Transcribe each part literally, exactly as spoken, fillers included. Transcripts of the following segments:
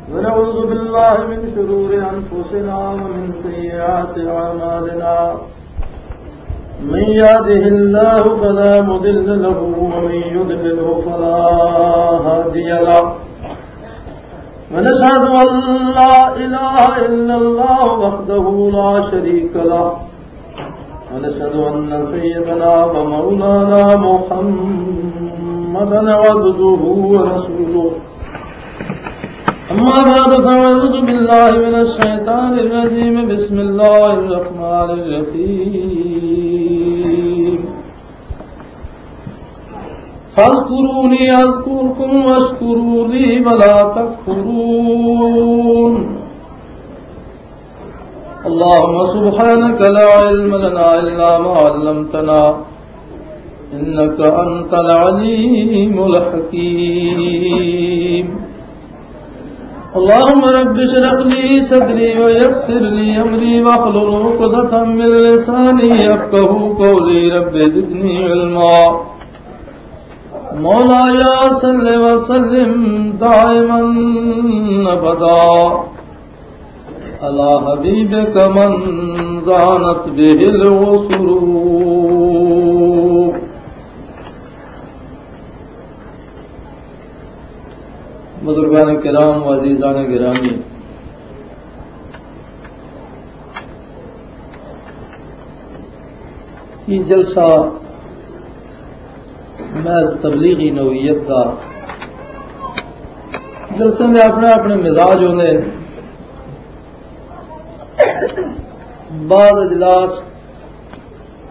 ونعوذ بالله من شرور أنفسنا ومن سيئات أعمالنا. من يهده الله فلا مضل له ومن يضلله فلا هادي له. ونشهد أن لا إله إلا الله وحده لا شريك له. ونشهد أن سيدنا ومولانا محمدا عبده ورسوله. أما بعد، فأعوذ بالله من الشيطان الرجيم. بسم الله الرحمن الرحيم. فاذكروني أذكركم واشكروا لي ولا تكفرون. اللهم سبحانك لا علم لنا إلا ما علمتنا إنك أنت العليم الحكيم. اللهم رب اشرح لي صدري ويسر لي أمري واحلل عقدة من لساني يفقهوا قولي. رب زدني علما. مولاي صل وسلم دائما أبدا على حبيبك من زانت به العصر. بزرگان کرام و عزیزان گرامی، یہ جلسہ محض تبلیغی نوعیت دا۔ جلسے دے اپنے اپنے مزاج ہوندے ہیں۔ بعض اجلاس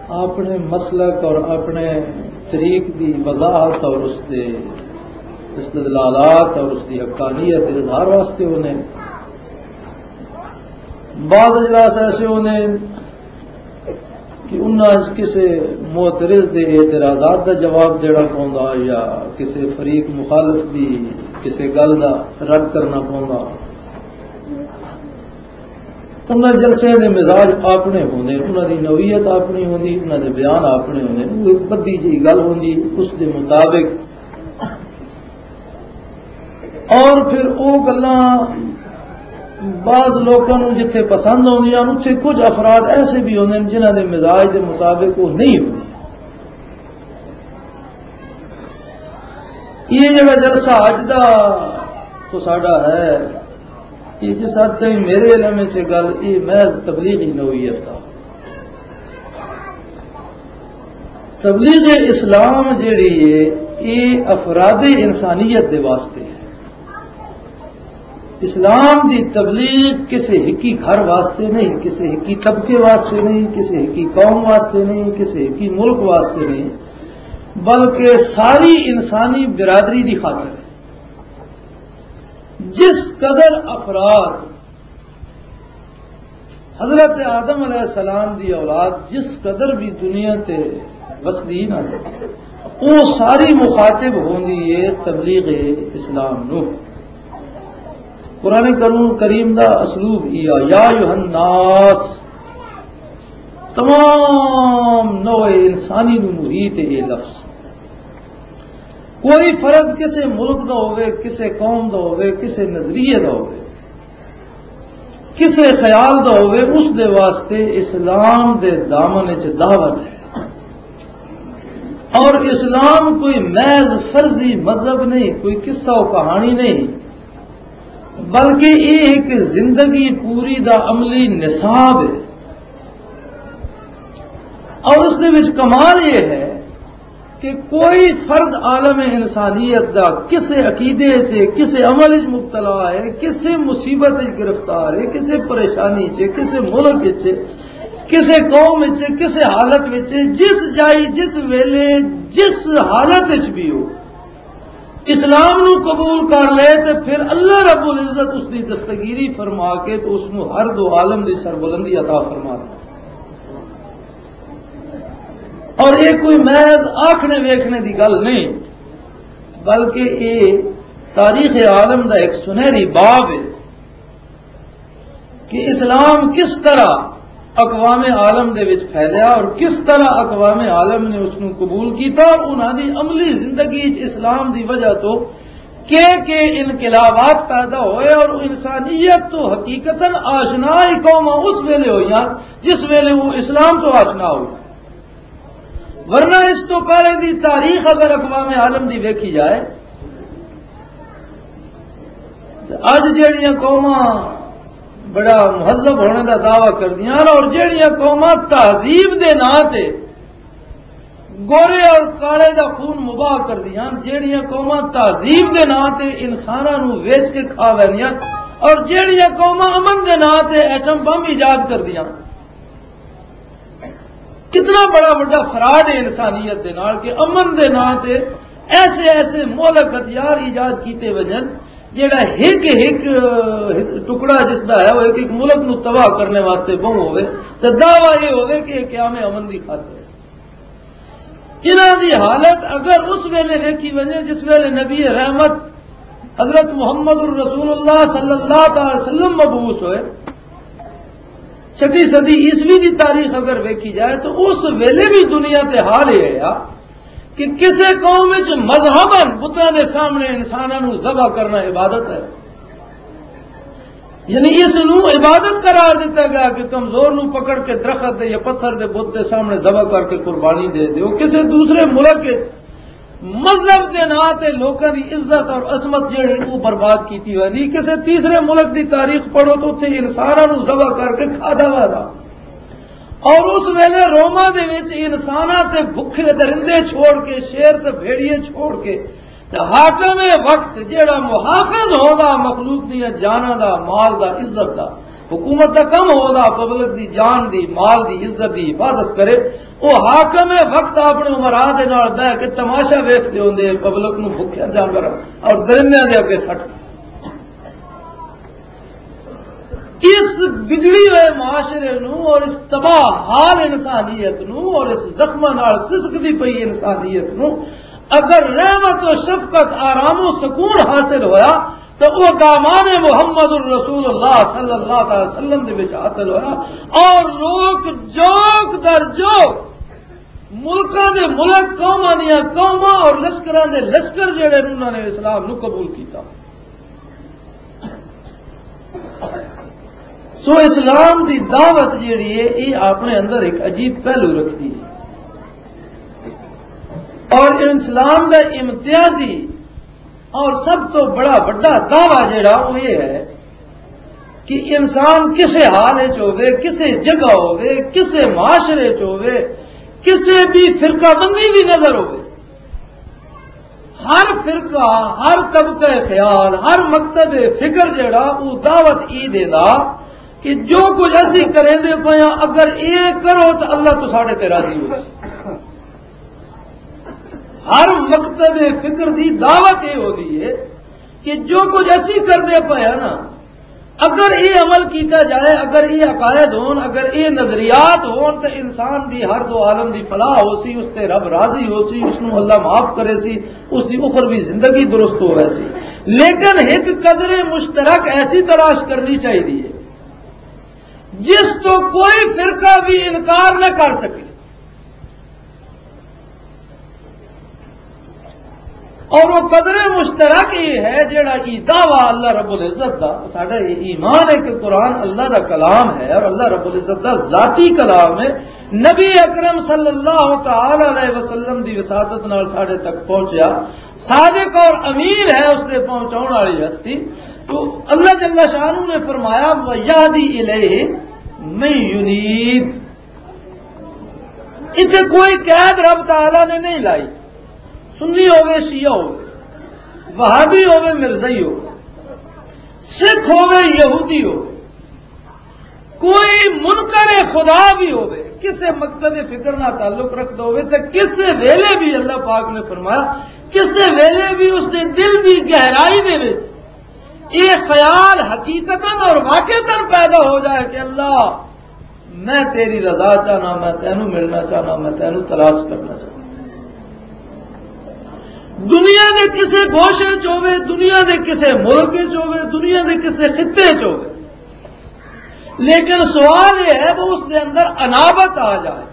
اپنے مسلک اور اپنے طریق دی وضاحت اور اس دے استدلالات اور اس دی حقانیت دے اظہار واسطے ہوندے ہیں۔ بعض اجلاس ایسے ہوندے ہیں کہ انہاں وچ کسے معترض دے اعتراضات دا جواب دینا پوندا یا کسے فریق مخالف دی کسے گل دا رد کرنا پوندا۔ انہاں جلسیاں دے مزاج اپنے ہوندے، انہاں دی نوعیت اپنی ہوندی، انہاں دے بیان اپنے ہوندے۔ وہ ایک بدی جی گل ہوندی، اس دے مطابق۔ اور پھر وہ گلاں بعض لوکاں نوں جتھے پسند ہوندیاں، اتھے کچھ افراد ایسے بھی ہوندے نے جنہاں دے مزاج دے مطابق وہ نہیں ہوندی۔ یہ جڑا جلسہ اج دا تو ساڈا ہے، یہ جس حد تائیں میرے علم وچ یہ گل، یہ محض تبلیغی نوعیت دا۔ تبلیغ اسلام جڑی ہے، یہ افراد انسانیت دے واسطے ہے۔ اسلام دی تبلیغ کسے ہکی گھر واسطے نہیں، کسے ہکی طبقے واسطے نہیں، کسے ہکی قوم واسطے نہیں، کسے ہکی ملک واسطے نہیں، بلکہ ساری انسانی برادری دی خاطر ہے۔ جس قدر افراد حضرت آدم علیہ السلام دی اولاد جس قدر بھی دنیا تے وسدی نا، وہ ساری مخاطب ہوندی ہے تبلیغ اسلام نو۔ قرآن کرو-، کریم دا اسلوب یہ آ، یا ایھا الناس، تمام نوع انسانی نو محیط ہے یہ لفظ۔ کوئی فرد کسے ملک دا ہوئے، کسے قوم دا ہوئے، کسے نظریے دا ہوئے، کسے خیال دا ہوئے، اس دے واسطے اسلام دے دامن وچ دعوت ہے۔ اور اسلام کوئی محض فرضی مذہب نہیں، کوئی قصہ و کہانی نہیں، بلکہ یہ ایک زندگی پوری دا عملی نصاب ہے۔ اور اس دے وچ کمال یہ ہے کہ کوئی فرد عالم انسانیت دا کسے عقیدے چ، کسے عمل وچ مبتلا ہے، کسے مصیبت وچ گرفتار ہے، کسے پریشانی چ، کسے ملک وچ، کسے قوم وچ، کسے حالت وچ، جس جائی، جس ویلے، جس حالت وچ بھی ہو، اسلام نو قبول کر لے تے پھر اللہ رب العزت اس دی دستگیری فرما کے تو اس نو ہر دو عالم دی سربلندی عطا فرما دے۔ اور یہ کوئی محض آکھنے ویکھنے دی گل نہیں، بلکہ یہ تاریخ عالم دا ایک سنہری باب ہے کہ اسلام کس طرح اقوام عالم دے وچ پھیلیا اور کس طرح اقوام عالم نے اس نوں قبول کیتا اور انہاں دی عملی زندگی وچ اسلام دی وجہ تو کہ کہ انقلابات پیدا ہوئے اور انسانیت تو حقیقتاً آشنا ہی قوماں اس ویلے ہوئیاں جس ویلے وہ اسلام تو آشنا ہوئی۔ ورنہ اس تو پہلے دی تاریخ اگر اقوام عالم دی ویکھی جائے، تے اج جہڑیاں قوماں بڑا مہذب ہونے دا دعویٰ کردیاں اور جہڑیاں قوماں تہذیب دے ناں تے گورے اور کالے دا خون مباح کردیاں، جہڑیاں قوماں تہذیب دے ناں تے انساناں نوں ویچ کے کھا ویندیاں اور جہڑیاں قوماں امن دے ناں تے ایٹم بم ایجاد کردیاں، کتنا بڑا وڈا فراڈ ہے انسانیت دے نال کہ امن دے ناں تے ایسے ایسے مہلک ہتھیار ایجاد کیتے وجن، جیڑا ہک ہک ٹکڑا جس دا ہے وہ ایک ایک ملک نو تباہ کرنے واسطے بہوں ہوئے، تے دعویٰ یہ ہوئے کہ یہ قیام امن دی خاطر ہے۔ انہاں دی حالت اگر اس ویلے ویکھی ونجے جس ویلے نبی رحمت حضرت محمد الرسول اللہ صلی اللہ تعالی وسلم مبعوث ہوئے، چھٹی صدی عیسوی دی تاریخ اگر ویکھی جائے تو اس ویلے بھی دنیا تے حال یہ ہے کہ کسے قوم وچ مذہباً بتاں دے سامنے انساناں نوں ذبح کرنا عبادت ہے۔ یعنی اس نوں عبادت قرار دتا گیا کہ کمزور نوں پکڑ کے درخت دے یا پتھر دے بت دے سامنے ذبح کر کے قربانی دے دیو۔ کسے دوسرے ملک وچ مذہب دے ناں تے لوکاں دی عزت اور عصمت جہڑی او برباد کیتی ہوئی نہیں۔ کسے تیسرے ملک دی تاریخ پڑھو تو اتھے انساناں نوں ذبح کر کے کھادا ہوا تھا۔ اور اس ویلے روما دے وچ انساناں تے بھکھے درندے چھوڑ کے، شیر تے بھیڑیے چھوڑ کے، تے حاکم وقت جہڑا محافظ ہوندا مخلوق دیاں جاناں دا، مال دا، عزت دا، حکومت دا کم ہوندا پبلک دی جان دی، مال دی، عزت دی حفاظت کرے، او حاکم وقت اپنے امراء دے نال بہ کے تماشا ویکھدے ہوندے پبلک نوں بھکھے جانور اور درندیاں دے اگے سٹ۔ اس بگڑی ہوئے معاشرے نو اور اس تباہ حال انسانیت نو اور اس زخماں نال سسکدی پئی انسانیت نو اگر رحمت و شفقت، آرام و سکون حاصل ہویا تو وہ دامان محمد الرسول اللہ صلی اللہ علیہ وسلم دے وچ حاصل ہویا۔ اور لوگ جوک در جوک، ملکاں دے ملک، قوماں دیاں قوماں اور لشکراں دے لشکر جڑے نے، انہاں نے اسلام نو قبول کیتا۔ سو اسلام دی دعوت جیڑی ہے، یہ اپنے اندر ایک عجیب پہلو رکھتی ہے۔ اور اسلام دا امتیازی اور سب تو بڑا وڈا دعویٰ جیڑا وہ یہ ہے کہ انسان کسے حال وچ ہوے، کسے جگہ ہوے، کسے معاشرے وچ ہوے، کسے بھی فرقہ بندی بھی نظر ہوے، ہر فرقہ، ہر طبقہ خیال، ہر مکتب فکر جڑا، وہ دعوت ای دیندا کہ جو کچھ اسی کریندے پئے ہاں، اگر اے کرو تو اللہ تو ساڈے تے راضی ہو۔ ہر مکتب فکر دی دعوت اے ہوندی ہے کہ جو کچھ اسی کردے پئے ہاں نا، اگر یہ عمل کیتا جائے، اگر یہ عقائد ہون، اگر یہ نظریات ہون، تو انسان دی ہر دو عالم دی فلاح ہو سی، اس تے رب راضی ہو سی، اس نو اللہ معاف کرے سی، اس دی اخروی زندگی درست ہو سی۔ لیکن ایک قدر مشترک ایسی تلاش کرنی چاہیے جس تو کوئی فرقہ بھی انکار نہ کر سکے۔ اور وہ قدر مشترک یہ ہے جڑا ای دعویٰ اللہ رب العزت دا، ساڈا یہ ایمان ہے کہ قرآن اللہ دا کلام ہے اور اللہ رب العزت دا ذاتی کلام ہے۔ نبی اکرم صلی اللہ تعالی علیہ وسلم دی وساطت نال ساڈے تک پہنچیا، صادق اور امین ہے اس دے پہنچاؤن والی ہستی۔ تو اللہ جل شانہ نے فرمایا، "وَيَهْدِي إِلَيْهِ مَن يُنِيبُ۔" اتنے کوئی قید رب تعالیٰ نے نہیں لائی، سنی ہوے، شیعہ ہوے، وہابی ہوے، مرزائی ہوے، سکھ ہوے، یہودی ہوے، کوئی منکر خدا بھی ہوے، کسے مکتب فکر نہ تعلق رکھتا ہوے تو کسے ویلے بھی اللہ پاک نے فرمایا، کسے ویلے بھی اس دے دل دی گہرائی دے وچ یہ خیال حقیقتاً اور واقعتاً پیدا ہو جائے کہ اللہ، میں تیری رضا چاہنا، میں تینوں ملنا چاہنا، میں تینوں تلاش کرنا چاہنا۔ دنیا دے کسے گوشے چ ہوے، دنیا دے کسے ملک چ ہوے، دنیا دے کسے خطے چ ہوے، لیکن سوال یہ ہے وہ اس دے اندر انابت آ جائے۔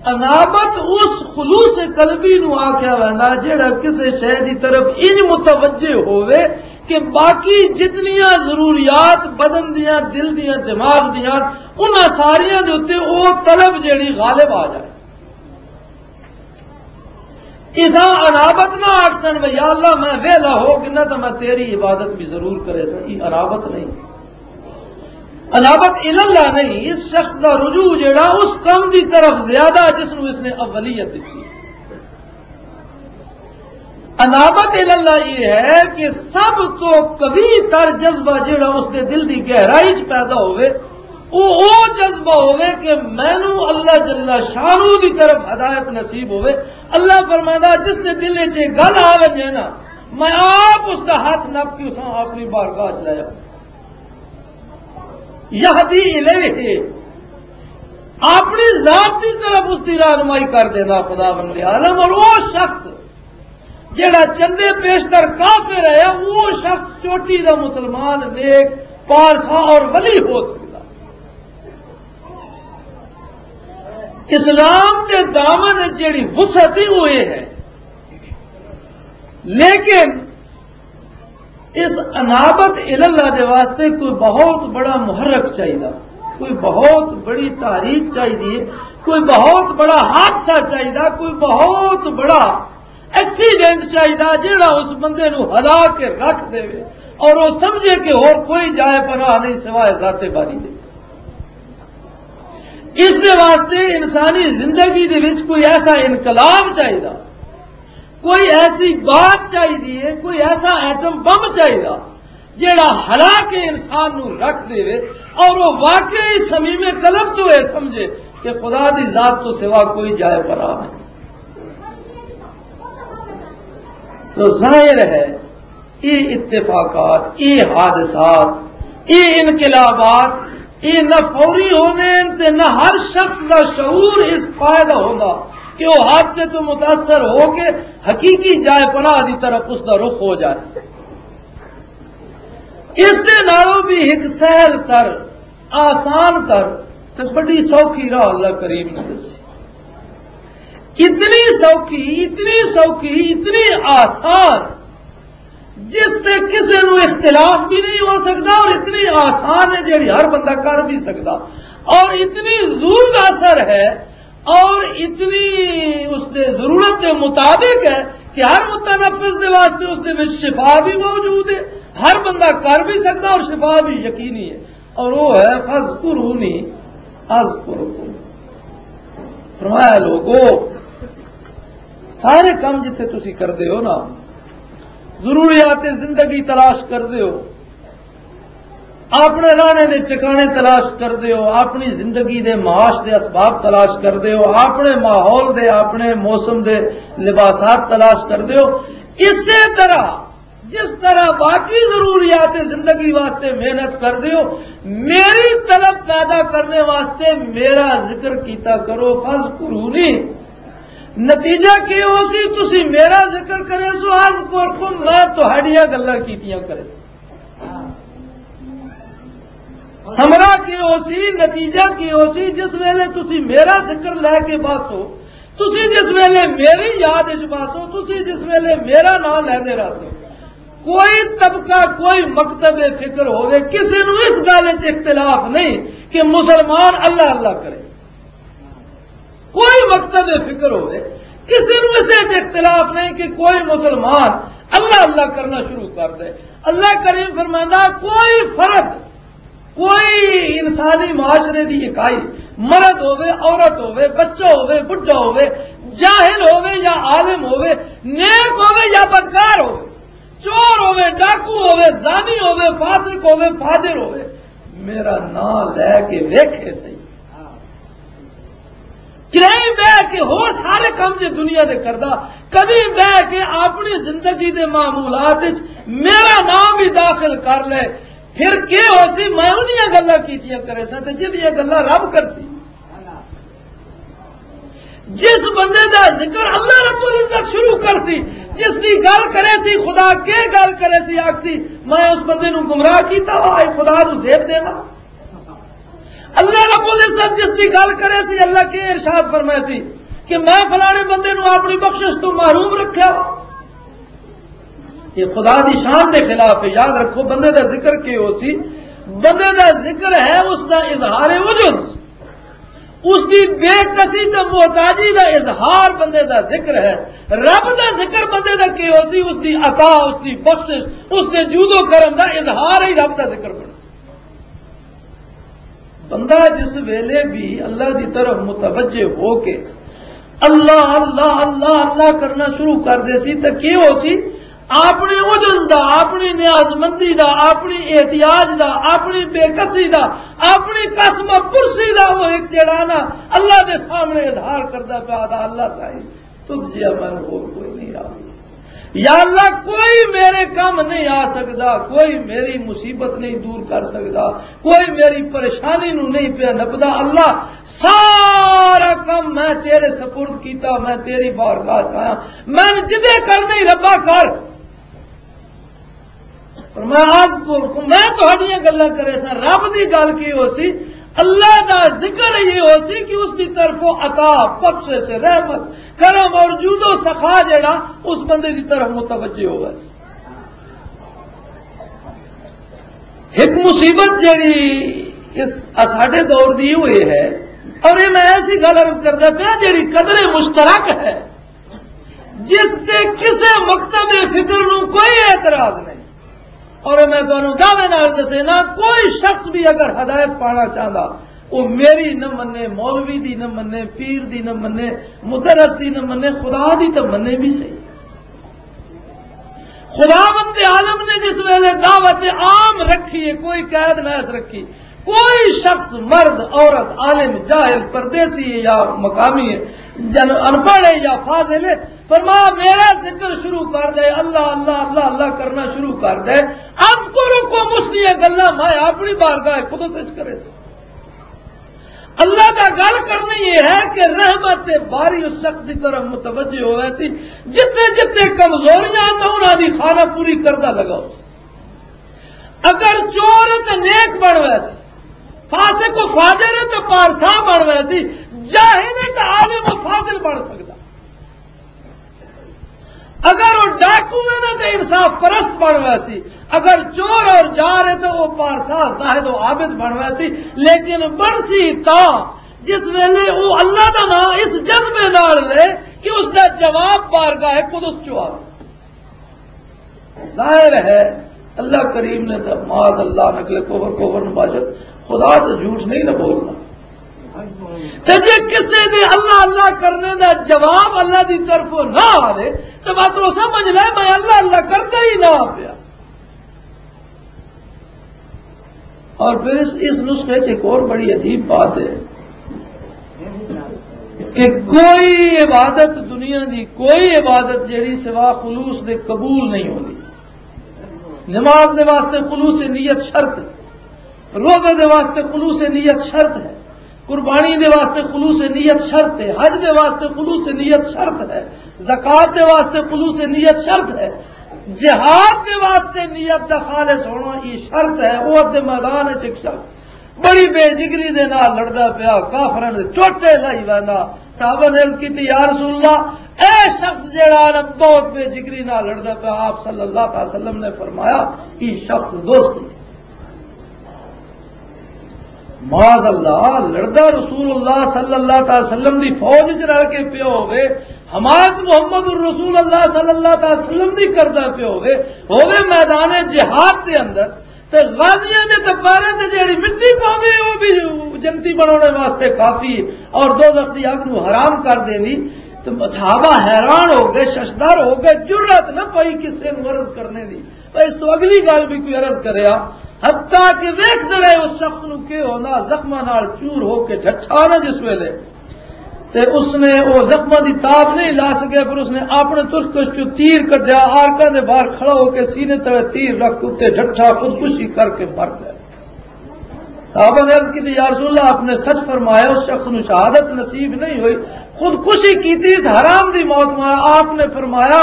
انابت اس خلوص قلبی نو آکھیا ویندا جڑا کسے شے دی طرف انج متوجہ ہووے کہ باقی جتنیاں ضروریات بدن دیاں، دل دیاں، دماغ دیاں، انہاں ساریاں دے اُتے او طلب جڑی غالب آ جائے۔ اساں انابت نہ آکھسن، "وے یا اللہ، میں ویلا ہو گنا تو میں تیری عبادت بھی ضرور کرے سا۔" یہ انابت نہیں۔ انابت الاللہ نہیں، اس شخص دا رجوع جڑا اس کم دی طرف زیادہ جس نو اس نے اولیت دیتی۔ انابت الاللہ یہ ہے کہ سب تو قوی تر جذبہ جڑا اس دے دل دی گہرائی چ پیدا ہوئے، او او جذبہ ہوئے کہ مینوں اللہ جل شانہ دی طرف ہدایت نصیب ہوئے۔ اللہ فرماتا، جس دے دل وچ یہ گل آ ونجے نا، میں آپ اس دا ہاتھ نپ کے اساں اپنی بارگاہ چ لے آؤں۔ یہدی الیہ، اپنی ذات کی طرف اس کی رہنمائی کر دینا خداوند عالم۔ اور وہ شخص جڑا چندے پیشتر کافر ہے، وہ شخص چوٹی دا مسلمان، نیک، پارسا اور ولی ہو سکتا۔ اسلام دے دامن وچ جڑی وسعت ہے، وہ یہ ہے۔ لیکن اس انابت الاللہ دے واسطے کوئی بہت بڑا محرک چاہیدا، کوئی بہت بڑی تحریک چاہیدی ہے، کوئی بہت بڑا حادثہ چاہیدا، کوئی بہت بڑا ایکسیڈنٹ چاہیدا، جیڑا اس بندے نو ہلا کے رکھ دے اور وہ سمجھے کہ اور کوئی جائے پناہ نہیں سوائے ذات باری دے۔ اس دے واسطے انسانی زندگی دے وچ کوئی ایسا انقلاب چاہیدا، کوئی ایسی بات چاہیدی ہے، کوئی ایسا ایٹم بم چاہیدا جیڑا ہلا کے انسان نو رکھ دے اور وہ واقعی صمیم قلب تو یہ سمجھے کہ خدا دی ذات تو سوا کوئی جائے پناہ نہیں۔ تو ظاہر ہے، یہ اتفاقات، یہ حادثات، یہ انقلابات، یہ نہ فوری ہونے تے نہ ہر شخص دا شعور اس فائدہ ہوندا کہ وہ حادثے تو متاثر ہو کے حقیقی جائے پناہ دی طرف اس دا رخ ہو جائے۔ اس دے نالوں بھی ایک سہل تر، آسان تر تے بڑی سوکھی راہ اللہ کریم نے دسی۔ اتنی سوکھی، اتنی سوکھی، اتنی آسان، جس تے کسے نو اختلاف بھی نہیں ہو سکتا، اور اتنی آسان ہے جیڑی ہر بندہ کر بھی سکتا، اور اتنی زور اثر ہے، اور اتنی اس دے ضرورت دے مطابق ہے کہ ہر متنفس دے واسطے اس دے وچ شفا بھی موجود ہے، ہر بندہ کر بھی سکتا اور شفا بھی یقینی ہے۔ اور وہ ہے، "فَاذْكُرُونِي أَذْكُرْكُمْ۔" فرمایا، لوگو، سارے کام جتھے تسی کردے ہو نا، ضروریات زندگی تلاش کردے ہو، اپنے رہنے دے ٹکانے تلاش کردے ہو، اپنی زندگی دے معاش دے اسباب تلاش کردے ہو، اپنے ماحول دے، اپنے موسم دے لباسات تلاش کردے ہو، اسی طرح جس طرح باقی ضروریات زندگی واسطے محنت کردے ہو، میری طلب پیدا کرنے واسطے میرا ذکر کیتا کرو۔ فَاذْكُرُونِي۔ نتیجہ کی ہو سی؟ تسی میرا ذکر کرے سو، اذکرکم، میں تہاڈیاں گلاں کیتیاں کرے سو۔ ثمرہ کی ہو سی؟ نتیجہ کی ہو سی؟ جس ویلے تسی میرا ذکر لے کے باسو، تسی جس ویلے میری یاد وچ باسو، تسی جس ویلے میرا نام لیندے رہتے ہو، کوئی طبقہ، کوئی مکتب فکر ہوے، کسی نو اس گل وچ اختلاف نہیں کہ مسلمان اللہ اللہ کرے۔ کوئی مکتب فکر ہوئے، کسی نو اس وچ اختلاف نہیں کہ کوئی مسلمان اللہ اللہ کرنا شروع کر دے۔ اللہ کریم فرماندا، کوئی فرد، کوئی انسانی معاشرے دی اکائی، مرد ہوئے، عورت ہوئے، بچہ ہوئے، بڈھا ہوئے، جاہل ہوئے یا عالم ہوئے، نیک ہوئے یا بدکار ہوئے، چور ہوئے، ڈاکو ہوئے، زانی ہوئے، فاسق ہوئے، فاجر ہوئے، میرا نام لے کے ویکھے صحیح۔ کہیں بہ کے ہور سارے کام جے دنیا دے کردا، کدی بہ کے اپنی زندگی دے معمولات وچ میرا نام بھی داخل کر لے، پھر کی ہو سی؟ میں انہیاں گلاں کیتیاں کرے سا تے جدیاں گلاں رب کر سی۔ جس بندے دا ذکر اللہ رب العزت شروع کر سی، جس دی گل کرے سی، خدا کے گل کرے سی، آکھ سی، میں اس بندے نو گمراہ کیتا وا، اے خدا نو زیب دینا۔ اللہ رب العزت جس دی گل کرے سی، اللہ کے ارشاد فرمائے سی کہ میں فلانے بندے نو اپنی بخشش تو محروم رکھیا وا۔ یہ خدا دی شان دے خلاف ہے۔ یاد رکھو، بندے دا ذکر کی ہو سی؟ بندے دا ذکر ہے اس دا اظہار عجز، اس دی بے کسی تے محتاجی دا اظہار بندے دا ذکر ہے۔ رب دا ذکر بندے دا کی ہو سی؟ اس دی عطا، اس دی بخشش، اس دے جود و کرم دا اظہار ہی رب دا ذکر بن سی۔ بندہ جس ویلے بھی اللہ دی طرف متوجہ ہو کے اللہ، اللہ، اللہ، اللہ کرنا شروع کر دے سی، تے کی ہو سی؟ اپنے عجز دا، اپنی نیاز مندی دا، اپنی احتیاج دا، اپنی بے کسی دا، اپنی قسم پرسی دا، وہ ایک جڑا نا اللہ دے سامنے اظہار کردا پیا دا، اللہ سائیں، تجھ جیا مینوں ہور کوئی نہیں آ۔ یا اللہ، کوئی میرے کم نہیں آ سکدا، کوئی میری مصیبت نہیں دور کر سکدا، کوئی میری پریشانی نو نہیں پیا نپدا۔ اللہ، سارا کم میں تیرے سپرد کیتا، میں تیری بارگاہ چ آیا، میں جدے کرنا ہی ربا کر۔ فرمایا، آج کو میں تہاڈیاں گلاں کرے سا، رب دی گل کی ہو سی؟ اللہ دا ذکر یہ ہو سی کہ اس دی طرفوں عطا، بخشش، رحمت، کرم اور جود و سخا جڑا اس بندے دی طرف متوجہ ہوگا سی۔ ایک مصیبت جڑی اس اساڈے دور دی ہوئی ہے، اور یہ میں ایسی گل عرض کردا پیا جڑی قدر مشترک ہے، جس تے کسے مکتب فکر نو کوئی اعتراض نہیں۔ اور میں تانوں دعوے نال دسے نا، کوئی شخص بھی اگر ہدایت پانا چاہندا، وہ میری نہ منے، مولوی دی نہ منے، پیر دی نہ منے، مدرس دی نہ منے، خدا دی تو منے بھی صحیح۔ خداوند عالم نے جس ویلے دعوت عام رکھی ہے، کوئی قید نہ اس رکھی، کوئی شخص، مرد، عورت، عالم، جاہل، پردیسی ہے یا مقامی ہے، جن ان پڑھ ہے یا فاضل ہے، فرمایا، میرا ذکر شروع کر دے، اللہ، اللہ، اللہ، اللہ کرنا شروع کر دے۔ اذکرکم، اس دیاں گلاں میں اپنی بارگاہ خود سچ کرے سی۔ اللہ دا گل کرنی یہ ہے کہ رحمت باری اس شخص دی طرف متوجہ ہوئے سی، جتنے جتنے کمزوریاں تو انہاں دی خانہ پوری کردہ لگاؤ۔ اگر چور ہے تو نیک بن ویسی، فاسق و فاجر ہے تو پارسا بن ویسی، جاہل ہے تو عالم و فاضل بن سکتا۔ اگر وہ ڈاکو ہے نا تو انصاف پرست بن ویسی، اگر چور اور جار ہے تو وہ پارسا زاہد و عابد بن ویسی، لیکن بن سی تا جس ویلے وہ اللہ دا نام اس جذبے نال لے کہ اس دا جواب بارگاہ قدس چ آوے۔ ظاہر ہے، اللہ کریم نے تو معاذ اللہ نقل کفر، کفر نباشد، خدا تو جھوٹ نہیں نہ بولنا۔ تے جے کسے دے اللہ اللہ کرنے دا جواب اللہ دی طرفوں نہ آوے، تو بات وہ سمجھ لے، میں اللہ اللہ کردا ہی نہ پیا۔ اور پھر اس، اس نسخے سے ایک اور بڑی عجیب بات ہے کہ کوئی عبادت، دنیا دی کوئی عبادت جڑی سوا خلوص دے قبول نہیں ہوندی۔ نماز دے واسطے خلوص نیت شرط ہے، روزے دے واسطے خلوص نیت شرط ہے، قربانی دے واسطے خلوص نیت شرط ہے، حج دے واسطے خلوص نیت شرط ہے، زکوٰۃ دے واسطے خلوص نیت شرط ہے، جہاد دے واسطے نیت دا خالص ہونا یہ شرط ہے۔ احد دے میدان وچ ایک شخص بڑی بے جگری دے نال لڑدا پیا، کافراں دے چوٹے لائی ویندا۔ صحابہ نے عرض کیتی، یا رسول اللہ، اے شخص جیڑا نا بہت بے جگری نال لڑدا پیا۔ آپ صلی اللہ تعالی وسلم نے فرمایا، یہ شخص دوست معاذ اللہ، لڑدا رسول اللہ صلی اللہ تعالی وسلم دی فوج وچ رل کے پیا ہوے، حمایت محمد الرسول اللہ صلی اللہ تعالی وسلم دی کردا پیا ہوے، ہوے میدان جہاد دے اندر، تے غازیاں دے تپارے تے جیڑی مٹی پاوے، او بھی جنتی بناونے واسطے کافی ہے، اور دوزخ دی اگ نو حرام کر دینی۔ تے صحابہ حیران ہو گئے، ششدر ہو گئے، جرأت نہ پئی کسے نو عرض کرنے دی۔ پر اس تو اگلی گل بھی کوئی عرض کریا، حتیٰ کہ ویکھدے رہے اس شخص نو کہ ہونا زخماں نال چور ہو کے جھٹھا نہ جس ویلے، تے اس نے او زخماں دی تاب نہیں لا سکیا، پھر اس نے اپنے ترکش چوں تیر کڈیا، آرکاں دے باہر کھڑا ہو کے سینے تلے تیر رکھ کے اتے جھٹھا خودکشی کر کے مر گیا۔ صحابہ نے عرض کی تھی، یا رسول اللہ، آپ نے سچ فرمایا، اس شخص نو شہادت نصیب نہیں ہوئی، خودکشی کی تھی، اس حرام دی موت میں۔ آپ نے فرمایا،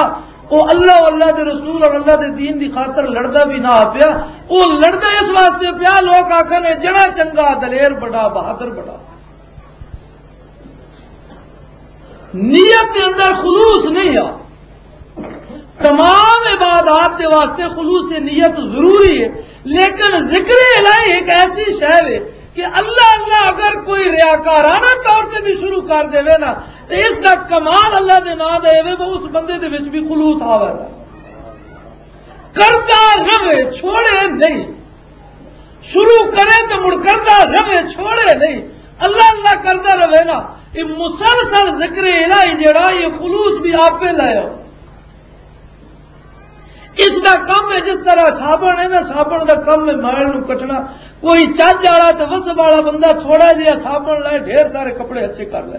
وہ اللہ، اللہ دے رسول اور اللہ دے دین دی خاطر لڑدا بھی نہ پیا۔ وہ لڑدا اس واسطے پیا، لوگ آکھن، "اے جڑا چنگا، دلیر بڑا، بہادر بڑا۔" نیت دے اندر خلوص نہیں آ۔ تمام عبادات دے واسطے خلوص نیت ضروری ہے، لیکن ذکر الہی ایک ایسی شے ہے کہ اللہ، اللہ اگر کوئی ریاکارانہ طور تے بھی شروع کر دے نا، تے اس دا کمال اللہ دے نام دے وے، وہ اس بندے دے وچ بھی خلوص آوے گا۔ کردا رہے، چھوڑے نہیں۔ شروع کرے تے مڑ کردا رہے، چھوڑے نہیں۔ اللہ اللہ کردا رہے نا، یہ مسلسل ذکر الہی جڑا، یہ خلوص بھی آپے لے آؤ۔ اس دا کم ہے، جس طرح صابن ہے نا، صابن دا کم ہے مائل نو کٹنا۔ کوئی چج والا تے وسب والا بندہ تھوڑا جہا صابن لائے، ڈھیر سارے کپڑے اچھے کر لے۔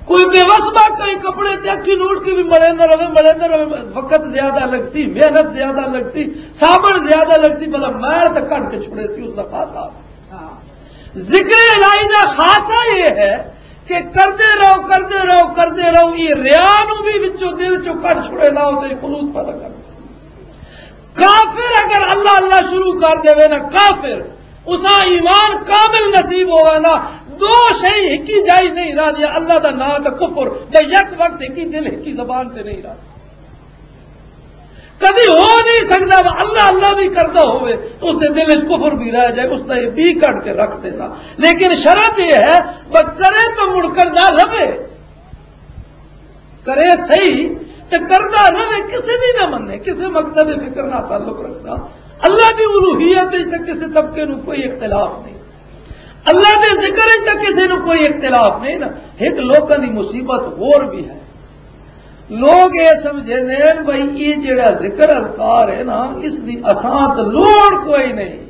کوئی بے وسبا کئی کپڑے تے اکھی نوڑ کے بھی ملیندا رہے، ملیندا رہے، وقت زیادہ لگ سی، محنت زیادہ لگ سی، صابن زیادہ لگ سی، بھلا میل تے کڈ کے چھڑے سی اس دا خاصا۔ ذکر الہی دا خاصا یہ ہے کہ کردے رہو، کردے رہو، کردے رہو، یہ ریا نو بھی وچوں دل چوں کڈ چھڑے، نہ اسے خلوص پیدا کر۔ کافر اگر اللہ اللہ شروع کر دے نا، کافر اسا ایمان کامل نصیب ہوئے نا، دو شئی ہکی جائی نہیں رہدی، اللہ دا نام تے کفر، تے یک وقت ہکی دل ہکی زبان تے نہیں رہدا۔ کدی ہو نہیں سکدا وہ اللہ اللہ بھی کردا ہوئے، اس دے دل وچ کفر بھی رہ جائے، اس دا یہ بھی کڈ کے رکھ دینا۔ لیکن شرط یہ ہے، بس کرے تو مڑ کردا رہے۔ کرے صحیح تے کردا رہے، کسے دی نہ منے، کسے مکتب فکر نہ تعلق رکھدا۔ اللہ دی الوہیت وچ تے کسے طبقے نو کوئی اختلاف نہیں، اللہ دے ذکر وچ تے کسے نو کوئی اختلاف نہیں نا۔ ایک لوکاں دی مصیبت ہور بھی ہے، لوگ یہ سمجھے نے بھائی یہ جڑا ذکر اذکار ہے نا، اس دی اساں تے لوڑ کوئی نہیں۔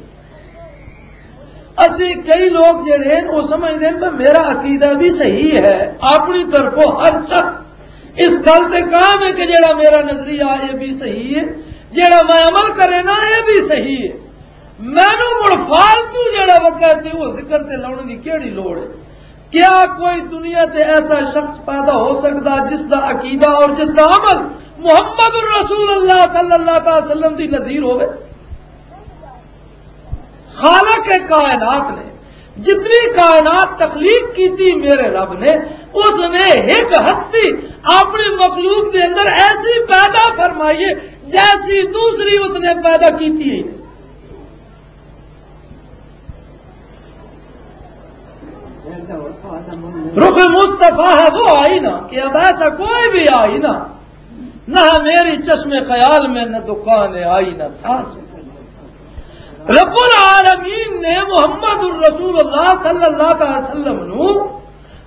اسی کئی لوگ جڑے ہیں، وہ سمجھتے ہیں کہ میرا عقیدہ بھی صحیح ہے۔ اپنی طرفوں ہر شخص اس گل تے قائم ہے کہ جڑا میرا نظریہ یہ بھی صحیح ہے، جڑا میں عمل کرے نا یہ بھی صحیح ہے۔ مینوں مڑ فالتو جڑا وقت ہے وہ ذکر تے لاؤن دی کیڑی لوڑ ہے؟ کیا کوئی دنیا تے ایسا شخص پیدا ہو سکتا جس دا عقیدہ اور جس دا عمل محمد الرسول اللہ صلی اللہ تعالی وسلم دی نظیر ہوئے؟ خالق کائنات نے جتنی کائنات تخلیق کی تھی میرے رب نے، اس نے ایک ہستی اپنی مخلوق کے اندر ایسی پیدا فرمائی ہے جیسی دوسری اس نے پیدا کی تھی ہی نہیں۔ رخ مصطفیٰ ہے وہ آئینہ کہ اب ایسا کوئی بھی آئینہ نہ ہے میری چشم خیال میں، نہ دکان آئی، نہ سانس میں۔ رب العالمین نے محمد الرسول اللہ صلی اللہ علیہ وسلم نو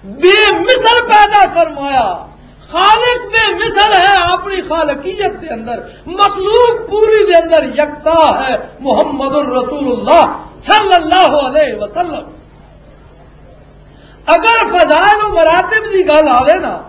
بے مثل پیدا فرمایا۔ خالق بے مثل ہے اپنی خالقیت کے اندر، مخلوق پوری کے اندر یکتا ہے محمد الرسول اللہ صلی اللہ علیہ وسلم۔ اگر فضائل و مراتب دی گل آوے نا،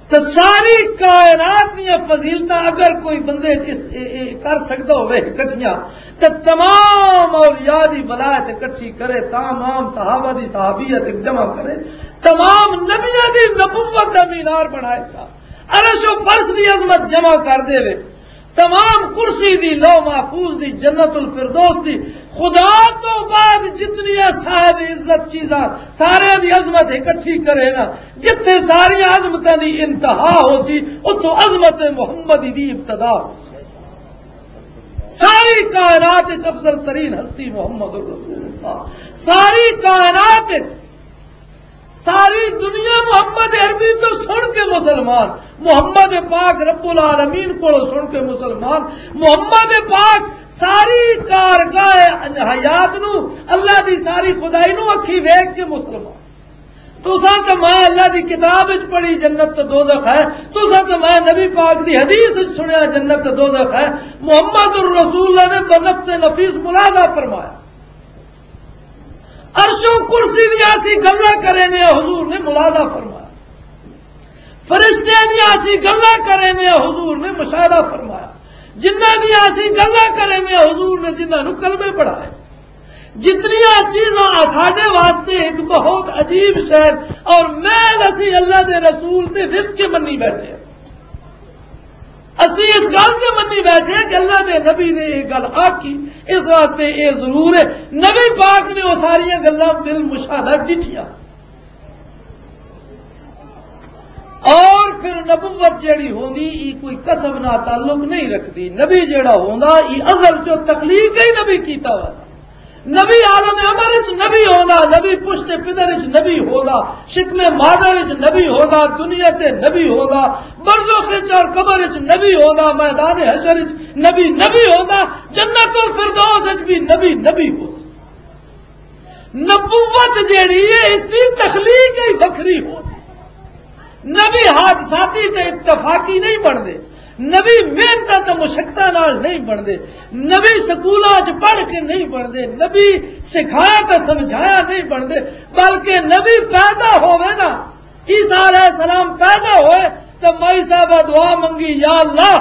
تو ساری کائنات دیا فضیلتاں اگر کوئی بندے اس، اے، اے کر سکتا ہوئے اکٹھیاں، تو تمام اولیاء دی ولایت اکٹھی کرے، تمام صحابہ دی صحابیت ایک جمع کرے، تمام نبیاں دی نبوت دا مینار بنائے سا، عرش و فرش دی عظمت جمع کر دے وے، تمام کرسی دی، لوح محفوظ دی، جنت الفردوس دی، خدا تو بعد جتنی صاحب عزت چیزاں سارے دی عظمت اکٹھی کرے نا، جتھے ساری عظمتاں دی انتہا ہو سی، اتھوں عظمت محمد دی ابتدا ہو سی۔ ساری کائنات وچ افضل ترین ہستی محمد الرسول اللہ۔ ساری کائنات وچ ساری دنیا محمد عربی تو سن کے مسلمان، محمد پاک رب العالمین کو سن کے مسلمان، محمد پاک ساری کارگاہ حیات نو، اللہ دی ساری خدائی نو اکھی ویکھ کے مسلمان۔ تساں تے میں اللہ دی کتاب وچ پڑھی جنت تے دوزخ ہے، تساں تے میں نبی پاک دی حدیث وچ سنیا جنت تے دوزخ ہے۔ محمد الرسول اللہ نے بنفس نفیس ملاحظہ فرمایا۔ عرش و کرسی دیا اسی گلاں کرے نے، حضور نے ملاحظہ فرمایا۔ فرشتیاں دیا اسی گلاں کرے نے، حضور نے مشاہدہ فرمایا۔ جنہاں دیا اسی گلاں کرے نے، حضور نے جنہاں نو کلمے پڑھائے۔ جتنیاں چیزاں ساڈے واسطے ایک بہت عجیب شہر، اور میں اسی اللہ دے رسول دے رزق کے منی بیٹھے ہیں۔ اسی اس گل کے منی بیٹھے ہیں کہ اللہ دے نبی نے یہ گل آکی، اس واسطے یہ ضرور ہے، نبی پاک نے وہ ساریاں گلاں بالمشاہدہ ڈٹھیاں۔ اور پھر نبوت جیڑی ہوندی، ای کوئی کسب نہ تعلق نہیں رکھدی۔ نبی جیڑا ہوندا، ای ازل چو تخلیق ہی نبی کیتا ہوا۔ نبی عالم امر وچ نبی ہوندا، نبی پشت پدر وچ نبی ہوندا، شکم مادر وچ نبی ہوندا، دنیا تے نبی ہوندا، برزخ وچ اور قبر وچ نبی ہوندا، میدان حشر وچ نبی نبی ہوندا، جنت الفردوس وچ بھی نبی نبی ہوندا۔ نبوت جیڑی ہے، اس دی تخلیق ہی وکھری ہو۔ نبی حادثاتی تے اتفاقی نہیں بندے، نبی محنت تے مشقتاں نال نہیں بندے، نبی سکولاں چ پڑھ کے نہیں بندے، نبی سکھایا تے سمجھایا نہیں بندے، بلکہ نبی پیدا ہوئے نا، عیسیٰ علیہ السلام پیدا ہوئے تو مائی صاحبہ دعا منگی، یا اللہ،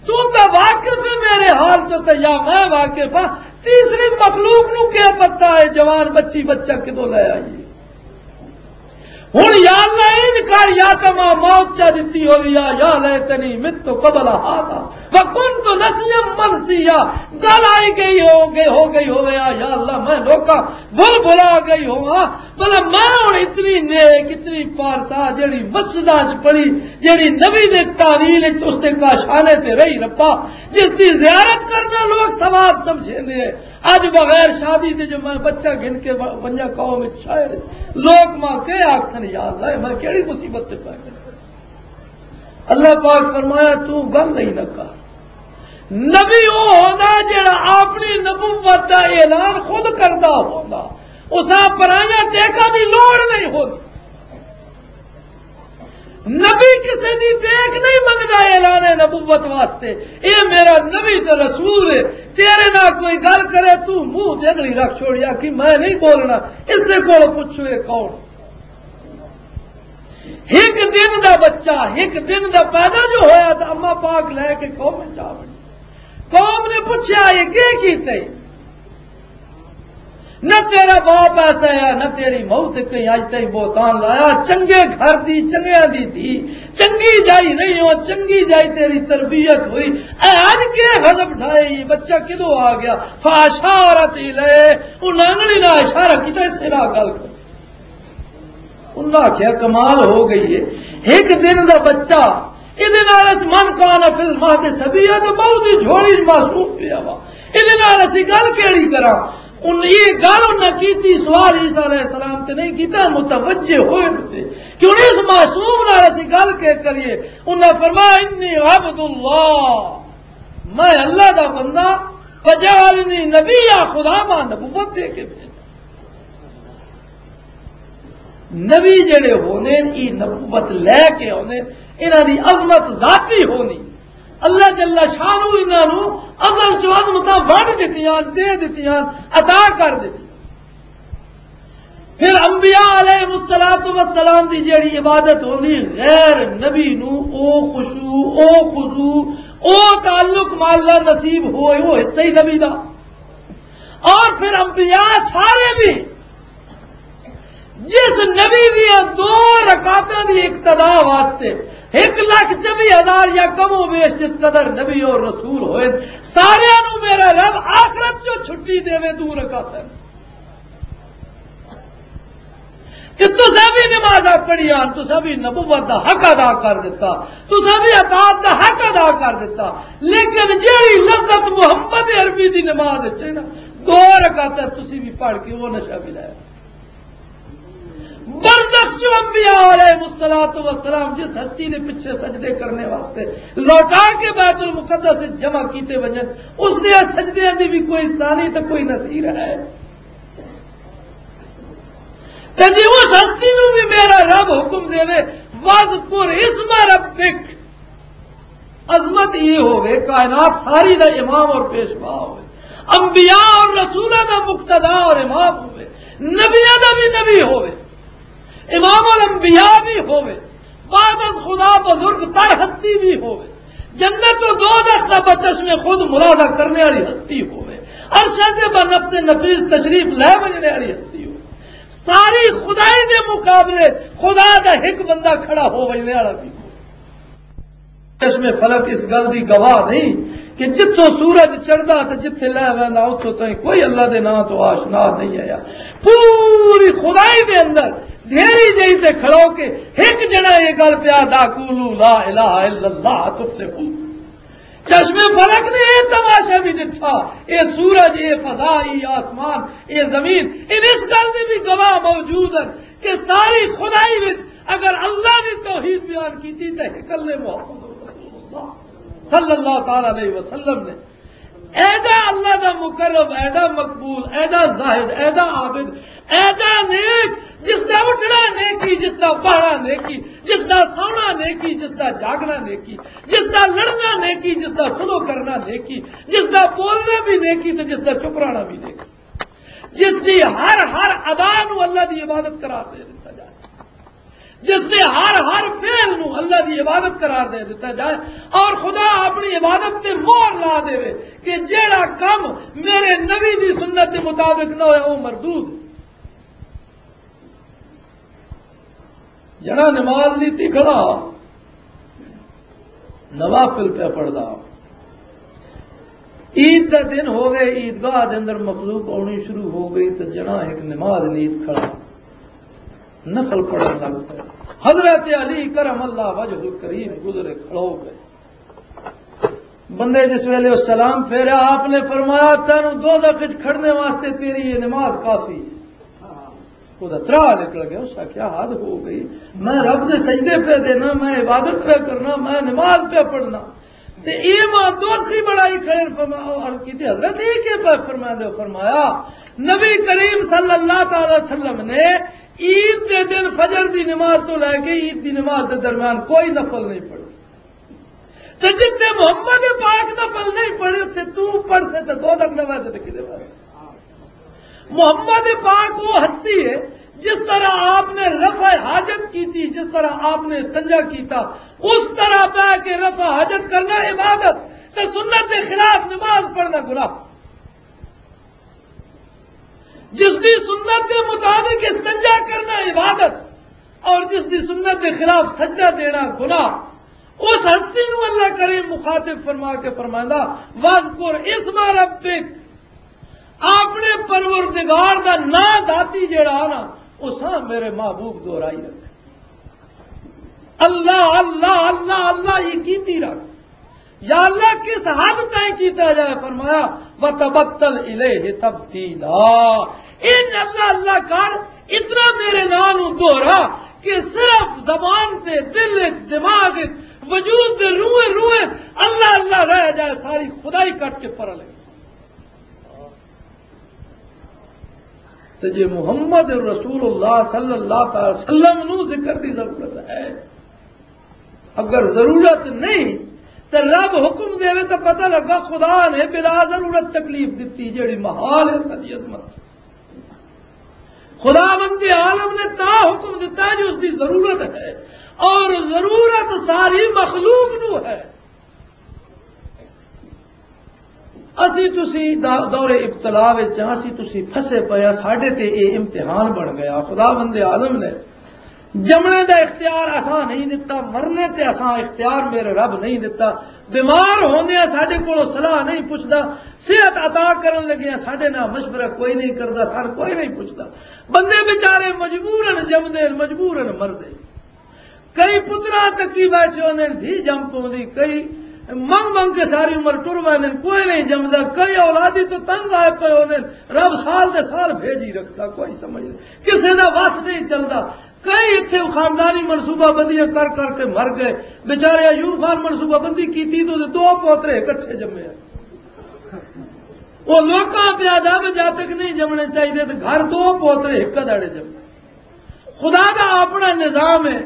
تو تے واقف ہے میرے حال تو، تے یا میں واقف ہاں، تیسری مخلوق نو کیا پتہ ہے جوان بچی بچہ کدوں لے آئی ہے؟ ہن یا اللہ، ان کر، یا تے میں موت چا دتی ہوئی آ، یا لیتنی مت قبل ہذا وکنت نسیا منسیا۔ گل آئی گئی ہو گئی، ہو گئی ہوئے آ، یا اللہ، میں لوکاں بھل بھلا گئی ہوا، بھلا میں ہن اتنی نیک، اتنی پارسا، جیڑی مسجداں چ پڑھی، جیڑی نبی دے تعویل وچ اس دے کاشانے تے رہی رپا، جس دی زیارت کرنا لوگ ثواب سمجھیندے ہیں۔ اج بغیر شادی دے جو میں بچہ گھن کے و-، ونجا قوم وچ شاعر، لوگ ماں کے آکھسن، یا اللہ، میں کیڑی مصیبت تے پے گیا؟ اللہ پاک فرمایا، تو گل نہیں نہ کر۔ نبی وہ ہوتا جڑا اپنی نبوت دا اعلان خود کردا ہوتا، اساں پرائیاں ٹیکاں دی لوڑ نہیں ہوتی۔ نبی کسے دی ٹیک نہیں منگدا اعلان نبوت واسطے۔ اے میرا نبی تے رسول ہے، تیرے نال کوئی گل کرے، تو منہ تے انگلی رکھ چھوڑیا کہ میں نہیں بولنا، اس دے کول پوچھو یہ کون؟ ایک دن دا بچہ، ایک دن دا پیدا جو ہویا، تو اما پاک لے کے قوم وچ آ وڑی۔ قوم نے پوچھا، یہ کی کیتے؟ نہ تیرا باپ ایسا ہے، نہ تیری ماں تے کہیں اج تائیں بہتان لایا۔ چنگے گھر دی، چنگیاں دی دھی، چنگی جائی نہیں ہو، چنگی جائی تیری تربیت ہوئی۔ اے اج کے غضب ڈھائے، یہ بچہ کدوں آ گیا؟ فاشارت الیہ، انہاں نے نہ اشارہ کیتا، اس سے نہ گل کر۔ انہاں آکھیا، کمال ہو گئی ہے، ایک دن دا بچہ، ایدے نال اس من کان فی المہد صبیا، تے ماؤ دی جھولی وچ معصوم پیا وا، ایدے نال اسی گل کیڑی کراں؟ ان یہ گل انہاں کیتی، سوال عیسیٰ علیہ السلام تے نہیں کیتا، متوجہ ہوئے تے کہ ہن اس معصوم نال اسی گل کے کریے؟ انہاں فرمایا، انی عبد اللہ، میں اللہ دا بندہ، فجعلنی نبیا، خدا ماں نبوت دے کے بھیجا۔ نبی جڑے ہونے، ای نبوت لے کے ہونے، انہاں دی عظمت ذاتی ہونی۔ اللہ جل شانہ انہاں نو ازل چ عظمتاں ونڈ دتیاں، دے دتیاں، عطا کر دتیاں۔ پھر انبیاء علیہ الصلوۃ والسلام دی جڑی عبادت ہوندی، غیر نبی نو او خشوع، او خضوع، او تعلق مع اللہ نصیب ہوئے، او حصہ ہی نبی دا۔ اور پھر انبیاء سارے بھی جس نبی دیاں دو رکعتاں دی اقتدا واسطے ایک لاکھ چوبی ہزار یا کم و بیش جس قدر نبی اور رسول ہوئے، سارے نو میرا رب آخرت چو چھٹی دے، دو رکعتاں۔ کہ تساں بھی نمازاں پڑھیاں، تساں بھی نبوت دا حق ادا کر دیتا، تساں بھی اطاعت دا حق ادا کر دیتا، لیکن جیڑی لذت محمد عربی دی نماز وچ ہے نا، دو رکعتاں تسی بھی پڑھ کے وہ نشہ بھی لایا۔ برزخ چ انبیاء علیہ الصلوۃ والسلام جس ہستی دے پیچھے سجدے کرنے واسطے لوٹا کے بیت المقدس وچ جمع کیتے ونجن، اس دے سجدیاں دی بھی کوئی ثانی تے کوئی نظیر ہے؟ تے جے اس ہستی نو بھی میرا رب حکم دے، وَاذْكُرِ اسْمَ رَبِّكَ، عظمت یہ ہوئے، کائنات ساری دا امام اور پیشوا ہوئے، انبیاء اور رسولہ دا مقتدا اور امام ہوئے، نبیاں دا بھی نبی ہوئے، امام الانبیاء بھی ہوئے، بعد از خدا بزرگ تر ہستی بھی ہوئے، جنت و دوزخ دا بچشم خود ملاحظہ کرنے والی ہستی ہوئے، عرشاں تے بنفس نفیس تشریف لے وجنے والی ہستی ہو۔ ساری خدائی دے مقابلے خدا دا ایک بندہ کھڑا ہو وجنے والا بھی۔ چشم فلک اس گل دی گواہ نہیں کہ جتھوں سورج چڑھدا تے جتھے لے ویندا، اتھوں تائیں کوئی اللہ دے نام تو آشنا نہیں آیا۔ پوری خدائی دے اندر ڈھیری جئی تے کھڑو کے ایک جنا یہ گل پیا دا، "قولوا لا الہ الا اللہ تفلحوا۔" چشم فلک نے یہ تماشا بھی ڈٹھا، یہ سورج، یہ فضا، یہ آسمان، یہ زمین، ان اس گل دے بھی گواہ موجود ہیں کہ ساری خدائی وچ اگر اللہ دی توحید بیان کیتی تے اکلے محمد رسول اللہ صلی اللہ تعالی علیہ وسلم نے ایڈا اللہ دا مقرب، ایڈا مقبول، ایڈا زاہد، ایڈا عابد، ایڈا نیک، جس دا اٹھنا نیکی، جس دا بہنا نیکی، جس دا سونا نیکی، جس دا جاگنا نیکی، جس دا لڑنا نیکی، جس دا سلو کرنا نیکی، جس دا بولنا بھی نیکی تے جس دا چپ رہنا بھی نیکی، جس دی ہر ہر ادا نو اللہ دی عبادت قرار دے دتا جائے، جس دے ہر ہر فعل نو اللہ دی عبادت قرار دے دتا جائے، اور خدا اپنی عبادت تے مہر لا دے کہ جیڑا کم میرے نبی دی سنت دے مطابق نہ ہویا، وہ مردود۔ جڑا نماز نہیں تی کھڑا، نوافل پہ پڑھدا۔ عید دا دن ہووے، عیدگاہ دے اندر مخلوق آنی شروع ہو گئی تے جنا ایک نماز نیت کھڑا، نفل پڑھن لگ پیا۔ حضرت علی کرم اللہ وجہ الکریم گزرے، کھڑو گئے۔ بندے جس ویلے وہ سلام پھیرا، آپ نے فرمایا، "تینوں دوزخ وچ کھڑنے واسطے تیری یہ نماز کافی ہے۔" وہ ترا نکل گیا، اس کا کیا حد ہو گئی؟ میں رب دے سجدے پہ دینا، میں عبادت پہ کرنا، میں نماز پہ پڑھنا۔ تے اے ماں دوست کی بڑائی کھڑے فرما-، عرض کی تھی، "حضرت، یہ کیا پہ فرما دے ہو؟" فرمایا، نبی کریم صلی اللہ تعالی وسلم نے عید دے دن فجر دی نماز تو لے کے عید دی نماز دے درمیان کوئی نفل نہیں پڑھی۔ تے جتنے محمد پاک نفل نہیں پڑھے، تے تو پڑھ سے تے دو تک نہ ویسے تے کدے ویسے۔ محمد پاک وہ ہستی ہے، جس طرح آپ نے رفع حاجت کی تھی، جس طرح آپ نے استنجا کیتا، اس طرح بہ کے رفع حاجت کرنا عبادت، تے سنت کے خلاف نماز پڑھنا گناہ۔ جس دی سنت کے مطابق استنجا کرنا عبادت، اور جس دی سنت کے خلاف سجدہ دینا گناہ۔ اس ہستی نو اللہ کریم مخاطب فرما کے فرمائندا، "وَاذْكُرْ اسْمَ رَبِّكَ"، اپنے پروردگار دا نام ذاتی جڑا نا، او سا میرے محبوب دہرائی رکھ۔ اللہ، اللہ، اللہ، اللہ، یہ کیتی رکھ۔ یا اللہ، کس حد تائیں کیتا جائے؟ فرمایا، "وَتَبَتَّلْ إِلَيْهِ تَبْتِيلًا۔" ان اللہ اللہ کر، اتنا میرے نام نو دوہرا کہ صرف زبان تے، دل وچ، دماغ وچ، وجود دے روئے روئے اللہ اللہ رہ جائے، ساری خدائی کٹ کے پر لگے۔ تے جے محمد رسول اللہ صلی اللہ تعالی وسلم نو ذکر دی ضرورت ہے، اگر ضرورت نہیں تے رب حکم دے تو پتہ لگا خدا نے بلا ضرورت تکلیف دتی، جیڑی محال ہے ساری عظمت۔ خداوند عالم نے تا حکم دیتا جو اس کی ضرورت ہے، اور ضرورت ساری مخلوق نو ہے۔ اسی تسی دا-، دور ابتلا وچ ہاں، اسی تسی پھسے پئے ہاں، ساڈے تے اے امتحان بن گیا۔ خداوند عالم نے جمنے دا اختیار اساں نہیں دتا، مرنے تے اساں اختیار میرے رب نہیں دتا، بیمار ہوندے ساڈے کولوں صلاح نہیں پچھدا، صحت عطا کرن لگے ساڈے نال مشورہ کوئی نہیں کردا، سان کوئی نہیں پچھدا۔ بندے بیچارے مجبورن جمدے، مجبورن مردے۔ کئی پترا تکی بیٹھے ہوندے نے، دھی جم پوندی، کئی منگ منگ کے ساری عمر ٹر ویندے نے، کوئی نہیں جمدا، کئی اولادی تو تنگ آئے پے ہوندے نے، رب سال دے سال بھیج ہی رکھدا، کوئی سمجھ نہیں، کسے دا وس نہیں چلدا۔ کئی اتھے خاندانی منصوبہ بندیاں کر کر کے مر گئے، بیچارے ایوب خان منصوبہ بندی کیتی تو دو پوترے اکٹھے جمے۔ وہ لوکاں پیا دا جاتک نہیں جمنے چاہیے، تو گھر دو پوترے ایک داڑے جمے۔ خدا دا اپنا نظام ہے۔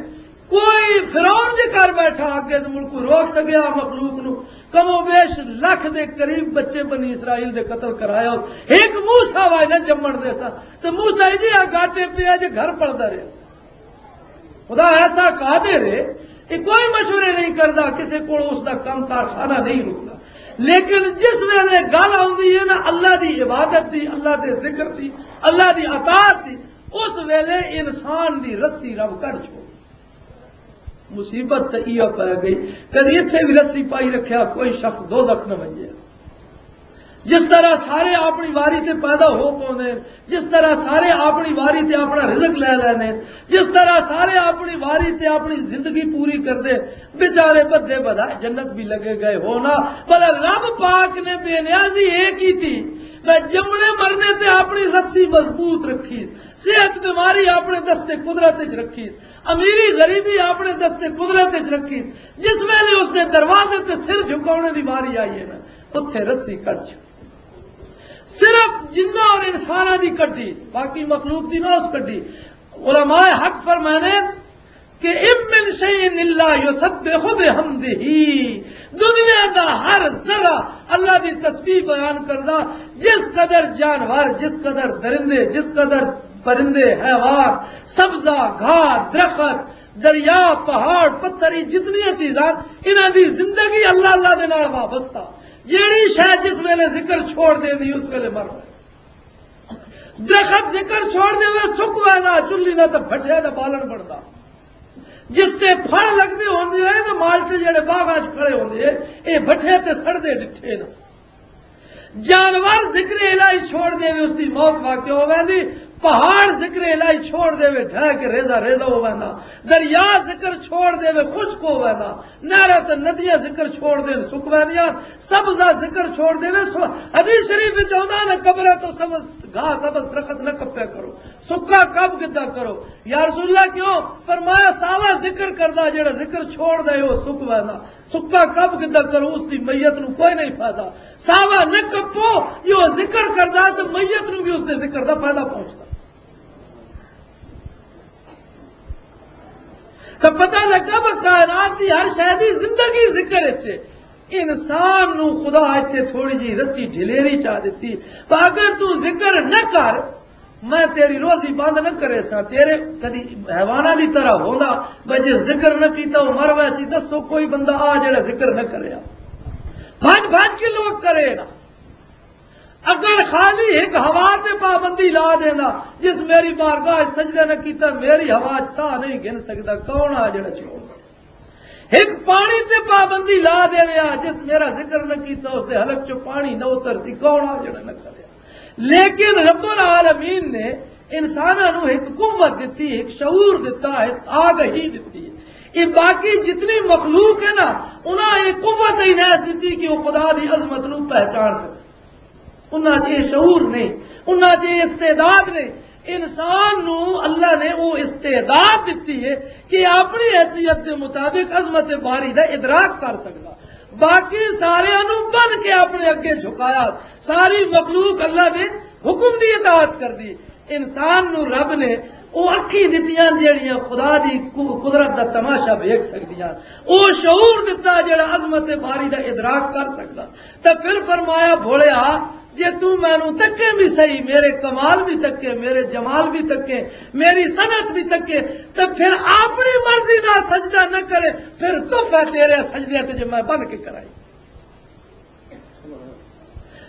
کوئی فرعون جے کر بیٹھا اگے تے مڑ کوئی روک سکیا مخلوق نو؟ کم و بیش لکھ دے قریب بچے بنی اسرائیل دے قتل کرایا۔ ایک موسیٰ وائے نہ جمن دے سا۔ تے موسیٰ جی آ گاٹے پیا جے گھر پڑدا رہیا۔ خدا ایسا قادر ہے، یہ کوئی مشورے نہیں کردا، کسے کول اس دا کم کارخانہ نہیں رکدا۔ لیکن جس ویلے گل آتی ہے نا اللہ دی عبادت دی، اللہ دے ذکر دی، اللہ دی اطاعت دی، اس ویلے انسان دی رسی رب کر چھوڑ۔ مصیبت تے ایہہ پی گئی۔ کدی اتھے بھی رسی پائی رکھیا، کوئی شخص دوزخ نہ ونجے۔ جس طرح سارے اپنی واری تے پیدا ہو پوندے، جس طرح سارے اپنی واری تے اپنا رزق لے لینے، جس طرح سارے اپنی واری تے اپنی زندگی پوری کردے، بیچارے بدے بدا جنت بھی لگے گئے ہونا، پر رب پاک نے بے نیازی اے کی تھی، میں جمنے مرنے تے اپنی رسی مضبوط رکھی، صحت بیماری اپنے دستے قدرت وچ رکھی، امیری غریبی اپنے دستے قدرت وچ رکھی۔ جس ویلے اس نے دروازے تے سر جھکاونے دی واری آئی ہے نا، اتھے رسی کٹ چھوڑی۔ صرف جنہ اور انساناں دی کڈی، باقی مخلوق دی نہ اس کڈی۔ علماء حق فرمانے کہ "ان من شیء الا یسبح بحمدہ"، دنیا دا ہر ذرہ اللہ دی تسبیح بیان کردا۔ جس قدر جانور، جس قدر درندے، جس قدر پرندے، حیوان، سبزہ، گھاس، درخت، دریا، پہاڑ، پتھر، یہ جتنی چیزاں، انہاں دی زندگی اللہ، اللہ دے نال وابستہ۔ جیڑی شے جس ویلے ذکر چھوڑ دیندی، اس ویلے مر ویندی۔ درخت ذکر چھوڑ دے، سک ویندا، چلی دا تے بھٹے دا بالن بندا۔ جس تے پھل لگدے ہوندے ہیں نا، مالٹے جڑے باغاں 'چ کھڑے ہوندے ہیں، اے بھٹے تے سڑدے ڈٹھے نے۔ جانور ذکر الہی چھوڑ دے، اس دی موت واقع ہو ویندی۔ پہاڑ ذکر الہی چھوڑ دے، ڈھہ کے ریزہ ریزہ ہو ویندا۔ دریا ذکر چھوڑ دے، خشک ہو ویندا۔ نہراں تے ندیاں ذکر چھوڑ دین، سک ویندیاں۔ سبزہ ذکر چھوڑ دے، سو-، حدیث شریف وچ آوندا نا، قبراں تو سبز گھاس، سبز درخت نہ کپیا کرو، سکا کب گدا کرو۔ یا رسول اللہ، کیوں؟ فرمایا، ساوا ذکر کردا، جڑا ذکر چھوڑ دے، وہ سک ویندا۔ سکا کب گدا کرو، اس دی میت نو کوئی نہیں فائدہ۔ ساوا نہ کپو، یہ وہ ذکر کردا تے میت نو بھی اس دے ذکر دا فائدہ پہنچدا۔ تو پتہ لگا، وہ کائنات دی ہر شے دی زندگی ذکر وچ ہے۔ انسان نو خدا اتھے تھوڑی جی رسی ڈھلیری چا دتی، پر اگر تو ذکر نہ کر، میں تیری روزی بند نہ کرے سا۔ تیرے کدی حیواناں دی طرح ہوندا، بھئی جے ذکر نہ کیتا، وہ مر ویسی۔ دسو کوئی بندہ آ جڑا ذکر نہ کریا، بھج بھج کے لوگ کرے نا۔ اگر خالی ایک ہوا تے پابندی لا دینا، جس میری بارگاہ وچ سجدہ نہ کیتا، میری ہوا وچ ساہ نہیں گن سکدا، کون آ جڑا چھوڑ دے؟ ایک پانی تے پابندی لا دے رہا، جس میرا ذکر نہ کیتا، اس دے حلق چ پانی نہ اتر سی، کون آ جڑا نہ کرے؟ لیکن رب العالمین نے انساناں نو ایک قوت دتی، ایک شعور دتا، ایک آگہی دتی۔ یہ باقی جتنی مخلوق ہے نا، انہاں یہ قوت ہی نہیں دتی کہ وہ خدا دی عظمت نو پہچان سکے۔ انہاں 'چ یہ شعور نہیں، انہاں 'چ یہ استعداد نہیں۔ انسان نو اللہ نے وہ استعداد دتی ہے کہ اپنی حیثیت کے مطابق عظمت باری دا ادراک کر سکدا۔ باقی سارے نو بن کے اپنے اگے جھکایا، ساری مخلوق اللہ دے حکم دی اطاعت کر دی۔ انسان نو رب نے او اکھیں دتیاں جیڑیاں خدا دی قو-، قدرت دا تماشا ویکھ سکدیاں، او شعور دتا جیڑا عظمت باری دا ادراک کر سکدا۔ تے پھر فرمایا، بھولیا، جے تو مینوں تکے بھی صحیح، میرے کمال بھی تکے، میرے جمال بھی تکے، میری صنعت بھی تکے، تے پھر اپنی مرضی دا سجدہ نہ کرے، پھر تحفہ تیرے سجدے تے جے میں بن کے کرائی۔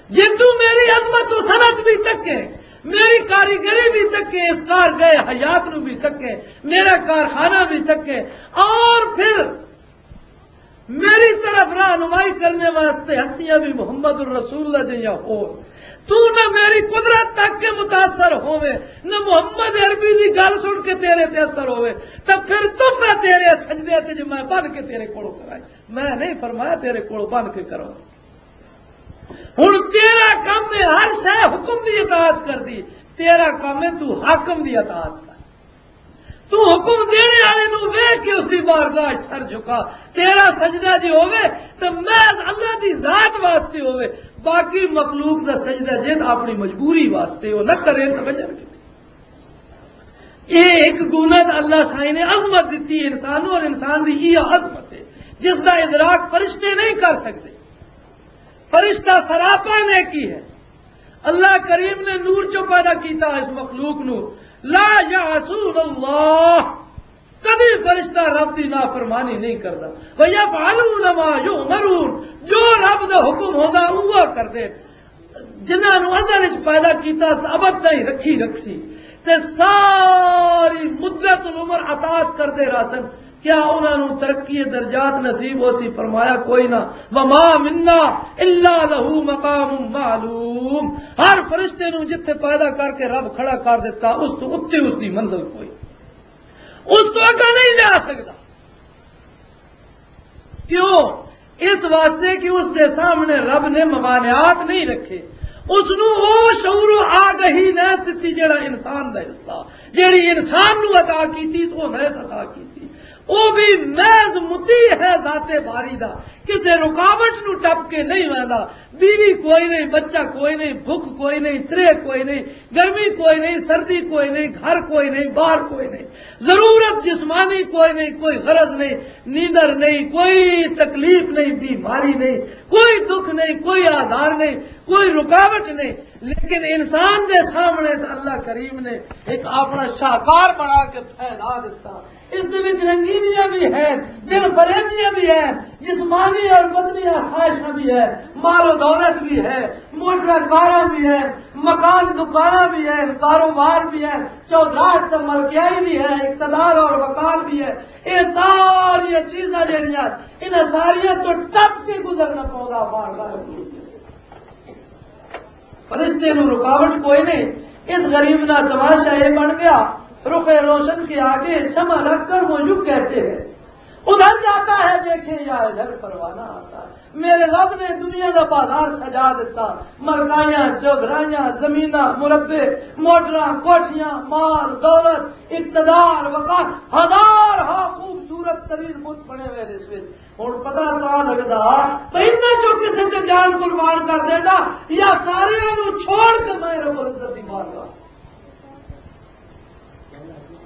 جے تو میری عظمت و صنعت بھی تکے، میری کاریگری بھی تکے، اس کار گئے حیات نو بھی تکے، میرا کارخانہ بھی تکے، اور پھر میری طرف رہنمائی کرنے واسطے ہستیاں بھی محمد الرسول اللہ جیہاں ہو۔ تو نہ میری قدرت تک کے متاثر ہووے، نہ محمد عربی دی گل سن کے تیرے تے اثر ہووے، تے پھر تحفہ تیرے سجدے تے جو میں بن کے تیرے کولوں کرائی۔ میں نہیں فرمایا تیرے کولوں بن کے کرو۔ ہن تیرا کم ہے ہر شے حکم دی اطاعت کر دی، تیرا کم ہے تو حاکم دی اطاعت کر۔ تو حکم دینے والے نو ویکھ کے اس دی بارگاہ وچ سر جھکا۔ تیرا سجدہ جے ہووے تے محض اللہ دی ذات واسطے ہووے، باقی مخلوق دا سجدہ جے تاں اپنی مجبوری واسطے، وہ نہ کرے تے وجہ نہیں۔ یہ ایک گنت اللہ سائیں نے عظمت دتی انسان نو، اور انسان دی یہ عظمت ہے جس دا ادراک فرشتے نہیں کر سکتے۔ فرشتہ سراپا نیکی ہے۔ اللہ کریم نے نور چوں پیدا کیتا اس مخلوق نو۔ لا یعصون اللہ، کدی فرشتہ رب دی نافرمانی نہیں کردا۔ وَيَفْعَلُونَ مَا يُؤْمَرُونَ، جو رب دا حکم ہوندا، اوہ کردے۔ جنہاں نوں ازل وچ پیدا کیتا، ابد تائیں رکھی رکھسی۔ تے ساری مدت العمر اطاعت کردے رہسن۔ کیا انہاں نوں ترقی درجات نصیب ہو سی؟ فرمایا، کوئی نہ۔ وَمَا مِنَّا إِلَّا لَهُ مَقَامٌ مَعْلُومٌ۔ ہر فرشتے نوں جتھے پیدا کر کے رب کھڑا کر دیتا، اس تو اُتے اس دی منزل کوئی، اس تو اگا نہیں جا سکتا۔ کیوں؟ اس واسطے کہ اس دے سامنے رب نے ممانعات نہیں رکھے۔ اس نوں او شعور و آگہی نیس دتی جڑا انسان دا حصہ، جڑی انسان نوں عطا کیتی، او نیس عطا کیتی۔ او بھی محض مطیع ہے ذات باری دا، کسے رکاوٹ نوں ٹپ کے نہیں ویندا۔ بیوی کوئی نہیں، بچہ کوئی نہیں، بھوک کوئی نہیں، ترے کوئی نہیں، گرمی کوئی نہیں، سردی کوئی نہیں، گھر کوئی نہیں، باہر کوئی نہیں، ضرورت جسمانی کوئی نہیں، کوئی غرض نہیں، نیندر نہیں، کوئی تکلیف نہیں، بیماری نہیں، کوئی دکھ نہیں، کوئی آزار نہیں، کوئی رکاوٹ نہیں۔ لیکن انسان دے سامنے تو اللہ کریم نے ایک اپنا شاہکار بنا کے پھیلا دیتا۔ اس دے وچ رنگینیاں بھی ہیں، دل فریبیاں بھی ہیں، جسمانی اور بدنی آسائشاں بھی ہیں، مال و دولت بھی ہے، موٹر کاراں بھی ہیں، مکان دکاناں بھی ہیں، کاروبار بھی ہے، چودراہٹ تے ملکیائی بھی ہے، اقتدار اور وقار بھی ہے۔ یہ ساری چیزاں جڑیاں، انہاں ساریاں تو ٹپ کے گزرنا پوندا بار بار۔ فرشتے نوں رکاوٹ کوئی نہیں۔ اس غریب دا تماشا یہ بن گیا، رخ روشن کے آگے شمع رکھ کر وہ یوں کہتے ہیں، ادھر جاتا ہے دیکھیں یا ادھر پروانہ آتا ہے۔ میرے رب نے دنیا دا بازار سجا دیتا، ملکائیاں، چودھرائیاں، زمیناں، مربے، موٹراں، کوٹھیاں، مال، دولت، اقتدار، وقار، ہزار ہا خوبصورت ترین بت بنے ہوئے نے اس وچ۔ ہن پتہ تاں لگدا، میں انہاں چوں کسے تے جان قربان کر دیندا یا ساریاں نوں چھوڑ کے میں رب العزت دی بارگاہ۔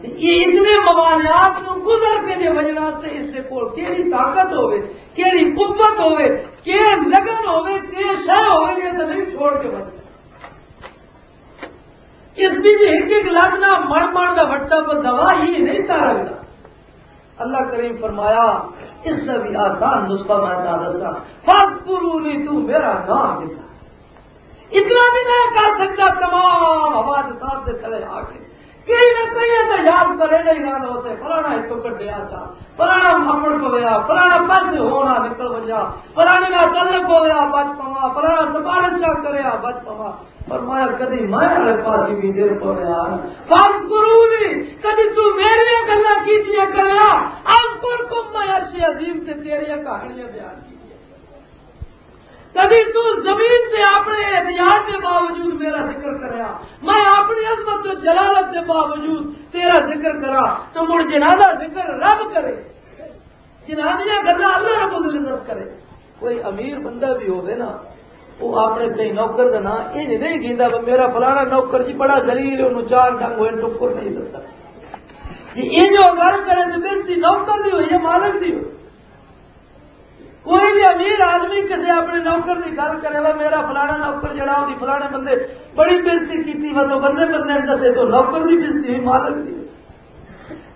تے یہ اتنے ممانعات نوں گزر کے جے وجن واسطے اس دے کول کیڑی طاقت ہوے، کیڑی قوت ہوے، کی لگن ہوے، کی شے ہوے، یہ تے نہیں چھوڑ کے بچ۔ اس دی جے ایک ایک لگ نہ مڑ مڑ دا وٹا پر دوا ہی نہیں تا رکھدا۔ اللہ کریم فرمایا، اس دا بھی آسان نسخہ میں تاں دساں، فَاذْكُرُونِي، تو میرا نام لیتا۔ اتنا بھی نہ کر سکتا تمام حوادثات دے تلے آ کے۔ کہیں نہ کہیں تو یاد کرے نہیں رہنا اسے، فلانا اتوں کڈیا چا، فلانا مپڑ پویا، فلانا پیسے ہونا نکل وجا، فلانے نال تعلق ہویا بچ پوا، فلانا سفارش چا کریا بچ پوا۔ فرمایا، کدی میں والے پاسے بھی دل پویا۔ فَاذْكُرُونِي، کدی تو میریاں گلاں کیتیاں کریا، اذکرکم، میں عرش عظیم تے تیریاں کہانیاں بیان کیتیاں۔ کدی تو زمین تے اپنے احتیاج دے باوجود میرا ذکر کریا، میں اپنی عظمت و جلالت دے باوجود تیرا ذکر کرا، تو مڑ جنہاں دا ذکر رب کرے، جنہاں دیاں گلاں اللہ رب العزت کرے۔ کوئی امیر بندہ بھی ہوے نا، وہ اپنے کہیں نوکر دا نام انج نہیں گھیندا، "وہ میرا فلانا نوکر جی بڑا ذلیل ہے، انہوں چار ڈنگ ہوئے، ٹکر نہیں دتا۔" جی انج وہ گل کرے تو بس دی نوکر دی ہوئی ہے، مالک دی ہوئی۔ کوئی بھی امیر آدمی کسی اپنے نوکر کی گل کرے، "وہ میرا فلانا نوکر جڑا، اُس دی فلانے بندے بڑی بےزتی کیتی، وہ تو بندے بندے نے دسے تو نوکر دی بےزتی ہوئی، مالک دی ہوئی۔"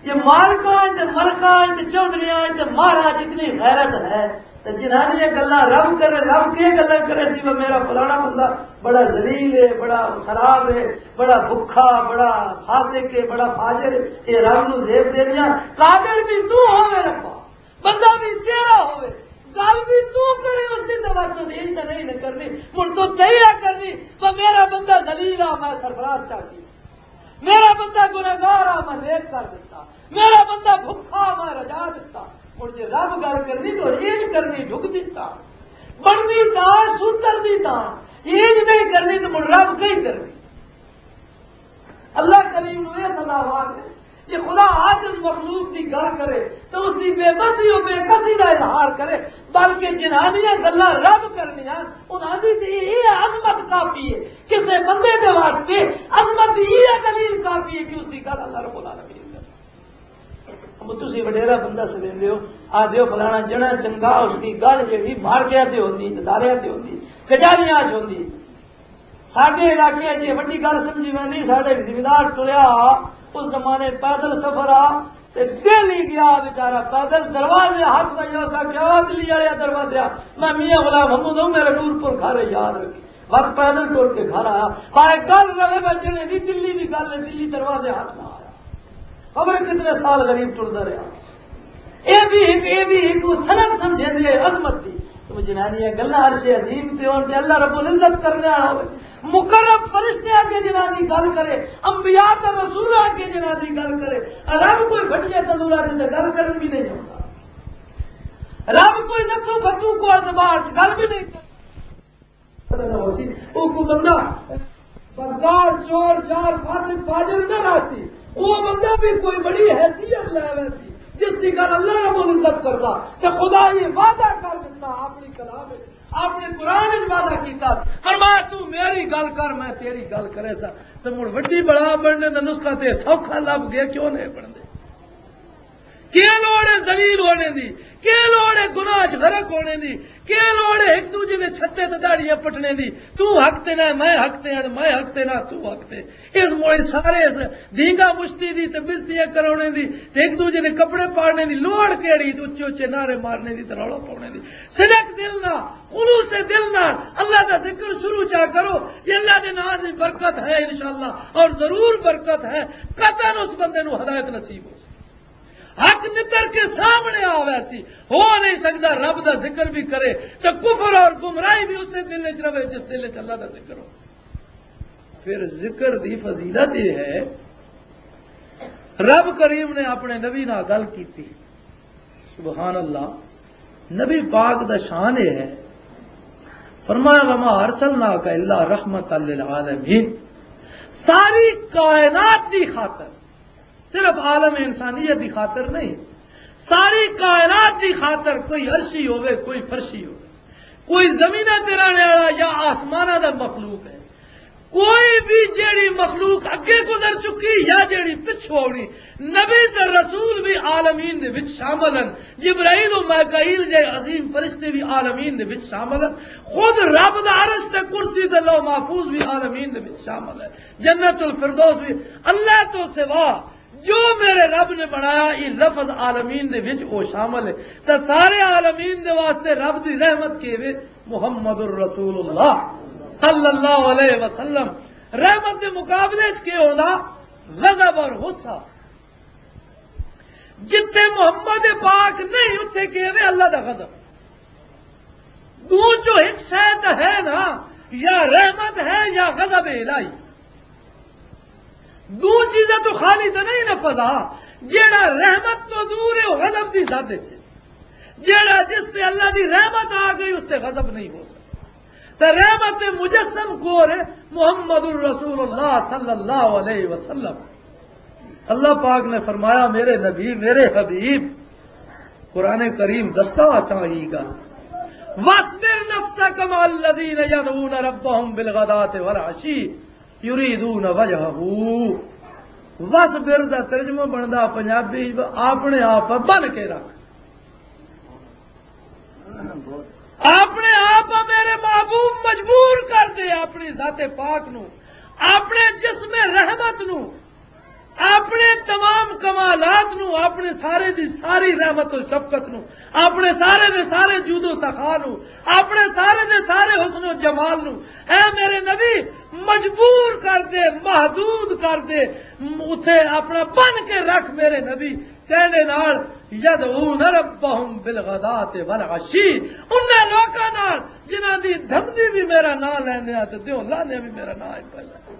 یہ مالکاں تے ملکاں تے چوہدریاں تے مہاراج اتنی غیرت ہے، تے جنہاں نے یہ گلاں رب کرے، رب کے گلاں کرے سی، "وہ میرا فلانا بندہ بڑا ذلیل ہے، بڑا خراب ہے، بڑا بھکھا، بڑا فاسق ہے، بڑا فاجر ہے۔" یہ رب نو زیب دے دیا۔ قادر بھی تو ہوے ربا، بندہ بھی تیرا ہوے، گل بھی تو کرے، اس کی توجہ دل تے نہیں نہ کرنی، مڑ تو تیرا کرنی، "وہ میرا بندہ ذلیل آ، میں سرفراز چاہتی۔" میرا بندہ گناہگار آ، میں نیک کر دیتا۔ میرا بندہ بھکھا، میں رجا دیتا۔ ہن جے رب گل کرنی تو اینج کرنی، جھک دیتا۔ بننی تا، سوتر دی تا۔ جے اینج نہیں کرنی تو مڑ رب کہیں کرنی۔ اللہ کریم نو یہ سزا وار ہے۔ جے خدا عاجز مخلوق دی گل کرے تو اس دی بے بسی و بے کسی دا اظہار کرے، بلکہ جنہاں دیاں گلاں رب کرنیاں، انہاں دی تے یہ عظمت کافی ہے۔ کسے بندے دے واسطے عظمت دی یہ دلیل کافی ہے کہ اس دی گل اللہ رب العالمین کرے۔ اب تسی وڈیرا بندہ سدیندے ہو، آ دیو فلانا جنا چنگا، اس دی گل جیڑی مارکیاں تے ہوندی، اداریاں تے ہوندی، کچہریاں اچ ہوندی۔ ساڈے علاقے اچ یہ وڈی گل سمجھی ویندی، ساڈے ایک زمیندار ٹریا، اس زمانے پیدل سفر آ، تے دل ہی گیا بیچارہ پیدل، دروازے ہاتھ پہ، اس آکھیا، "او دلی والے دروازے، میں میاں غلام محمود ہوں، میرے نور پور گھر ہے، یاد رکھی۔" بس پیدل ٹر کے گھر آیا۔ بھائی گل رہے بچنے دی، دلی بھی گل ہے، دلی دروازے ہاتھ نہ آیا۔ خبر کتنے سال غریب ٹردا رہا۔ اے بھی ایک، اے بھی ایک وہ سند سمجھے دے عظمت دی۔ تو جنانی یہ گلا عرش عظیم تے ہون تے اللہ رب العزت کرنے والا ہوئے۔ مقرب فرشتے آگے جنانی گل کرے، انبیاء تے رسول آگے جنانی گل کرے۔ رب کوئی بھٹکے تندورا دے تے گل کرن بھی نہیں ہوتا۔ رب کوئی نتھو فتو کو اعتبار گل بھی نہیں کرتا۔ او کو بندہ بدکار، چور، جار، فاسق، فاجر نہ راسی۔ او بندہ بھی کوئی بڑی حیثیت لے ویسی، جس کی گل اللہ رب العزت کردا۔ تے خدا یہ وعدہ کر دیتا اپنی کلام وچ، اپنے قرآن وچ وعدہ کیتا، فرمایا، "تو میری گل کر، میں تیری گل کرے سا۔" تے مڑ وڈی بڑا بننے دا نسخہ تے سوکھا لب گیا، کیوں نہیں بنتے؟ کیا لوڑ ہے ذلیل ہونے دی؟ کیا لوڑ ہے گناہ چ غرق ہونے دی؟ کیا لوڑ ہے ایک دوجے دے چھتے تے داڑیاں پٹنے دی؟ تو حق تے نہ، میں حق تے ہاں، میں حق تے نہ، تو حق تے۔ اس موڑے سارے اس دھینگا مشتی دی تے بستیاں کرونے دی تے ایک دوجے دے کپڑے پاڑنے دی لوڑ کیڑی؟ تے اچے اچے نعرے مارنے دی تے رولا پاؤنے دی۔ صدق دل نہ، خلوص دل نہ اللہ دا ذکر شروع چا کرو۔ یہ اللہ دے نام دی برکت ہے انشاءاللہ، اور ضرور برکت ہے۔ قطعاً اس بندے نو ہدایت نصیب ہو۔ حق نتر کے سامنے آوے سی، ہو نہیں سکتا رب دا ذکر بھی کرے تے کفر اور گمراہی بھی اسے دل وچ رہے جس دل وچ اللہ دا ذکر ہو۔ پھر ذکر دی فضیلت یہ ہے، رب کریم نے اپنے نبی نال گل کیتی۔ سبحان اللہ، نبی پاک دا شان یہ ہے، فرمایا، "وما ارسلناک الا رحمتا للعالمین"، ساری کائنات دی خاطر، صرف عالم انسانیت دی خاطر نہیں، ساری کائنات دی خاطر، کوئی عرشی ہوے، کوئی فرشی ہوے، کوئی زمینہ تے رہنے والا یا آسمانہ دا مخلوق ہے، کوئی بھی جیڑی مخلوق اگے گزر چکی یا جیڑی پچھو آنی، نبی تے رسول بھی عالمین دے وچ شامل ہیں۔ جبرائیل و میکائیل جے عظیم فرشتے بھی عالمین دے وچ شامل ہیں۔ خود رب دا عرش تے کرسی تے لوح محفوظ بھی عالمین دے وچ شامل ہے۔ جنت الفردوس بھی۔ اللہ تو سوا جو میرے رب نے بنایا، یہ لفظ عالمین دے وچ او شامل ہے۔ تے سارے عالمین دے واسطے رب دی رحمت کیوے؟ محمد الرسول اللہ صلی اللہ علیہ وسلم۔ رحمت دے مقابلے وچ کی ہوندا؟ غضب اور غصہ۔ جتھے محمد پاک نہیں، اتھے کیوے؟ اللہ دا غضب۔ دو جو ایک شے تے ہے نا، یا رحمت ہے یا غضب الہی۔ دو چیزاں تو خالی تے نہیں نہ فضا۔ جیڑا رحمت تو دور ہے، وہ غضب دی زد وچ ہے۔ جیڑا جس تے اللہ دی رحمت آ گئی، اس تے غضب نہیں ہو سکتا۔ تے رحمت مجسم کور ہے محمد الرسول اللہ صلی اللہ علیہ وسلم۔ اللہ پاک نے فرمایا، میرے نبی، میرے حبیب، قرآن کریم دستا آسان ہی گا، "واصبر نفسك مع الذين يدعون ربهم بالغداة والعشي يريدون وجهه۔" واصبر دا ترجمہ بندا پنجابی وچ، اپنے آپ بن کے رکھ۔ اپنے آپ میرے محبوب مجبور کر دے اپنی ذات پاک نو، اپنے جسم رحمت نو، اپنے تمام کمالات نو، اپنے سارے دی ساری رحمت و شفقت نو، اپنے سارے دے سارے جود و سخا نو، اپنے سارے دے سارے حسن و جمال نو، اے میرے نبی، مجبور کر دے، محدود کر دے، م-، اتھے اپنا بن کے رکھ میرے نبی۔ کہنے نال، "یدعون ربهم بالغداة والعشی"، انہاں لوکاں نال جنہاں دی دھمدی بھی میرا نام لیندے آ تے دیو لانے بھی میرا نام ہی پہلا۔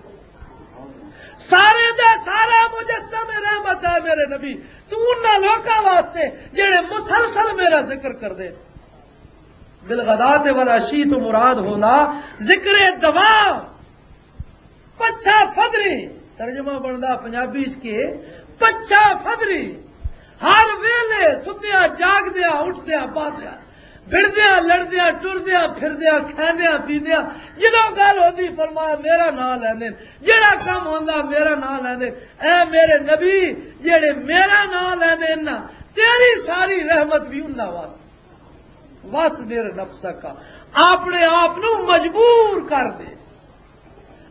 سارے دا سارا مجسم رحمت ہے میرے نبی، تو انہاں لوکاں واسطے جڑے مسلسل میرا ذکر کر دے۔ بالغداۃ والعشی تو مراد ہونا ذکر دوا، پچھا فدری، ترجمہ بندا پنجابی چ کے، پچھا فدری، ہر ویلے ستیاں جاگدیاں اٹھدیاں باندیاں، بھڑدیاں لڑدیاں ٹردیاں پھردیاں کھاندیاں پیندیاں، جدوں گل ہوندی فرمایا میرا نام لیندے، جڑا کم ہوندا میرا نام لیندے۔ اے میرے نبی، جڑے میرا نام لیندے نا، تیری ساری رحمت بھی انہاں واسطے۔ واصبر نفسک، اپنے آپ نو مجبور کر دے،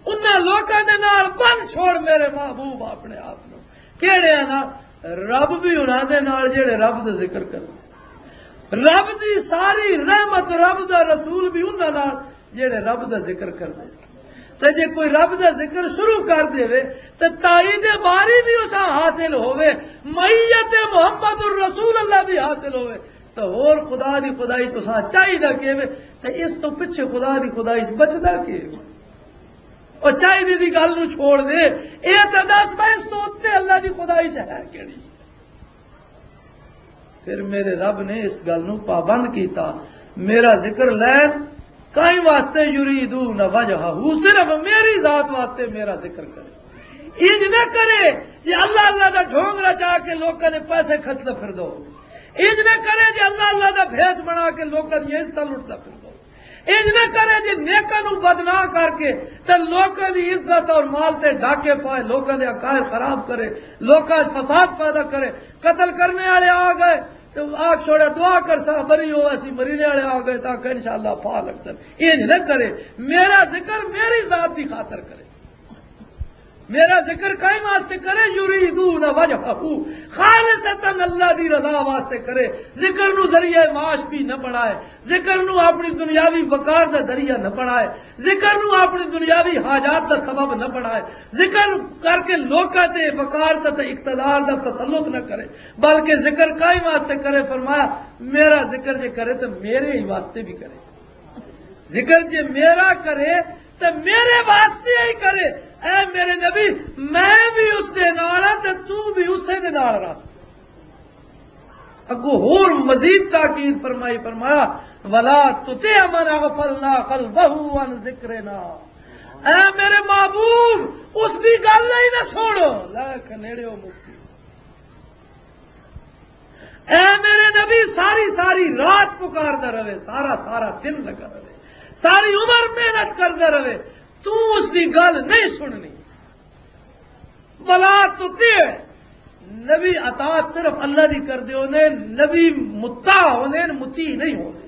انہاں لوکاں دے نال بن چھوڑ میرے محبوب اپنے آپ نو۔ کیڑے آ نا؟ رب بھی انہاں دے نال جڑے رب دا ذکر کرن۔ رب دی ساری رحمت، رب دا رسول بھی انہاں نال جڑے رب دا ذکر کردے۔ تے جے کوئی رب دا ذکر شروع کر دے تے تائید باری بھی اساں حاصل ہوے، معیت محمد الرسول اللہ بھی حاصل ہوے، تو ہور خدا دی خدائی تو ساں چاہیدا کی وے؟ تے اس تو پیچھے خدا دی خدائی چ بچدا کی وے؟ او چاہیدے دی گل نو چھوڑ دے، اے تے دس بھائی اس تو اُتے اللہ دی خدائی چ ہے کیڑی؟ پھر میرے رب نے اس گل نو پابند کیتا، میرا ذکر لین کائیں واسطے، یریدون وجہہ، صرف میری ذات واسطے میرا ذکر کرے۔ انج نہ کرے جی اللہ اللہ دا ڈھونگ رچا کے لوکاں دے پیسے کھسدا پھر دو۔ انج نہ کرے جی اللہ اللہ دا بھیس بنا کے لوکاں دی عزت لٹدا پھر دو۔ انج نہ کرے جی نیکاں نو بدنام کر کے تے لوکاں دی عزت اور مال تے ڈاکے پائے، لوکاں دے عقائد خراب کرے، لوکاں وچ فساد پیدا کرے۔ قتل کرنے والے آ گئے تے آگ چھوڑا، دعا کر سا بری ہو، اسی مرینے والے آ گئے تاکہ انشاءاللہ پا لگ سن۔ انج نہ کرے، میرا ذکر میری ذات دی خاطر کرے۔ میرا ذکر کائیں واسطے کرے؟ یریدون وجہہ، خالصتاً اللہ دی رضا واسطے کرے۔ ذکر نو ذریعہ معاش بھی نہ بنائے، ذکر نو اپنی دنیاوی وقار دا ذریعہ نہ بنائے، ذکر نو اپنی دنیاوی حاجات دا سبب نہ بنائے، ذکر کر کے لوکاں تے وقار تے اقتدار دا تسلط نہ کرے، بلکہ ذکر کائیں واسطے کرے؟ فرمایا، میرا ذکر جے کرے تو میرے ہی واسطے بھی کرے۔ ذکر جے میرا کرے تے میرے واسطے ہی کرے۔ اے میرے نبی، میں بھی اس دے نال ہاں تے تو بھی اسے دے نال رہس۔ اگوں ہور مزید تاکید فرمائی، فرمایا، "ولا تطع من اغفلنا قلبه عن ذکرنا۔" اے میرے محبوب، اس دی گل ہی نہ سن۔ لے کھنیڑیو مفتی۔ اے میرے نبی، ساری ساری رات پکاردا رہے، سارا سارا دن لگا رہے، ساری عمر محنت کردا رہے، تو اس دی گل نہیں سننی۔ بلا تطیع، نبی اطاعت صرف اللہ دی کردے ہوندے، نبی مطاع ہوندے، مطیع نہیں ہوندے۔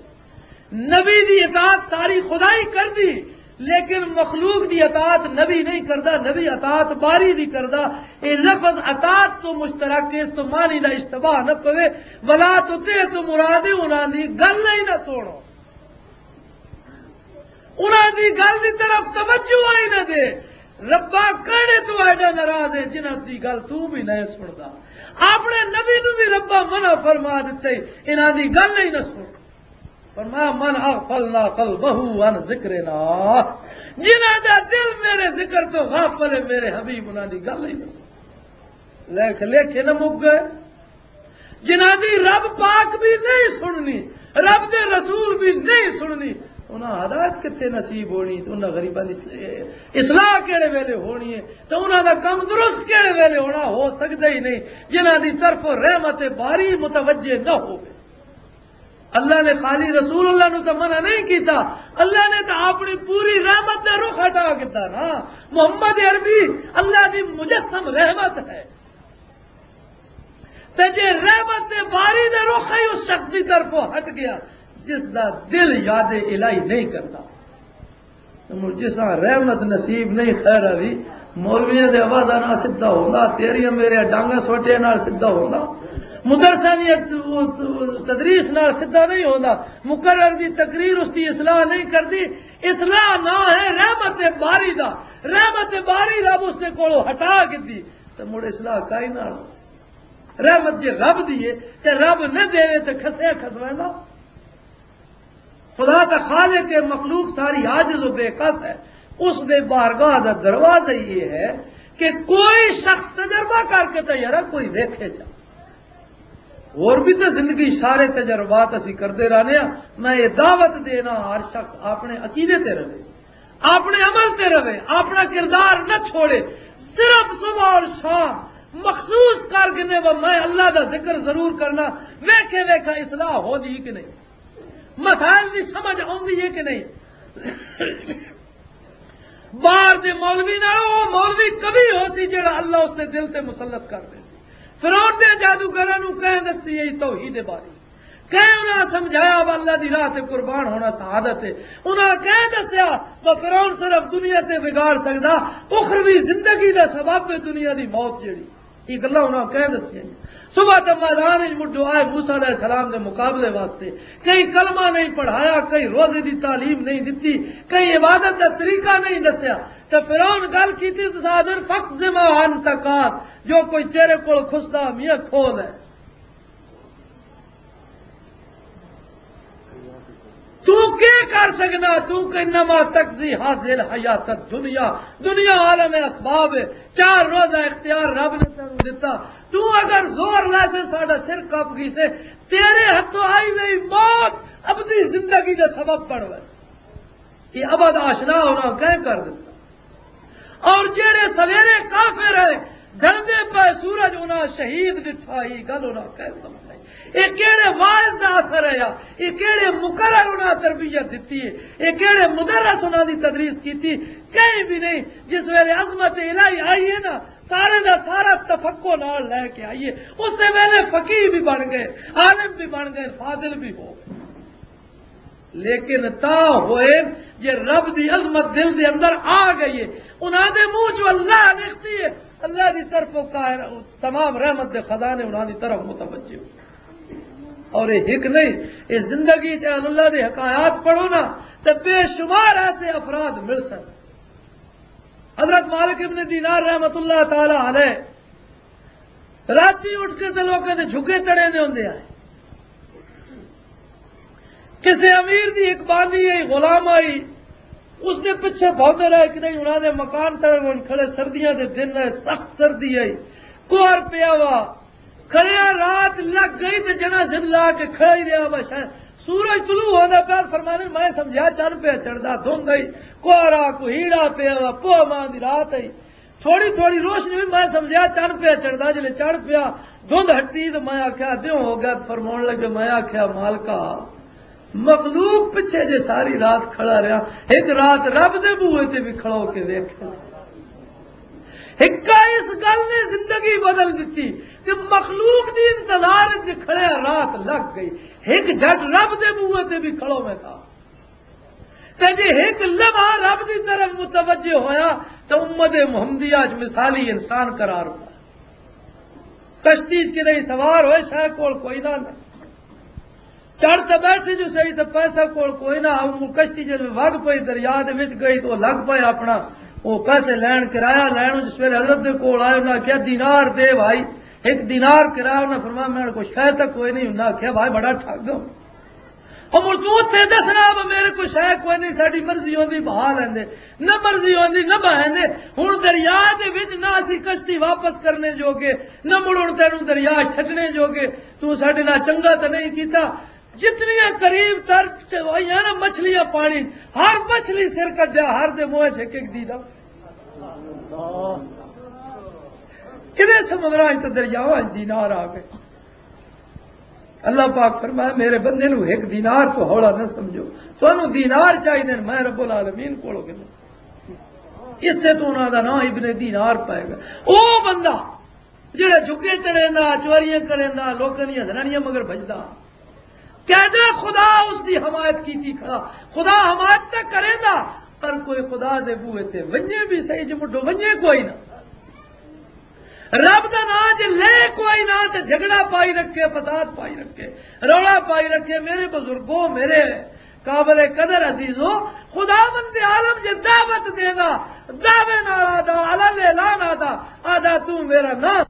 نبی دی اطاعت ساری خدائی کردی، لیکن مخلوق دی اطاعت نبی نہیں کردا، نبی اطاعت باری دی کردا۔ اے لفظ اطاعت تو مشترک ہے، اس تو معنی دا اشتباہ نہ پوے۔ ولا تطع تو مراد ہے انہاں دی گل ہی نہ سنو، انہاں دی گل دی طرف توجہ ہی نہ دے۔ ربا کہنے تو ایڈا ناراض ہے جنہاں دی گل تو بھی نہیں سندا۔ اپنے نبی نو بھی ربا منع فرما دتے، انہاں دی گل ہی نہ سن۔ فرمایا، "من اغفلنا قلبه عن ذکرنا"، جنہاں دا دل میرے ذکر تو غافل ہے، میرے حبیب انہاں دی گل ہی نہ سن۔ لکھ لکھے نہ مک گئے، جنہاں دی رب پاک بھی نہیں سننی، رب دے رسول بھی نہیں سننی، انہاں ہدایت کتے نصیب ہونی؟ تے انہاں غریباں دی اصلاح کیڑے ویلے ہونی ہے؟ تے انہاں دا کم درست کیڑے ویلے ہونا؟ ہو سکدا ہی نہیں جنہاں دی طرف رحمت باری متوجہ نہ ہوے۔ اللہ نے خالی رسول اللہ نو تو منع نہیں کیتا، اللہ نے تو اپنی پوری رحمت دا رخ ہٹا کیتا نا۔ محمد عربی اللہ دی مجسم رحمت ہے، تے جے رحمت دے باری دا رخ ہی اس شخص دی طرف ہٹ گیا جس دا دل یاد الہی نہیں کرتا۔ مڑ جساں رحمت نصیب نہیں، خیر علی، مولویاں دے آوازاں نال سدھا ہوندا، تیریاں میرے ڈانگاں سوٹیاں نال سدھا ہوندا، مدرساں دی تدریس نال سدھا نہیں ہوندا، مقرر دی تقریر اس دی اصلاح نہیں کردی۔ اصلاح نہ ہے رحمت باری دا، رحمت باری رب اس دے کولوں ہٹا گدی، تے مڑ اصلاح کائی نال؟ رحمت جے رب دی ہے تے رب نہ دے تے کھسے کھسویندا۔ خدا دا خالق ہے، مخلوق ساری عاجز و بے کس ہے۔ اس دے بارگاہ دا دروازہ یہ ہے کہ کوئی شخص تجربہ کر کے تے یارا کوئی ویکھے جا۔ اور بھی تے زندگی سارے تجربات اسی کردے رہنے ہاں۔ میں یہ دعوت دینا ہر شخص اپنے عقیدے تے رہے، اپنے عمل تے رہے، اپنا کردار نہ چھوڑے۔ صرف صبح اور شام مخصوص کر گنے، وہ میں اللہ دا ذکر ضرور کرنا۔ ویکھے ویکھا اصلاح ہو دی کہ نہیں، مسائل دی سمجھ آندی ہے کہ نہیں؟ باہر دے مولوی نال او مولوی کبھی ہو سی جڑا اللہ اس دے دل تے مسلط کر دے۔ فرعون دے جادوگراں نو کہیں دسی اے توحید باری، کہیں انہاں سمجھایا وا اللہ دی راہ تے قربان ہونا سعادت ہے۔ انہاں کہیں دسیا وا فرعون صرف دنیا تے بگاڑ سکدا، اخروی زندگی دا سبب ہے دنیا دی موت جڑی۔ یہ گلاں انہاں کہہ دسیاں۔ صبح تے میدان وچ مڈو آئے موسیٰ علیہ السلام دے مقابلے واسطے۔ کہیں کلمہ نہیں پڑھایا، کہیں روزے دی تعلیم نہیں دتی، کہیں عبادت دا طریقہ نہیں دسیا۔ تے فرعون گل کیتی، تساں آدھے، "فقض ما انت قاض"، جو کوئی تیرے کول کھسدا، میاں کھول ہے۔ تو کیا کر سکنا؟ تو کہ انما تقضی هذه الحیات الدنیا، دنیا عالم اسباب ہے، چار روزہ اختیار رب نے تینوں دتا۔ تو اگر زور لے سے ساڈا سر کپ گئی سے، تیرے ہتھوں آئی ہوئی موت ابدی زندگی دا سبب بن وے۔ یہ ابد آشنا ہونا کہیں کر دیتا۔ اور جہڑے سویرے کافر ہے، جلدے پہ سورج انہاں شہید ڈٹھا، یہ گل انہاں کہیں سمجھائی۔ یہ کہڑے واعظ دا اثر ہے یا یہ کہڑے مقرر انہاں تربیت دیتی ہے، یہ کہڑے مدرس انہاں دی تدریس کیتی؟ کہیں بھی نہیں۔ جس ویلے عظمت الہی آئی ہے نا، سارے دا سارا تفقع نال لے کے آئی ہے۔ اس ویلے فقیہ بھی بن گئے، عالم بھی بن گئے، فاضل بھی ہو گئے۔ لیکن تا ہوئے جے رب دی عظمت دل دے اندر آ گئی ہے، انہاں دے منہ چوں اللہ نکلتی ہے، اللہ دی طرفوں قاہر، تمام رحمت دے خزانے انہاں دی طرف متوجہ ہو۔ اور یہ ہک نہیں، یہ زندگی چ اہل اللہ دے حکایات پڑھو نا، تے بے شمار ایسے افراد مل سن۔ حضرت مالک ابن دینار رحمت اللہ تعالی علیہ راتی اٹھ کے تے لوکاں دے جھگے تڑے دے ہوندے آئے۔ کسے امیر دی ایک باندی آئی، غلام آئی، اس دے پیچھے بھاؤندے رہے، کدے انہاں دے مکان تڑے ون کھڑے، سردیاں دے دن رہے، سخت سردی آئی، کوہر پیا وا، کھڑیا رات لگ گئی تے جنا زند لا کے کھڑا ہی رہیا وا۔ شاید سورج طلوع ہوندا پیا، فرمانے میں سمجھیا چن پیا چڑھدا، دھند آئی، کوہرا کوہیڑا پیا وا، پوہ ماں دی رات آئی۔ تھوڑی تھوڑی روشنی ہوئی، میں سمجھیا چن پیا چڑھدا، جلے چڑھ پیا، دھند ہٹی تے میں آکھیا، دیوں ہو گیا، فرماون لگے، میں آکھیا، مالکا، مخلوق پچھے جے ساری رات کھڑا رہیا، ایک رات رب دے بوئے تے بھی کھڑا ہو کے ویکھ۔ ہکا اس گل نے زندگی بدل دتی کہ مخلوق دی انتظار وچ کھڑیا رات لگ گئی، ایک جھٹ رب دے بوئے تے بھی کھڑو میں تھا۔ تے جے ایک لمحہ رب دی طرف متوجہ ہویا، تے امت محمدیہ اچ مثالی انسان قرار پایا۔ کشتی اچ کدے سوار ہوئے، شے کول کوئی نہ، چڑھ تے بیٹھے جو صحیح، تے پیسہ کول کوئی نہ۔ او کشتی جے وگ پئی، دریا دے وچ گئی، تو لگ پئے اپنا او پیسے لین، کرایہ لین۔ جس ویلے حضرت دے کول آئے، انہاں کہیا، "دینار دے بھائی، ایک دینار کرایہ۔" انہاں فرمایا، "میرے کول شے تک کوئی نہیں۔" انہاں کہیا، "بھائی، بڑا ٹھگ ہو۔" او مڑ تو اتھے دسنا، "اب میرے کو شے کوئی نہیں، ساڈی مرضی ہوندی بہا لیندے، نہ مرضی ہوندی نہ بہیندے۔" ہن دریا دے وچ نہ اسی کشتی واپس کرنے جوگے، نہ مڑ ہن تینوں دریا چھڈنے جوگے۔ تو ساڈے نال چنگا تے نہیں کیتا۔ جتنیاں قریب تر چ ہوئیاں نا مچھلیاں پانی، ہر مچھلی سر کڈیا، ہر دے منہ چ ایک ایک دینار۔ کدے سمندراں چ تے دریاواں چ دینار آ گئے۔ اللہ پاک فرمایا، میرے بندے نو ایک دینار تو ہولا نہ سمجھو، تانوں دینار چاہیے، میں رب العالمین کولوں گھنوں۔ اس سے تو انہاں دا نام ابن دینار پائے گا۔ او بندہ جڑا جھکے چڑھیندا، چوریاں کریندا، لوکاں دیاں زنانیاں مگر بھجدا، کہدا خدا اس دی حمایت کیتی کھڑا۔ خدا حمایت تے کریندا، پر کوئی خدا دے بوئے تے ونجے بھی صحیح، جے مڈو ونجے کوئی نہ۔ رب دا نام جے لے کوئی نہ، تے جھگڑا پائی رکھے، فساد پائی رکھے، رولا پائی رکھے۔ میرے بزرگوں، میرے قابل قدر عزیزوں، خداوند عالم جے دعوت دینا، دعوے نال آدا، علل اعلان آدا، آدا تو میرا نام۔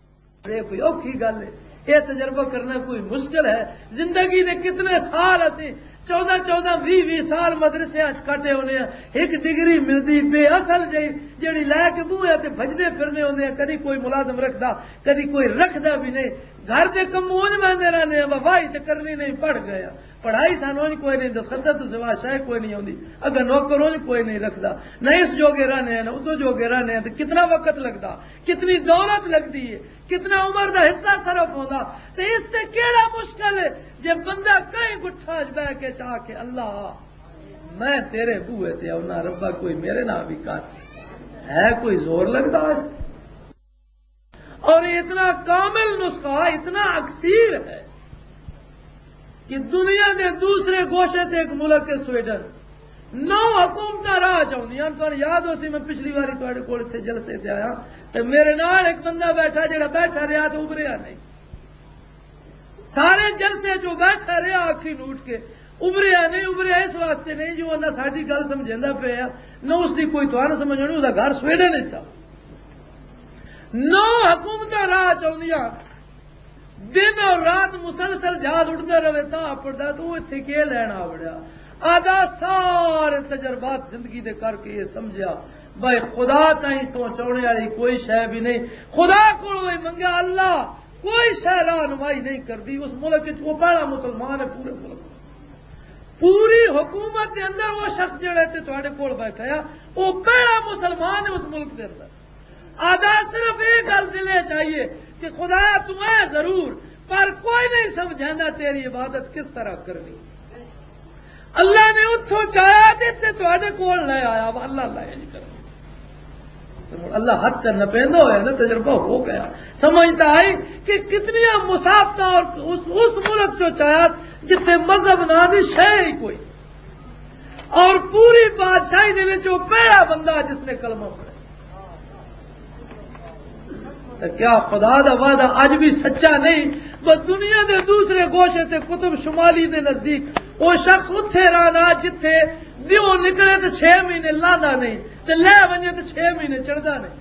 یہ کوئی اوکھی گل ہے؟ یہ تجربہ کرنا کوئی مشکل ہے؟ زندگی دے کتنے سال اسی، چودہ چودہ، ویہہ ویہہ سال مدرسے اچ کٹے ہونے ہیں۔ ایک ڈگری ملدی بے اصل جئی، جیڑی لے کے بوہے تے بھجدے پھرنے ہوندے ہیں۔ کدی کوئی ملازم رکھدا، کدی کوئی رکھدا بھی نہیں۔ گھر دے کم اونج ویندے رہنے ہیں، واہ، واہی تے کرنی نہیں، پڑھ گئے ہیں۔ پڑھائی سانوں اونج کوئی نہیں، دستخط تو سوا شے کوئی نہیں ہوندی۔ اگر نوکر اونج کوئی نہیں رکھدا، نہ اس جوگے رہنے ہیں، نہ ادو جوگے رہنے ہیں، تے کتنا وقت لگدا، کتنی دولت لگدی ہے، کتنا عمر دا حصہ صرف ہوندا۔ تے اس تے کیڑا مشکل ہے؟ جے بندہ کہیں گٹھاں اچ بہ کے چاہ کے، "اللہ، میں تیرے بوئے تے آؤنا، ربا کوئی میرے نال بھی کر۔" ہے کوئی زور لگدا اس؟ اور یہ اتنا کامل نسخہ، اتنا اکسیر ہے کہ دنیا دے دوسرے گوشے تے ایک ملک ہے سویڈن، نو حکومتاں راہ چ آؤندیاں۔ تہانوں یاد ہو سی، میں پچھلی واری تہاڈے کول اتھے جلسے تے آیا، تے میرے نال ایک بندہ بیٹھا، جڑا بیٹھا رہیا تے ابھریا نہیں۔ سارے جلسے چ بیٹھا رہیا، اکھی نوٹ کے۔ ابھریا نہیں، ابھریا اس واسطے نہیں جو نہ ساڈی گل سمجھیندا پیا، نہ اس دی کوئی تہانوں سمجھ آنی۔ اس دا گھر سویڈن وچ آ۔ نو حکومتاں راہ چ آؤندیاں، دن اور رات مسلسل جہاز اڑدا رہے، تاں اپڑدا تو اتھے کی لین آ وڑیا؟ آدھا سارے تجربات زندگی دے کر کے یہ سمجھیا، بھائی، خدا تائیں پہنچانے والی کوئی شے بھی نہیں۔ خدا کولوں ہی منگیا، اللہ، کوئی شے راہنمائی نہیں کردی۔ اس ملک وچ وہ پہلا مسلمان ہے پورے ملک، پوری حکومت دے اندر وہ شخص جڑا تے تہاڈے کول بیٹھا ہے، وہ پہلا مسلمان ہے اس ملک دے اندر۔ آدھا صرف یہ گل دل چاہیے کہ خدایا، تو اے ضرور، پر کوئی نہیں سمجھانا تیری عبادت کس طرح کرنی۔ اللہ نے اتھوں چاہیا تے تے تہاڈے کول لے آیا وا، اللہ، اللہ یہ نہیں کرنا۔ تے ہن اللہ حد تے نپیندا ہویا نا، تجربہ ہو گیا، سمجھتا آئی کہ کتنی مسافتہ اور اس، اس ملک چو چاہیا جتھے مذہب نہ دی شے ہی کوئی، اور پوری بادشاہی دے وچ وہ پہلا بندہ جس نے کلمہ پڑھا۔ تے کیا خدا دا وعدہ اج بھی سچا نہیں؟ بس دنیا دے دوسرے گوشے تے قطب شمالی دے نزدیک وہ شخص اتھے رہنا جتھے دیو نکلے تے چھ مہینے لاندا نہیں، تے لے ونجے تے چھ مہینے چڑھدا نہیں۔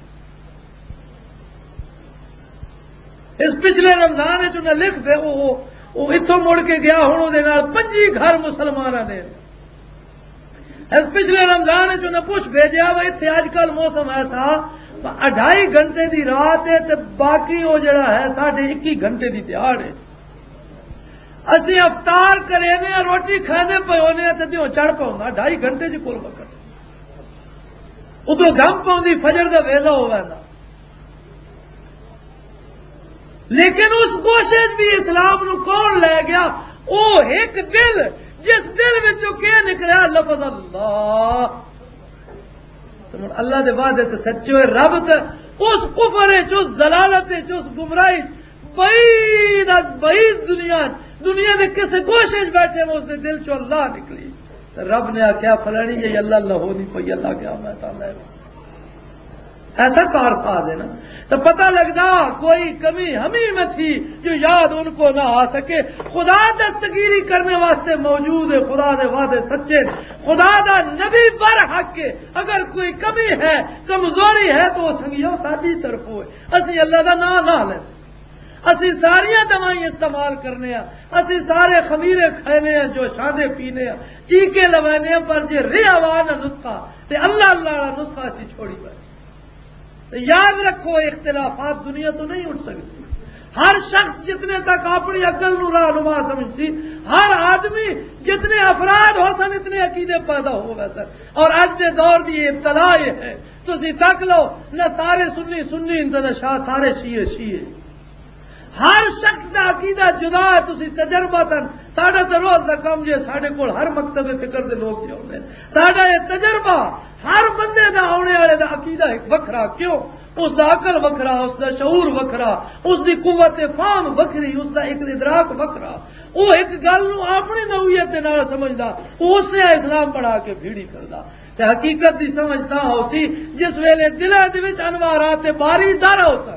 اس پچھلے رمضان وچ انہیں لکھ دے، وہ، وہ، وہ اتھوں مڑ کے گیا، ہن اودے نال پنجی گھر مسلماناں دے۔ اس پچھلے رمضان وچ انہیں پوچھ بھیجیا، وہ اتھے اج کل موسم ایسا، اڑھائی گھنٹے دی رات ہے تے باقی وہ جڑا ہے ساڈے اکی گھنٹے دی دیہاڑ ہے۔ اسی افطار کرے نے، روٹی کھانے پے ہونے تے دیوں چڑھ پاؤں، اڑھائی گھنٹے دی کول وقت۔ ادھر دم پاؤں دی فجر دا ویلا ہو ویندا۔ لیکن اس کوشش بھی اسلام نو کون لے گیا؟ او ایک دل، جس دل وچوں کے نکلیا؟ لفظ اللہ۔ تے ہن اللہ دے وعدے تے سچے ہوئے، رب تے اس کفر وچ، اس ضلالت وچ، اس گمراہی وچ، بعید از بعید دنیا، دنیا دے کسے کوشش بیٹھے ہو، اس دے دل چوں اللہ نکلی۔ تے رب نے آکھیا، "فلانی یہ اللہ لہو نہیں پئی۔" اللہ کیا میں تعالیٰ ہے۔ ایسا کار ساز ہے نا۔ تو پتہ لگدا کوئی کمی ہمیں میں تھی جو یاد ان کو نہ آ سکے۔ خدا دستگیری کرنے واسطے موجود ہے، خدا دے وعدے سچے ہیں۔ خدا دا نبی برحق ہے۔ اگر کوئی کمی ہے، کمزوری ہے تو وہ سنگیو ساڈی طرفوں ہے۔ اسی اللہ دا نام نہ لیں۔ اسی ساریاں دوائیں استعمال کرنے ہاں، اسی سارے خمیرے کھانے ہاں، جو شادے پینے ہاں، ٹیکے لوانے ہاں، پر جے رہا وا نہ نسخہ، تے اللہ اللہ والا نسخہ اسی چھوڑی بیٹھے۔ تے یاد رکھو، اختلافات دنیا تو نہیں اٹھ سکتے۔ ہر شخص جتنے تک اپنی عقل نو راہنما سمجھ سی، ہر آدمی جتنے افراد ہو سن، اتنے عقیدے پیدا ہو گئے سن۔ اور اج دے دور دی یہ ابتلا یہ ہے، تسی تک لو، نہ سارے سنی سنی، نہ شاہ، سارے شیعہ شیعہ۔ ہر شخص دا عقیدہ جدا ہے۔ تسی تجربہ تن، ساڈا تے روز دا کم جے، ساڈے کول ہر مکتب فکر دے لوگ جے ہوندے نے۔ ساڈا یہ تجربہ، ہر بندے دا، آنے والے دا عقیدہ ایک وکھرا۔ کیوں؟ اس دا عقل وکھرا، اس دا شعور وکھرا، اس دی قوت فہم وکھری، اس دا ایک ادراک وکھرا۔ وہ ایک گل نو اپنی نوعیت دے نال سمجھدا، وہ اس نے اسلام بنا کے بھیڑی کردا۔ تے حقیقت دی سمجھ تاں ہو سی جس ویلے دلاں دے وچ انوارات باری دار ہو سن۔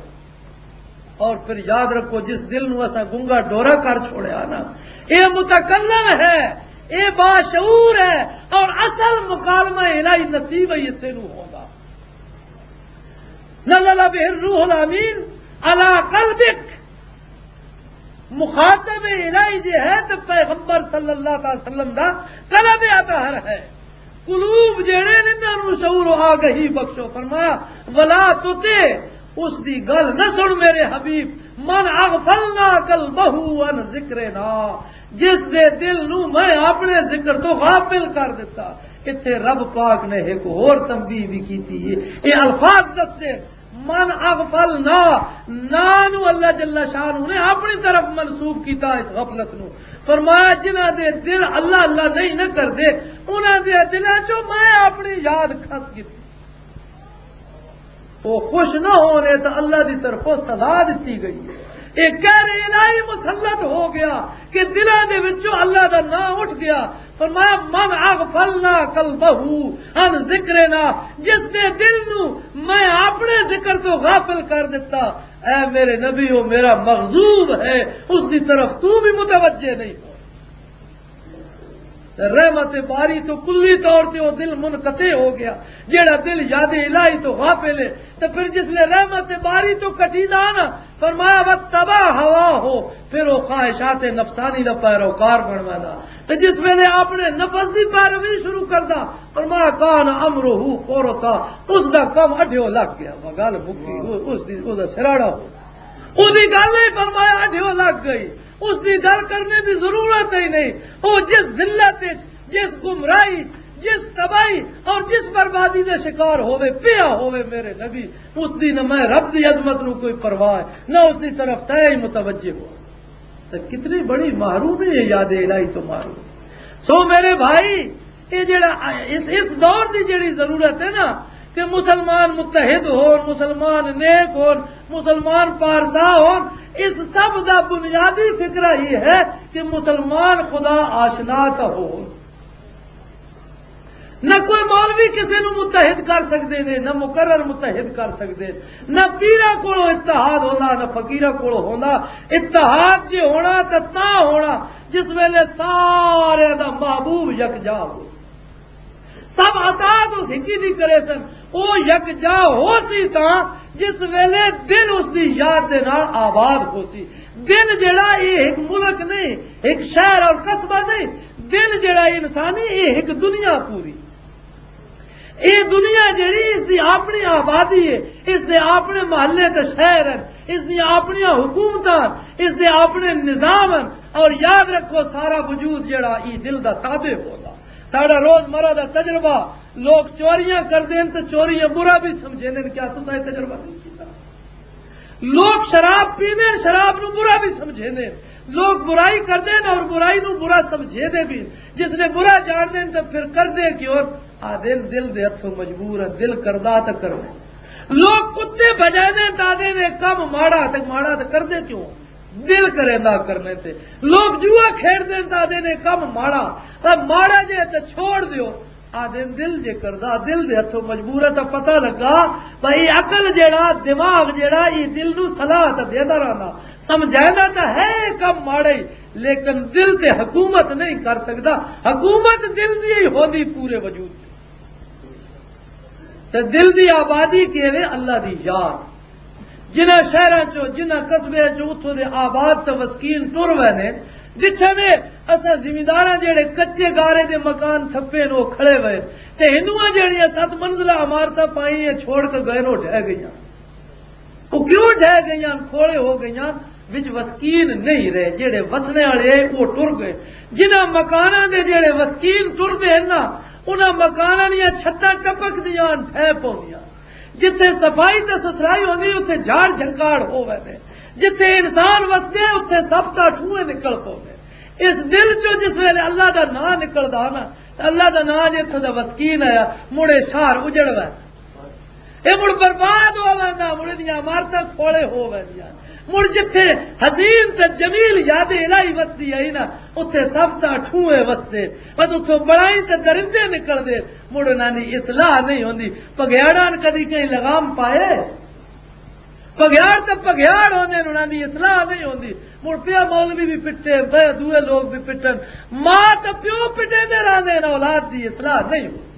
اور پھر یاد رکھو، جس دل نو اساں گنگا ڈورا کر چھوڑیا نا، اے متکلم ہے، اے باشعور ہے، اور اصل مکالمہ الہی نصیب ہے اسے نو ہوگا۔ نزل به الروح الامین علی قلبک۔ مخاطب الہی جے ہے تے پیغمبر صلی اللہ علیہ وسلم دا قلب اطہر ہے۔ قلوب جڑے نے، انہاں نوں شعور و آگہی بخشو۔ فرمایا، "ولا تطع"، اس دی گل نہ سن میرے حبیب، "من اغفلنا قلبه عن ذکرنا"، جس دے دل نوں میں اپنے ذکر تو غافل کر دتا۔ اتھے رب پاک نے ایک ہور تنبیہ بھی کیتی ہے۔ یہ الفاظ دستے، "من اغفلنا"، نا نو اللہ جل شانہ نے اپنی طرف منسوب کیتا اس غفلت نو۔ فرمایا، جنہاں دے دل اللہ اللہ نہیں نہ کردے، انہاں دے دلاں چوں میں اپنی یاد کھس گئی۔ وہ خوش نہ ہونے تو اللہ دی طرفوں سزا دتی گئی ہے۔ ایک قہر الہی مسلط ہو گیا کہ دلاں دے وچوں اللہ دا نام اٹھ گیا۔ فرمایا، "من اغفلنا قلبہ عن ذکرنا"، جس دے دل نو میں اپنے ذکر تو غافل کر دیتا، اے میرے نبی، او میرا مغضوب ہے، اس دی طرف تو بھی متوجہ نہیں ہو۔ تے رحمت باری تو کلی طور تے او دل منقطع ہو گیا۔ جیڑا دل یاد الہی تو غافل ہے، تے پھر جس لے رحمت باری تو کٹی دا نا، فرمایا، "وَاتَّبَعَ هَوَاهُ"، پھر او خواہشات نفسانی دا پیروکار بن ویندا۔ تے جس ویلے اپنے نفس دی پیروی شروع کردا، فرمایا، "كَانَ أَمْرُهُ فُرُطًا"، اس دا کم اڈھیو لگ گیا۔ وہ گل مکی، او-، اس دی، او دا سراڑا ہو۔ او دی گل نہیں، فرمایا، اڈھیو لگ گئی۔ اس دی گل کرنے دی ضرورت ہی نہیں۔ او جس ذلت وچ، جس گمراہی، جس تباہی اور جس بربادی دے شکار ہووے، پیا ہووے میرے نبی، اس دی نہ میں رب دی عظمت نو کوئی پرواہ ہے، نہ اس دی طرف تے ہی متوجہ ہو۔ تو کتنی بڑی محرومی ہے یاد الہی تو محروم۔ سو میرے بھائی، یہ جڑا اس، اس دور دی جڑی ضرورت ہے نا، کہ مسلمان متحد ہون، مسلمان نیک ہون، مسلمان پارسا ہون، اس سب دا بنیادی فکرہ یہ ہے کہ مسلمان خدا آشنا تا ہون۔ نہ کوئی مولوی کسی نو متحد کر سکدے نے، نہ مقرر متحد کر سکدے، نہ پیراں کولوں اتحاد ہوندا، نہ فقیراں کولوں ہوندا۔ اتحاد جے ہونا تے تاں ہونا جس ویلے سارے دا محبوب یکجا ہو، سب اطاعت اس ہکی دی کرے سن۔ او یکجا ہو سی تاں جس ویلے دل اس دی یاد دے نال آباد ہو سی۔ دل جڑا، یہ ایک ملک نہیں، ایک شہر اور قصبہ نہیں۔ دل جڑا انسانی، یہ ایک دنیا پوری۔ یہ دنیا جڑی، اس دی اپنی آبادی ہے، اس دے اپنے محلے تے شہر ہیں، اس دی اپنی حکومتاں، اس دے اپنے نظام ہیں۔ اور یاد رکھو، سارا وجود جڑا، یہ دل دا تابع ہوگا۔ ساڈا روزمرہ دا تجربہ، لوگ چوریاں کردے ہیں تے چوریاں برا بھی سمجھے نے۔ کیا تساں یہ تجربہ نہیں کیتا؟ لوگ شراب پیندے ہیں، شراب نو برا بھی سمجھے نے۔ لوگ برائی کردے ہیں اور برائی نو برا سمجھے دے بھی۔ جس نے برا جان دے ہیں تے پھر کردے کیوں؟ آدھے دل دے ہتھوں مجبور ہے، دل کردا تے کرنا۔ لوگ کتے بجائے دے ہیں تے آدھے نے کم ماڑا تے ماڑا تے کردے کیوں؟ دل کریندا کرنے تے۔ لوگ جوا کھیڈ دے تے آدھے نے کم ماڑا، پر ماڑا جے تے چھوڑ دیو۔ آدھے دل جے کردا، دل دے ہتھوں مجبور ہے، تاں پتہ لگا بھئی عقل جیڑا، دماغ جیڑا، یہ دل نو صلاح تاں دیندا رہندا، سمجھائندا تاں ہے یہ کم ماڑا ہی، لیکن دل تے حکومت نہیں کر سکدا۔ حکومت دل دی ہی ہوندی پورے وجود تے۔ تے دل دی آبادی کیویں؟ اللہ دی یاد۔ جنہاں شہراں چوں، جنہاں قصبیاں چوں اتھوں دے آباد تے وسکین ٹر وے نے، ڈٹھے نے اساں زمینداراں جڑے کچے گارے دے مکان تھپے نے، او کھڑے وے۔ تے ہندوؤں جڑیاں ست منزلہ عمارتاں پائیاں چھوڑ کے گئے نے، او ڈھہ گئیاں۔ او کیوں ڈھہ گئیاں؟ کھوڑے ہو گئیاں، وچ وسکین نہیں رہے۔ جڑے وسنے والے آئے، او ٹر گئے۔ جنہاں مکاناں دے جڑے وسکین ٹردے ہیں نا، انہاں مکاناں دیاں چھتاں ٹپک دیاں، ڈھہ پوندیاں۔ جتھے صفائی تے ستھرائی ہوندی، اتھے جھاڑ جھنکاڑ ہووے نے۔ جتھے انسان وسدے، اتھے سب دا ٹھوئے نکل پوندے۔ اس دل چوں جس ویلے اللہ دا نام نکلدا نا، تے اللہ دا نام جتھے دا وسکین آیا، مڑے شہر اجڑ وے۔ اے مڑ برباد ہو ویندا، مڑ دیاں عمارتاں کھوڑے ہو ویندیاں۔ مڑ جتھے حسین تے جمیل یاد الہی وسدی آئی نا، اتھے سب دا ٹھوئے وسدے۔ بس اتھوں بڑائی تے درندے نکلدے۔ مڑ انہاں دی اصلاح نہیں ہوندی۔ پگھیاڑاں کدی کہیں لگام پائے؟ پگھیاڑ تے پگھیاڑ ہوندے نے، انہاں دی اصلاح نہیں ہوندی۔ مڑ پیا مولوی بھی پٹے، پیا دوئے لوگ بھی پٹن، ماں تے پیو پٹے دے رہندے نے، اولاد دی اصلاح نہیں ہوندی۔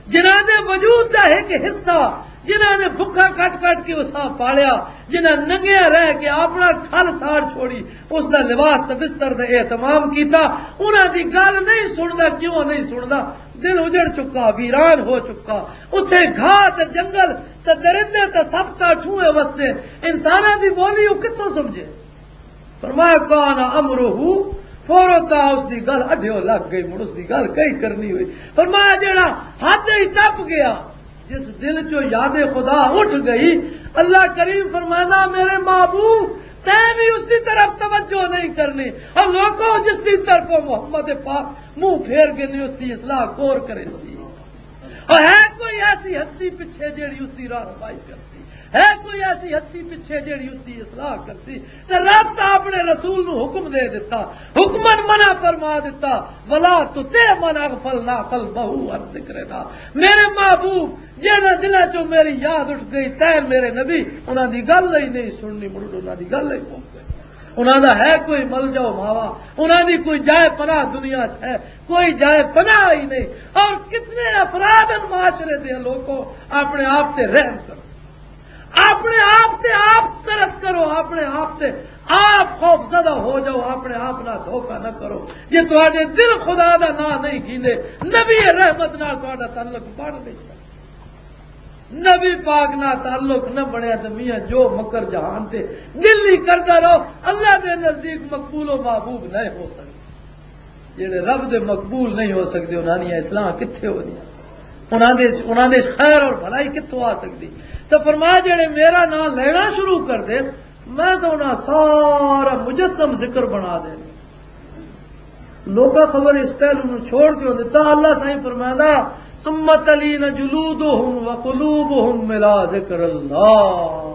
جنہاں دے وجود دا ایک حصہ، جنہاں نے بھکھا کٹ کٹ کے اساں پالیا، جنہاں ننگیا رہ کے اپنا کھل ساڑ چھوڑی، اس دا لباس تے بستر دا اہتمام کیتا، انہاں دی گل نہیں سندا۔ کیوں نہیں سندا؟ دل اجڑ چکا، ویران ہو چکا۔ اتھے گھاہ تے جنگل تے درندے تے سب تا ٹھوئے وسدے، انساناں دی بولی او کتھوں سمجھے؟ فرمایا، "کان امرہ فرطا"، اس دی گل اڈھیو لگ گئی، مڑ اس دی گل کئی کرنی ہوئی۔ فرمایا، جیڑا حد ہی ٹپ گیا، جس دل چوں یاد خدا اٹھ گئی، اللہ کریم فرمانا، میرے محبوب، تیں بھی اس دی طرف توجہ نہیں کرنی۔ اور لوگوں، جس دی طرف محمد پاک منہ پھیر گئے نے، اس دی اصلاح کور کرے سی؟ اور ہے کوئی ایسی ہستی پچھے جیڑی اس دی راہنمائی کرتی؟ ہے کوئی ایسی ہستی پچھے جیڑی اس دی اصلاح کرسی؟ تے رب تاں اپنے رسول نو حکم دے دتا، حکمن منع فرما دتا، "ولا تطع من اغفلنا قلبه عن ذکرنا۔" میرے محبوب، جنہاں دلاں چوں میری یاد اٹھ گئی، تین میرے نبی، انہاں دی گل ہی نہیں سننی، مڑ انہاں دی گل ہی پہنچ گئی۔ انہاں دا ہے کوئی ملجا و ماوا؟ انہاں دی کوئی جائے پناہ دنیا چ ہے؟ کوئی جائے پناہ ہی نہیں۔ اور کتنے افراد ان معاشرے دے لوگوں، اپنے آپ تے رحم کرو، اپنے آپ تے آپ ترس کرو، اپنے آپ تے آپ خوف زدہ ہو جاؤ، اپنے آپ نہ دھوکا نہ کرو۔ جے تہاڈے دل خدا دا نام نہیں گھیندے، نبی رحمت نال تہاڈا تعلق بن نہیں سکدا۔ نبی پاک نال تعلق نہ بنیا تے میاں جو مکر جہان تے دل نہیں کردا رہو، اللہ دے نزدیک مقبول و محبوب نہ ہو سکدے۔ جڑے رب دے مقبول نہیں ہو سکدے، انہاں دیاں اصلاحاں کتھے ہو دیاں؟ انہاں دے، انہاں دے خیر اور بھلائی کتھوں آ سکدی؟ تو فرمایا، جڑے میرا نام لینا شروع کر دے، میں تو انہاں سارا مجسم ذکر بنا دے۔ لوکاں خبر اس پہلو نو چھوڑ کے ہوندے، تاں اللہ سائیں فرماندا، "ثم تلین جلودہم وقلوبہم الی ذکر اللہ۔"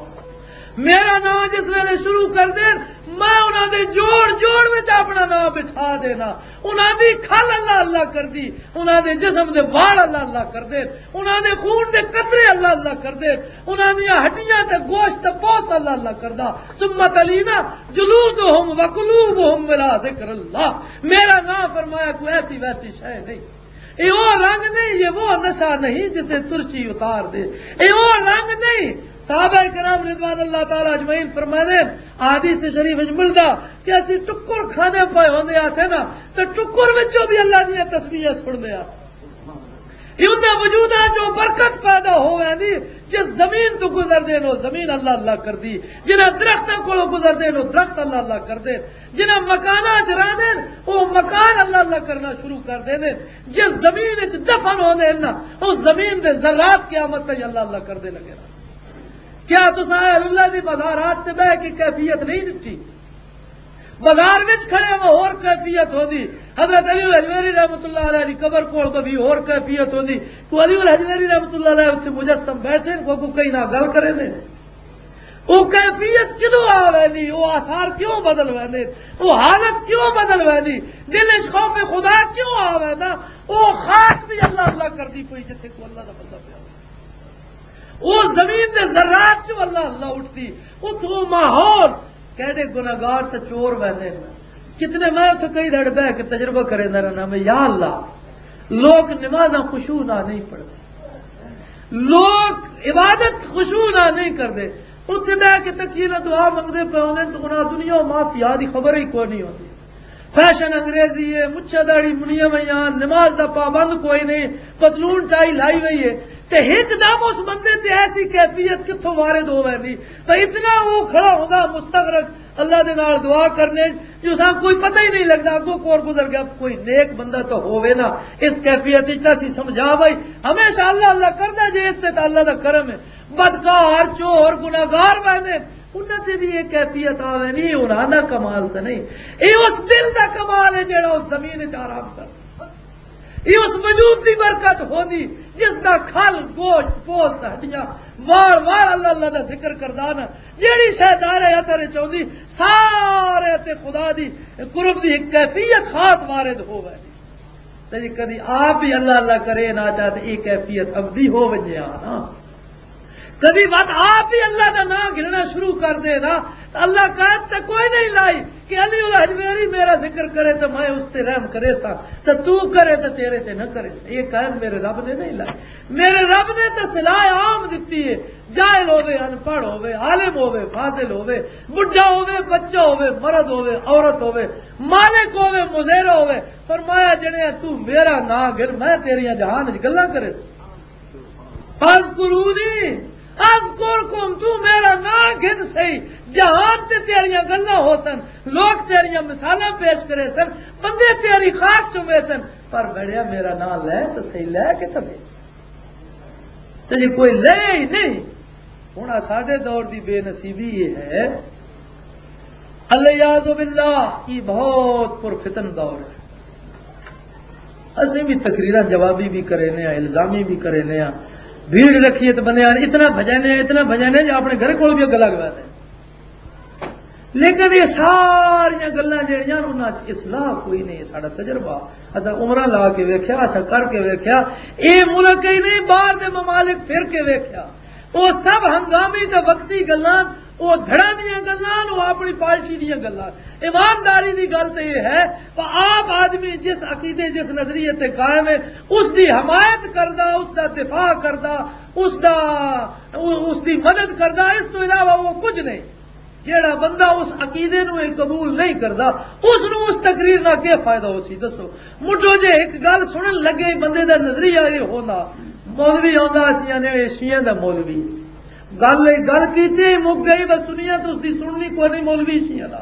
میرا نام جس ویلے شروع کر دین، میں انہاں دے جوڑ جوڑ وچ اپنا نام بٹھا دینا۔ انہاں دی کھل اللہ اللہ کر دی، انہاں دے جسم دے وال اللہ اللہ کر دین، انہاں دے خون دے قطرے اللہ اللہ کر دین، انہاں دیاں ہڈیاں تے گوشت تے پوست اللہ اللہ کردا۔ ثم تلین جلودہم وقلوبہم الی ذکر اللہ۔ میرا نام، فرمایا، کوئی ایسی ویسی شے نہیں۔ اے او رنگ نہیں، یہ وہ نشہ نہیں جسے ترشی اتار دے۔ اے او رنگ نہیں۔ صحابہ کرام رضوان اللہ تعالی اجمعین فرماندے، حدیث شریف وچ ملدا کہ اسی ٹکر کھانے پے ہوندے آسے نا، تے ٹکر وچوں بھی اللہ دیاں تسبیحاں سننے آسے۔ یہ انہاں وجوداں چوں برکت پیدا ہو ویندی، جس زمین تو گزر دے نو زمین اللہ اللہ کر دی، جنہاں درختاں کولوں گزر دے نو درخت اللہ اللہ کر دے، جنہاں مکاناں چ رہ دے، او مکان اللہ اللہ کرنا شروع کر دے نے۔ جس زمین وچ دفن ہو دے نا، اس زمین دے ذرات قیامت تک اللہ اللہ کر دے لگے نا۔ کیا تساں اہل اللہ دی مزارات تے بہ کے کیفیت نہیں دتی؟ بازار وچ کھڑے ہو، ہور کیفیت ہوندی۔ حضرت علی الحجویری رحمۃ اللہ علیہ دی قبر کول کبھی ہور کیفیت ہوندی۔ تو علی الحجویری رحمۃ اللہ علیہ اتھے مجسم بیٹھے، کوئی کوئی کہیں نہ گل کرے نے۔ وہ کیفیت کدوں آ ویندی؟ وہ آثار کیوں بدل ویندے؟ وہ حالت کیوں بدل ویندی؟ دل وچ خوف خدا کیوں آ ویندا؟ وہ خاک بھی اللہ اللہ کردی پئی، جتھے کو اللہ دا بندہ پیا۔ اس زمین دے ذرات چوں اللہ اللہ اٹھدی، اتھوں ماحول، کہڑے گناہگار تے چور ویندے نے۔ کتنے، میں اتھے کئی دھڑ بہ کے تجربہ کریندا رہنا میں، یا اللہ، لوگ نمازاں خشوع نہ نہیں پڑھدے، لوگ عبادت خشوع نہ نہیں کردے، اتھے بہ کے تکیے نہ دعا منگدے پے ہوندے، تو انہاں دنیا و مافیا دی خبر ہی کوئی نہیں ہوندی۔ فیشن انگریزی ہے، مچھا داڑھی منیاں ہوئیاں، نماز دا پابند کوئی نہیں، پتلون ٹائی لائی ہوئی ہے۔ تے ہک دم اس بندے تے ایسی کیفیت کتھوں وارد ہو ویندی؟ تے اتنا وہ کھڑا ہوندا مستغرق، اللہ دے نال دعا کرنے، جو ساں کوئی پتہ ہی نہیں لگدا اگوں کور گزر گیا۔ کوئی نیک بندہ تو ہووے نا، اس کیفیت وچ تاں اسی سمجھا بھائی، ہمیشہ اللہ اللہ کردا جے، اس تے تاں اللہ دا کرم ہے۔ بدکار، چور، گناہگار ویندے، انہاں تے بھی یہ کیفیت آوے نہیں، انہاں دا کمال تے نہیں۔ یہ اس دل دا کمال ہے جڑا اس زمین وچ آرام کردا۔ یہ اس وجود دی برکت ہوندی جس دا کھل، گوشت، پوست، ہڈیاں، وال وال اللہ اللہ دا ذکر کردا نا۔ جیڑی شے دار اثر وچ ہوندی، سارے تے خدا دی قرب دی ایک کیفیت خاص وارد ہووے۔ تے جے کدی آپ بھی اللہ اللہ کرے نہ چاہے تے یہ کیفیت ابدی ہو ونجے آ نا۔ کدی وقت آپ بھی اللہ دا نام گھننا شروع کر دے نا، تے اللہ قید تے کوئی نہیں لائی کہ علی الحجویری میرا ذکر کرے تے میں اس تے رحم کرے سا، تے تو کرے تے تیرے تے نہ کرے۔ یہ قید میرے رب نے نہیں لائی۔ میرے رب نے تے صلاح عام دتی ہے، جاہل ہوے، ان پڑھ ہوے، عالم ہوے، فاضل ہوے، بڈھا ہوے، بچہ ہوے، مرد ہوے، عورت ہوے، مالک ہوے، مزیرہ ہوے، فرمایا، جنے تو میرا نام گھن، میں تیریاں جہان وچ گلاں کرے۔ فاذکرونی اذکرکم، تو میرا نام گھن سہی، جہان تے تیریاں گلاں ہو سن، لوگ تیریاں مثالاں پیش کرے سن، بندے تیری خاک چومے سن، پر بڑیا میرا نام لے تو سہی، لے کے تو دے۔ تے جے کوئی لے ہی نہیں، ہن ساڈے دور دی بے نصیبی یہ ہے، الیاذ باللہ، یہ بہت پرفتن دور ہے۔ اسیں بھی تقریراں جوابی بھی کرینے ہاں، الزامی بھی کرینے ہاں، بھیڑ رکھیے تو بندے آن اتنا بھجن ہے، اتنا بھجن ہے جو اپنے گھر کول بھی گلا گوا دے۔ لیکن یہ ساریاں گلاں جڑیاں انہاں چ اصلاح کوئی نہیں، ساڈا تجربہ، اساں عمرہ لا کے ویکھیا، اساں کر کے ویکھیا، اے ملک ہی نہیں، باہر دے ممالک پھر کے ویکھیا، وہ سب ہنگامی تے وقتی گلاں، وہ دھڑاں دیاں گلاں، وہ اپنی پارٹی دیاں گلاں۔ ایمانداری دی گل تے یہ ہے، پر عام آدمی جس عقیدے، جس نظریے تے قائم ہے، اس دی حمایت کردا، اس دا دفاع کردا، اس دا، اس دی مدد کردا، اس تو علاوہ وہ کچھ نہیں۔ جیڑا بندہ اس عقیدے نو ہی قبول نہیں کردا، اس نو اس تقریر نال کیا فائدہ ہو سی؟ دسو، مٹھو جے ایک گل سنن لگے، بندے دا نظریہ یہ ہونا، مولوی آندا سی، یعنی یہ شیعہ دا مولوی، گل، گل کیتی ہی مک گئی، بس سنیاں تو اس دی سننی کوئی نہیں، مولوی شیعہ دا۔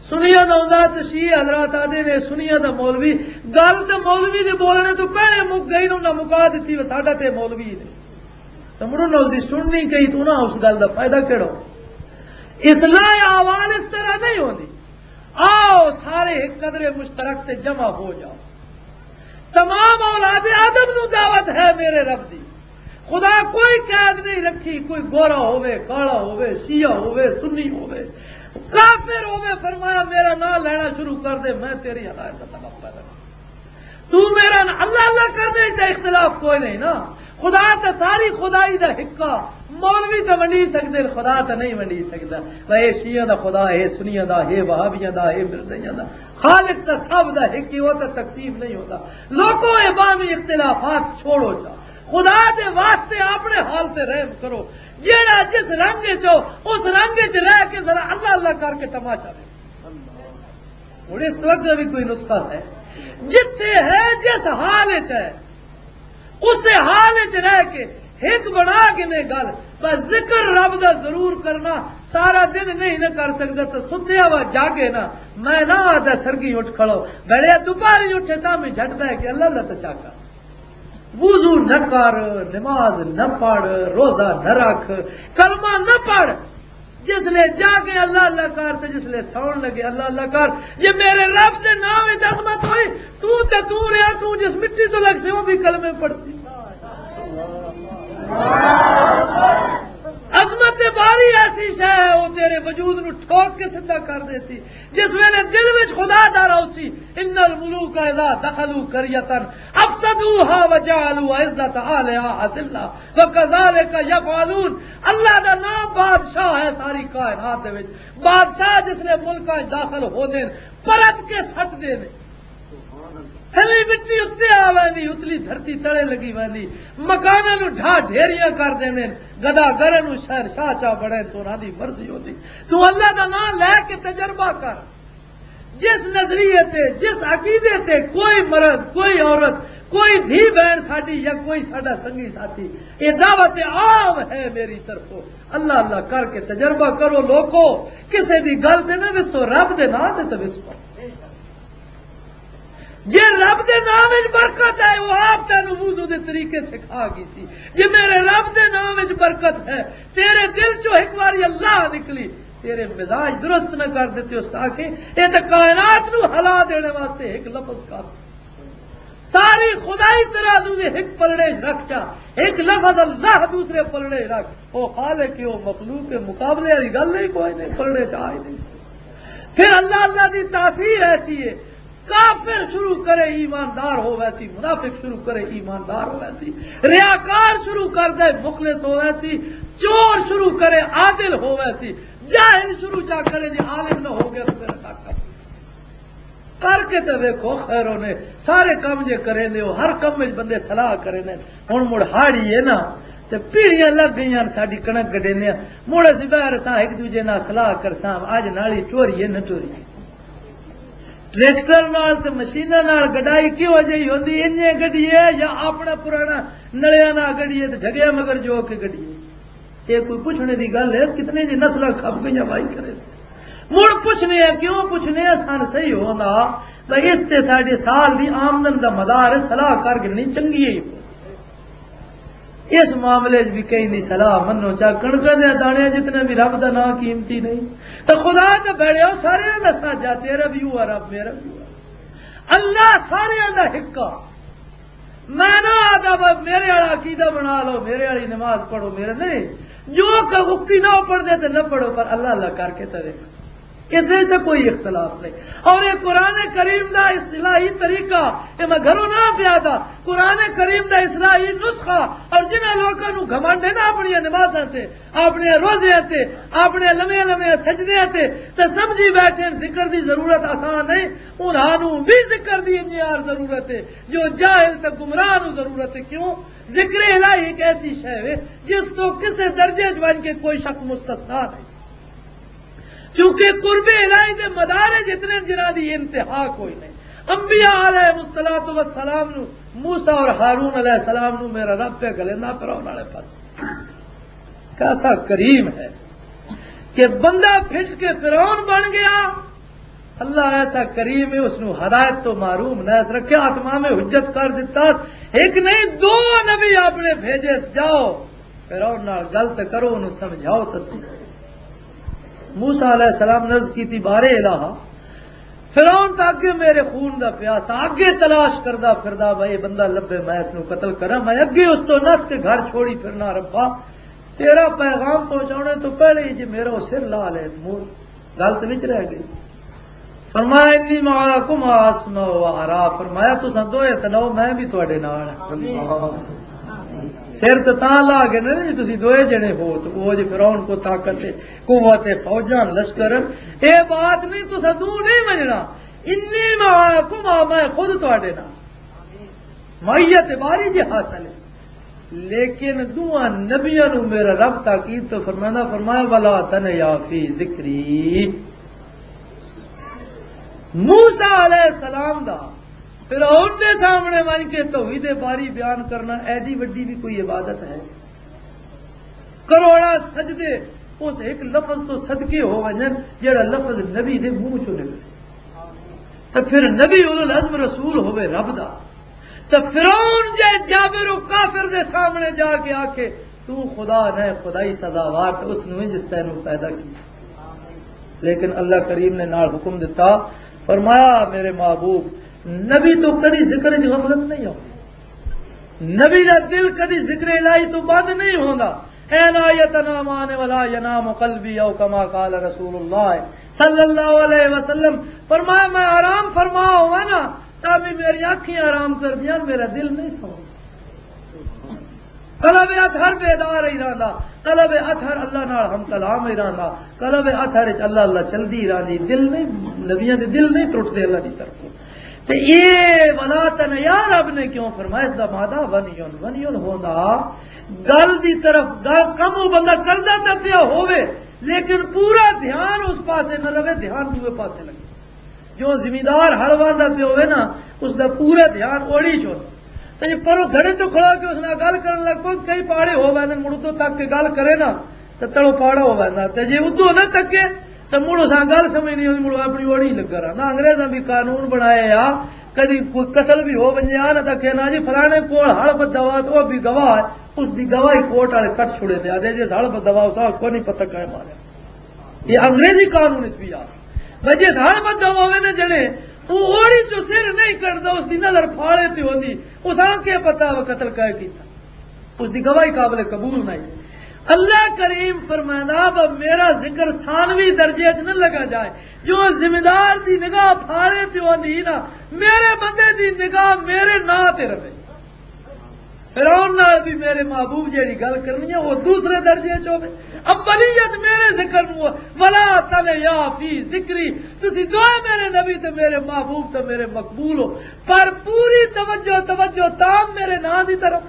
سنیاں دا ہوندا تے شیعہ حضرات آدھے نے سنیاں دا مولوی، گل تے مولوی دے بولنے تو پہلے مک گئی، انہاں مکا دتی، ساڈا تے مولوی ہی نہیں۔ تو مڑو نہ اس دی سننی کئی، تو نہ اس گل دا فائدہ کیڑا ہو؟ اصلاح احوال اس طرح نہیں ہوندی۔ آؤ سارے ایک قدر مشترک تے جمع ہو جاؤ۔ تمام اولاد آدم نو دعوت ہے میرے رب دی۔ خدا کوئی قید نہیں رکھی، کوئی گورا ہووے، کالا ہووے، شیعہ ہووے، سنی ہووے، کافر ہووے، فرمایا میرا نام لینا شروع کر دے، میں تیری ہدایت دا سبب پیدا کروں۔ تو میرا نا-، اللہ اللہ کرنے تے اختلاف کوئی نہیں نا۔ خدا تے ساری خدائی دا حقہ، مولوی تے ونڈی سکدے، خدا تے نہیں ونڈی سکدا۔ بھائی، اے شیعہ دا خدا ہے، سنیاں دا ہے، وہابیاں دا ہے، مرزائیاں دا، خالق تے سب دا حق ہی، وہ تے تقسیم نہیں ہوتا۔ لوگوں، اے باہمی اختلافات چھوڑو جا، خدا دے واسطے اپنے حال تے رحم کرو۔ جیڑا جس رنگ وچ ہو، اس رنگ وچ رہ کے ذرا اللہ اللہ کر کے تماشا دیکھو۔ ہن اس تو اگے بھی کوئی نسخہ ہے؟ جتھے ہے، جس حال وچ ہے، اسے حال وچ رہ کے ہک بنا کے نے گل، بس ذکر رب دا ضرور کرنا۔ سارا دن نہیں نہ کر سکدا تو ستیا وا جاگے نا۔ میں نہ آدا سرگی اٹھ کھڑو، بڑے دوپہری اٹھے تاں میں جھٹ بہ کے اللہ اللہ تچا کر۔ وضو نہ کر، نماز نہ پڑھ، روزہ نہ رکھ، کلمہ نہ پڑھ۔ جس لے جا کے اللہ اللہ کر تے جس لے سون لگے اللہ اللہ کر۔ جے میرے رب دے نام وچ عظمت ہوئی، تو تے تو رہیا، تو جس مٹی تو لگ سے، وہ بھی کلمے پڑھسی۔ عظمت باری ایسی شے ہے، وہ تیرے وجود نو ٹھوک کے سدھا کر دیسی۔ جس ویلے دل وچ خدا دا راؤ سی، ان الملوک اذا دخلوا قریۃ افسدوها وجعلوا عزت اہلها اذلہ وکذالک یفعلون۔ اللہ دا نام بادشاہ ہے ساری کائنات دے وچ۔ بادشاہ جس لے ملکاں وچ داخل ہوندے نے، پرت کے سٹ دے نے۔ تھلی مٹی اتنے آ ویندی، اتلی دھرتی تلے لگی ویندی، مکاناں نوں ڈھا ڈھیریاں کر دیندے نے، گدا گرن نوں شہنشاہ چا بنے تو انہاں دی مرضی ہوندی۔ تو اللہ دا نام لے کے تجربہ کر، جس نظریے تے، جس عقیدے تے کوئی مرد، کوئی عورت، کوئی دھی بہن ساڈی یا کوئی ساڈا سنگی ساتھی، یہ دعوت عام ہے میری طرفوں۔ اللہ اللہ کر کے تجربہ کرو لوکو، کسے دی گل تے نہ وسو، رب دے نام تے تے وسو۔ جے رب دے نام وچ برکت ہے، وہ آپ تینوں وضو دے طریقے سکھا گئی سی۔ جے میرے رب دے نام وچ برکت ہے، تیرے دل چوں ایک باری اللہ نکلی، تیرے مزاج درست نہ کر دیتے، اس آکھے، اے تے کائنات نو ہلا دینے واسطے ایک لفظ کافی۔ ساری خدائی ترازو دے ایک پلڑے رکھ جا، ایک لفظ اللہ دوسرے پلڑے رکھ، او خالق ہے، او مخلوق ہے، مقابلے والی گل نہیں، کوئی نہیں، پلڑے چ آ ہی نہیں سکتا۔ پھر اللہ، اللہ دی تاثیر ایسی ہے، کافر شروع کرے ایماندار ہو ویسی، منافق شروع کرے ایماندار ہو ویسی، ریاکار شروع کر دے مخلص ہو ویسی، چور شروع کرے عادل ہو ویسی، جاہل شروع چا کرے جے عالم نہ ہو گیا تو میرا کاکا۔ کر کے تے ویکھو، خیروں نے سارے کم جے کرے نے، ہر کم وچ بندے صلاح کرے نے۔ ہن مڑ ہاڑی ہے نا، تے پیڑیاں لگ گئیاں ساڈی کنک گڈیندیاں۔ مڑ اسی باہر اساں ایک دوجے نال صلاح کرساں، اج نالی چوری ہے نہ چوری ہے۔ ٹریکٹر نال تے مشیناں نال گڈائی کیہو جہی ہوندی، انجے گڈیے یا اپنا پرانا نلیاں نال گڈیے تے ڈھگیا مگر جو کے گڈیے۔ یہ کوئی پوچھنے دی گل ہے؟ کتنے جی نسلاں کھپ گئیاں بھائی کرے۔ مڑ پوچھنے ہیں، کیوں پوچھنے ہیں؟ سن صحیح ہوندا بھائی، اس تے ساڈے سال دی آمدن دا مدار ہے، صلاح کر گھننی چنگی ہے۔ اس معاملے 'چ بھی کہیں دی صلاح منو، چاہے کݨکاں دے دانے، جتنے بھی، رب دا نام قیمتی نہیں۔ تے خدا تے بھڑیو، سارے دا ساجا، تیرا بھی ہوا رب، میرا بھی ہوا۔ اللہ سارے دا ہکا۔ میں نہ آدھا بھائی میرے والا عقیدہ بنا لو، میرے والی نماز پڑھو، میرے نہیں۔ جو کہ اکتی نہ پڑھ دے تے نہ پڑھو، پر اللہ اللہ کر کے تے دیکھو۔ اس وچ تے کوئی اختلاف نہیں۔ اور یہ قرآن کریم دا اصلاحی طریقہ، یہ میں گھروں نہ پیا تھا۔ قرآن کریم دا اصلاحی نسخہ، اور جنہاں لوکاں نوں گھمنڈ ہے نا اپنی نمازاں تے، اپنے روزے تے، اپنے لمے لمے سجدے تے، تے سمجھی بیٹھے ذکر دی ضرورت آسان نہیں، انہاں نوں بھی ذکر دی انجیار ضرورت ہے۔ جو جاہل تے گمراہ نوں ضرورت ہے۔ کیوں؟ ذکر الہی ایک ایسی شے ہے جس تو کسے درجے چ ون کے کوئی شخص مستثنا نہیں، کیونکہ قرب الہی دے مدارج اتنے جنہاں دی انتہا کوئی نہیں۔ انبیاء علیہ الصلوۃ والسلام نو، موسیٰ اور ہارون علیہ السلام نو میرا رب پہ گلیندا فرعون والے پاس۔ کیسا کریم ہے کہ بندہ پھٹ کے فرعون بن گیا، اللہ ایسا کریم ہے، اس نو ہدایت تو محروم نہ رکھیا، اتمام حجت کر دیتا۔ ایک نہیں، دو نبی اپنے بھیجے، جاؤ فرعون نال گل تے کرو، انہوں سمجھاؤ تے صحیح۔ موسیٰ علیہ السلام نے عرض کی تھی، بارے الہا، فرعون تاں اگے میرے خون دا پیاسا، اگے تلاش کردا پھردا، بھائی بندہ لبھے میں اس نو قتل کراں، میں اگے اس تو نس کے گھر چھوڑی پھرنا۔ ربا، تیرا پیغام پہنچانے تو پہلے ہی جے میرا وہ سر لا لے، مور گل تے وچ رہ گئی۔ فرمایا، انی معکما اسمع و ارا، فرمایا، تساں دوئے تے نو، میں بھی تواڈے نال ہاں۔ سر تے تاں لا کے نہیں، تسی دوئے جنے ہو، تو وہ جے فرعون کو طاقت ہے، قوت ہے، فوجاں، لشکر، اے بات نہیں، تساں دو نہیں مننا۔ انی معکما، میں خود تواڈے نال۔ معیت باری جے حاصل ہے۔ لیکن دوواں نبیاں نو میرا رب تاکید تو فرمانا، فرمایا، ولا تنیا فی ذکری۔ موسیٰ علیہ السلام دا فرعون دے سامنے ونج کے توحید باری بیان کرنا ایڈی وڈی بھی کوئی عبادت ہے؟ کروڑا سجدے اس ایک لفظ تو صدقے ہو ونجن، جڑا لفظ نبی دے منہ چوں نکلے۔ تے پھر نبی اولو العزم رسول ہوے رب دا، تے فرعون جے جابر و کافر دے سامنے جا کے آکھے، تو خدا نہ، خدائی سزاوار، تے اس نو ہی جس تینوں پیدا کیا۔ لیکن اللہ کریم نے نال حکم دتا، فرمایا، میرے محبوب، نبی تو کدی ذکر وچ غفلت نہیں ہوندی، نبی دا دل کدی ذکر الہی تو بند نہیں ہوندا۔ اے لا یتنامان ولا ینام قلبی، او کما قال رسول اللہ صلی اللہ علیہ وسلم۔ فرمایا، میں آرام فرما ہوا نا، تاکہ میری آنکھیں آرام کر دیاں، میرا دل نہیں سو۔ قلب اطہر بیدار ہی رہندا، قلب اطہر اللہ نال ہم کلام ہی رہندا، قلب اطہر وچ اللہ اللہ چلدی رہندی، دل نہیں، نبیاں دے دل نہیں ٹوٹدے اللہ دی طرفوں۔ تے اے ولا تن یا رب نے کیوں فرمایا؟ اس دا مادہ ونیون، ونیون ہوندا گل دی طرف، گل کم او بندہ کردا تے پیا ہووے، لیکن پورا دھیان اس پاسے نہ رہے، دھیان دوے پاسے لگے۔ جو زمیندار ہل واندا پیا ہووے نا، اس دا پورا دھیان اوڑی چ ہوندا۔ تے جے پرو دھڑے تو کھڑا کے اس نال گل کرن لگ پو، کئی پاڑے ہو ویندے، مڑ اتوں تک کے گل کرے نا، تے تلو پاڑا ہو ویندا۔ تے جے ادوں نہ تکے، تے مڑ اساں گل سمجھ نہیں ہوندی، مڑ اپنی اوڑی لگا رہنا۔ انگریزاں بھی قانون بنایا آ، کدی کوئی قتل بھی ہو ونجے آ نا، تے کہنا جی فلانے کول ہڑ بدھا وا، تے او بھی گواہ ہے، اس دی گواہی کورٹ والے کٹ چھڑے تے آدے جی ہڑ بدھا وا، اساں کو نہیں پتہ کہے ماریا۔ یہ انگریزی قانون وچ بھی آ۔ بھئی جس ہڑ بدھا وا ہوے نا جنے، او اوڑی چوں سر نہیں کٹدا، اس دی نظر پھاڑے تے ہوندی، اساں کے پتہ وہ قتل کہے کیتا۔ اس دی گواہی قابل قبول نہیں۔ اللہ کریم فرمائندا، "اب میرا ذکر ثانوی درجے وچ نہ لگا جائے۔" جو ذمہ دار دی نگاہ پھاڑے تے ہوندی نا، میرے بندے دی نگاہ میرے ناں تے رہے۔ فرعون نال بھی میرے محبوب جیڑی گل کرنی ہے، وہ دوسرے درجے وچ ہوے۔ اولیت میرے ذکر نو، "ولا تنیا فی ذکری۔" تسی دوئے میرے نبی تے میرے محبوب تے میرے مقبول ہو، پر پوری توجہ، توجہ تام میرے ناں دی طرف۔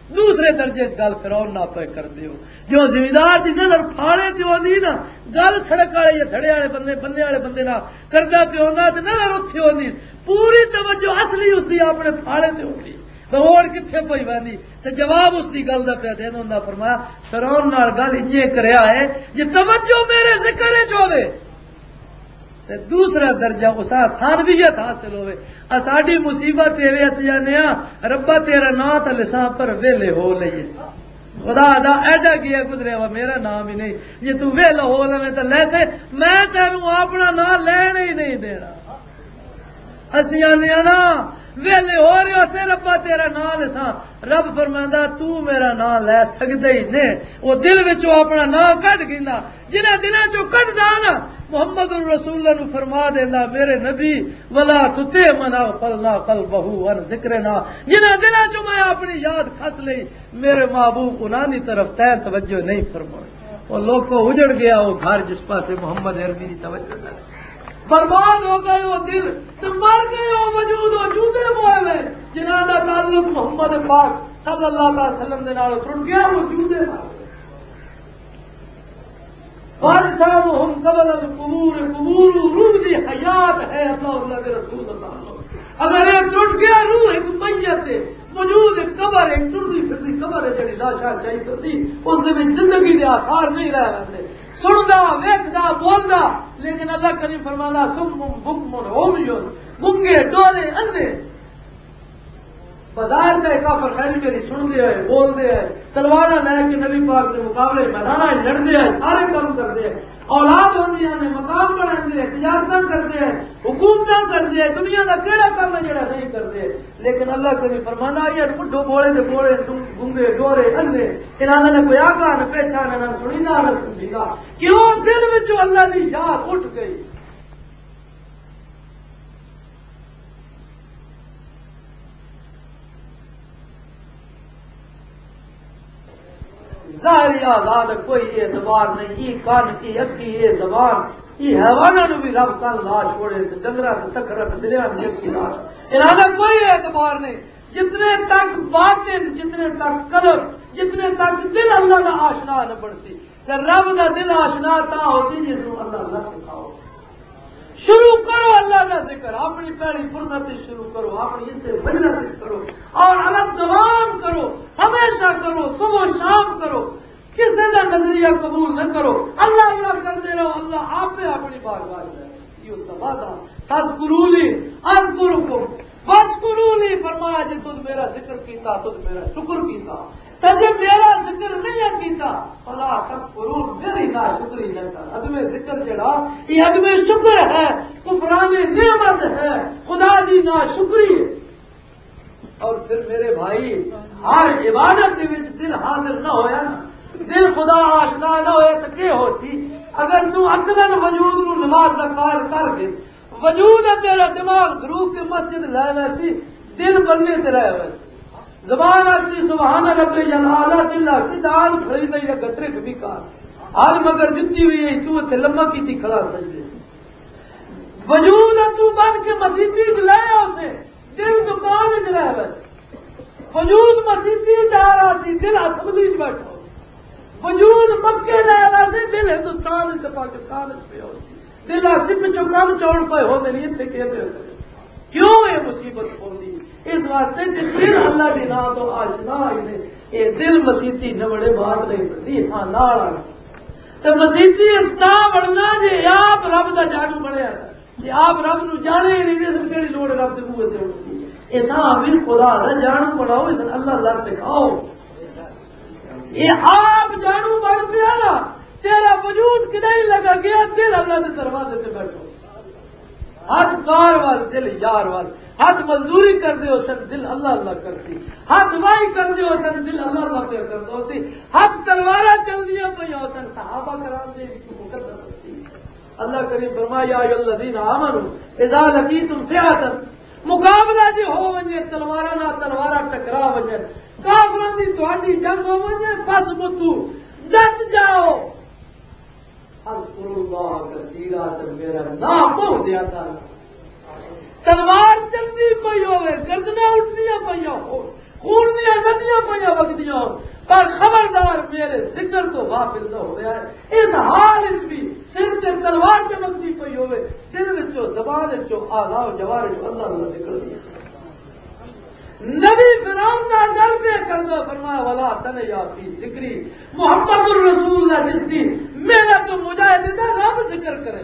دوسرے درجے وچ گل فرعون نال پے کردے ہو۔ جو زمیندار دی نظر پھاڑے تے ہوندی نا، گل سڑک والے یا تھڑے والے بندے، بندے والے بندے نال کردا پیا ہوندا تے نظر اتھے ہوندی، پوری توجہ اصلی اس دی اپنے پھاڑے تے ہوندی۔ تے ہوڑ کتھے پئی ویندی؟ تے جواب اس دی گل دا پیا دین ہوندا۔ فرمایا، فرعون نال گل انجے کریا ہے، جے توجہ میرے ذکر وچ ہوے۔ تے دوسرا درجہ اساں ثانویت حاصل ہوئے۔ اساڈی مصیبت اے وے، اسی آنے ہاں، "ربا تیرا نام تے لساں پر ویلے ہو لئیے۔" خدا دا ایڈا گیا گزریا وا، میرا نام ہی نہیں۔ جے تو ویلا ہو لویں تے لیسے، میں تینوں اپنا نام لین ہی نہیں دینا۔ اسی آنے ہاں نا، ویلے ہو رہے ہو، سے ربا تیرا نام لساں۔ رب فرماندا، تو میرا نام لے سکدا ہی نہیں۔ وہ دل وچوں اپنا نام کڈ گیندا۔ جنہاں دلاں چوں کڈدا نا، محمد الرسول اللہ نو فرما دیندا، میرے نبی، ولا تطع من اغفلنا قلبه عن ذکرنا، جنہاں دلاں چوں میں اپنی یاد کھس لئی، میرے محبوب انہاں دی طرف تین توجہ نہیں فرمائی۔ وہ لوکو، اجڑ گیا وہ گھر جس پاسے محمد عربی دی توجہ نہ۔ برباد ہو گئے وہ دل، تے مر گئے وہ وجود، وہ جودے موئے ہوئے، جنہاں دا تعلق محمد پاک صلی اللہ علیہ وسلم دے نال ٹوٹ گیا، وہ جودے مر گئے۔ وارثاں ہم قبل القبور، قبور روح دی حیات ہے، اللہ، اللہ دے رسول، اللہ۔ اگر یہ ٹوٹ گیا، روح ایک میت ہے، وجود ایک قبر ہے، ایک ٹردی پھردی قبر ہے، جڑی لاشاں چائی کرتی، اس دے وچ زندگی دے آثار نہیں رہ ویندے۔ سندا، ویکھدا، بولدا، لیکن اللہ کریم فرماندا، "صم بکم عمی"، گنگے، ڈورے، اندھے۔ بظاہر تے کافر خیر میری سن دے آئے، بول دے آئے، تلواراں لے کے نبی پاک دے مقابلے میداناں وچ لڑ دے آئے، سارے کام کر دے آئے۔ اولاد ہوندیاں نے، مقام بناندے آئے، تجارتاں کر دے آئے، حکومتاں کر دے آئے، دنیا دا کیڑا کام ہے جڑا نہیں کر دے؟ لیکن اللہ کبھی فرمانا آئی ہے، بڈھو بولے دے بولے، گنگے ڈورے اندھے، انہاں نے کوئی آگاہ نہ پہچان، نہ سنی، نہ سمجھی گا۔ کیوں؟ دل وچوں اللہ دی یاد اٹھ گئی۔ ظاہری آزاد کوئی اعتبار نہیں، ای کان، ای اکھی، ای زبان، ای حیواناں نوں بھی رب کل لا چھوڑے، تے ڈنگراں تے تکھراں تے دلیاں دی اکھی لا۔ انہاں دا کوئی اعتبار نہیں۔ جتنے تک باطن، جتنے تک قلب، جتنے تک دل اللہ دا آشنا نہ بنسی، تے رب دا دل آشنا تاں ہو سی جس نوں اللہ نہ سکھاؤ۔ شروع کرو اللہ دا ذکر، اپنی پہلی فرصت وچ شروع کرو، اپنی اسے مجلس وچ کرو، اور علت دوام کرو، ہمیشہ کرو، صبح و شام کرو۔ کسے دا نظریہ قبول نہ کرو، اللہ اللہ کرتے رہو، اللہ آپ اپنی بارگاہ وچ لے۔ یہ اس دا وعدہ، "فاذکرونی اذکرکم واشکرونی"، فرمایا، "جے تم میرا ذکر کیتا، تم میرا شکر کیتا، تے جے میرا ذکر نہیں کیتا، فلا تکفرون"، میری ناشکری نہ کر۔" عدم ذکر جڑا، یہ عدم شکر ہے، کفران نعمت ہے، خدا دی ناشکری ہے۔ اور پھر میرے بھائی، ہر عبادت دے وچ دل حاضر نہ ہویا نا، دل خدا آشنا نہ ہویا تو کیا ہوتی؟ اگر تو عقلاً وجود نو نماز دا قائل کر دے، وجود ہے تیرا، دماغ دھرو کے مسجد لے ویسی، دل بننے تے رہ ویسی۔ زبان آتی سبحان ربی الاعلیٰ، دل آتی دان کھڑی نہیں ہے، گٹرے کبھی کار۔ حال مگر جتی ہوئی ہے، تو اتھے لمبا کی تھی کھڑا سجدے۔ وجود ہے تو بن کے مسیتی چ لے آؤ سے، دل دکان وچ رہ ویسے۔ وجود مسیتی وچ آ رہا سی، دل اسمبلی وچ بیٹھا ہو۔ وجود مکے رہ ویسے، دل ہندوستان وچ تے پاکستان وچ پیا ہو سی۔ دل آسی پچھوں کم چون پے ہوندے نہیں، اتھے کہندے ہوندے۔ کیوں یہ مصیبت ہوندی؟ اس واسطے کہ دل اللہ دے نام تو آشنا ہی نہیں۔ یہ دل مسیتی نوڑے بات نہیں بنتی، ہاں، نال آنا۔ تے مسیتی اس طرح بننا جے آپ رب دا جانو بنیا ہے۔ جے آپ رب نو جانے ہی نہیں، تے پھر کیڑی لوڑ ہے رب دے بوئے تے اٹھدی؟ اے ساں بھی خدا دا جانو بناؤ، اس اللہ اللہ سکھاؤ۔ اے آپ جانو بن پیا نا، تیرا وجود کدائی لگا گیا، دل اللہ دے دروازے تے بیٹھو۔ ہاتھ کار وال، دل یار وال۔ ہاتھ مزدوری کر دے ہو سن، دل اللہ اللہ کرتی۔ ہاتھ وائی کر دے ہو سن، دل اللہ اللہ پہ کر دو سی۔ ہاتھ تلوارا چل دیا پہ ہو سن، صحابہ کرام دے وچ مقدس سی۔ اللہ کریم فرمایا، "یا ایھا الذین آمنوا اذا لقیتم فئۃ"، مقابلہ جے ہو ونجے، تلواراں نال تلواراں ٹکرا ونجن، کافراں دی تہاڈی جنگ ہو ونجے، فثبتوا، ڈٹ جاؤ۔ اذکروا اللہ کثیرا، تے میرا نام بہت زیادہ لو۔ تلوار چلدی پئی ہوے، گردناں اٹھدیاں پئیاں ہو، خون دیاں ندیاں پئیاں وگدیاں ہو، پر خبردار، میرے ذکر تو غافل نہ ہویا ہے۔ اس حال وچ بھی سر تے تلوار چمکدی پئی ہوے، دل وچوں، زبان وچوں، اعضاء و جوارح وچوں اللہ اللہ نکل گیا۔ نبی فرعون دا گل پہ کردا، فرمایا، "ولا تنیا فی ذکری"، محمد الرسول اللہ جس دی محنت و مجاہدے دا رب ذکر کرے۔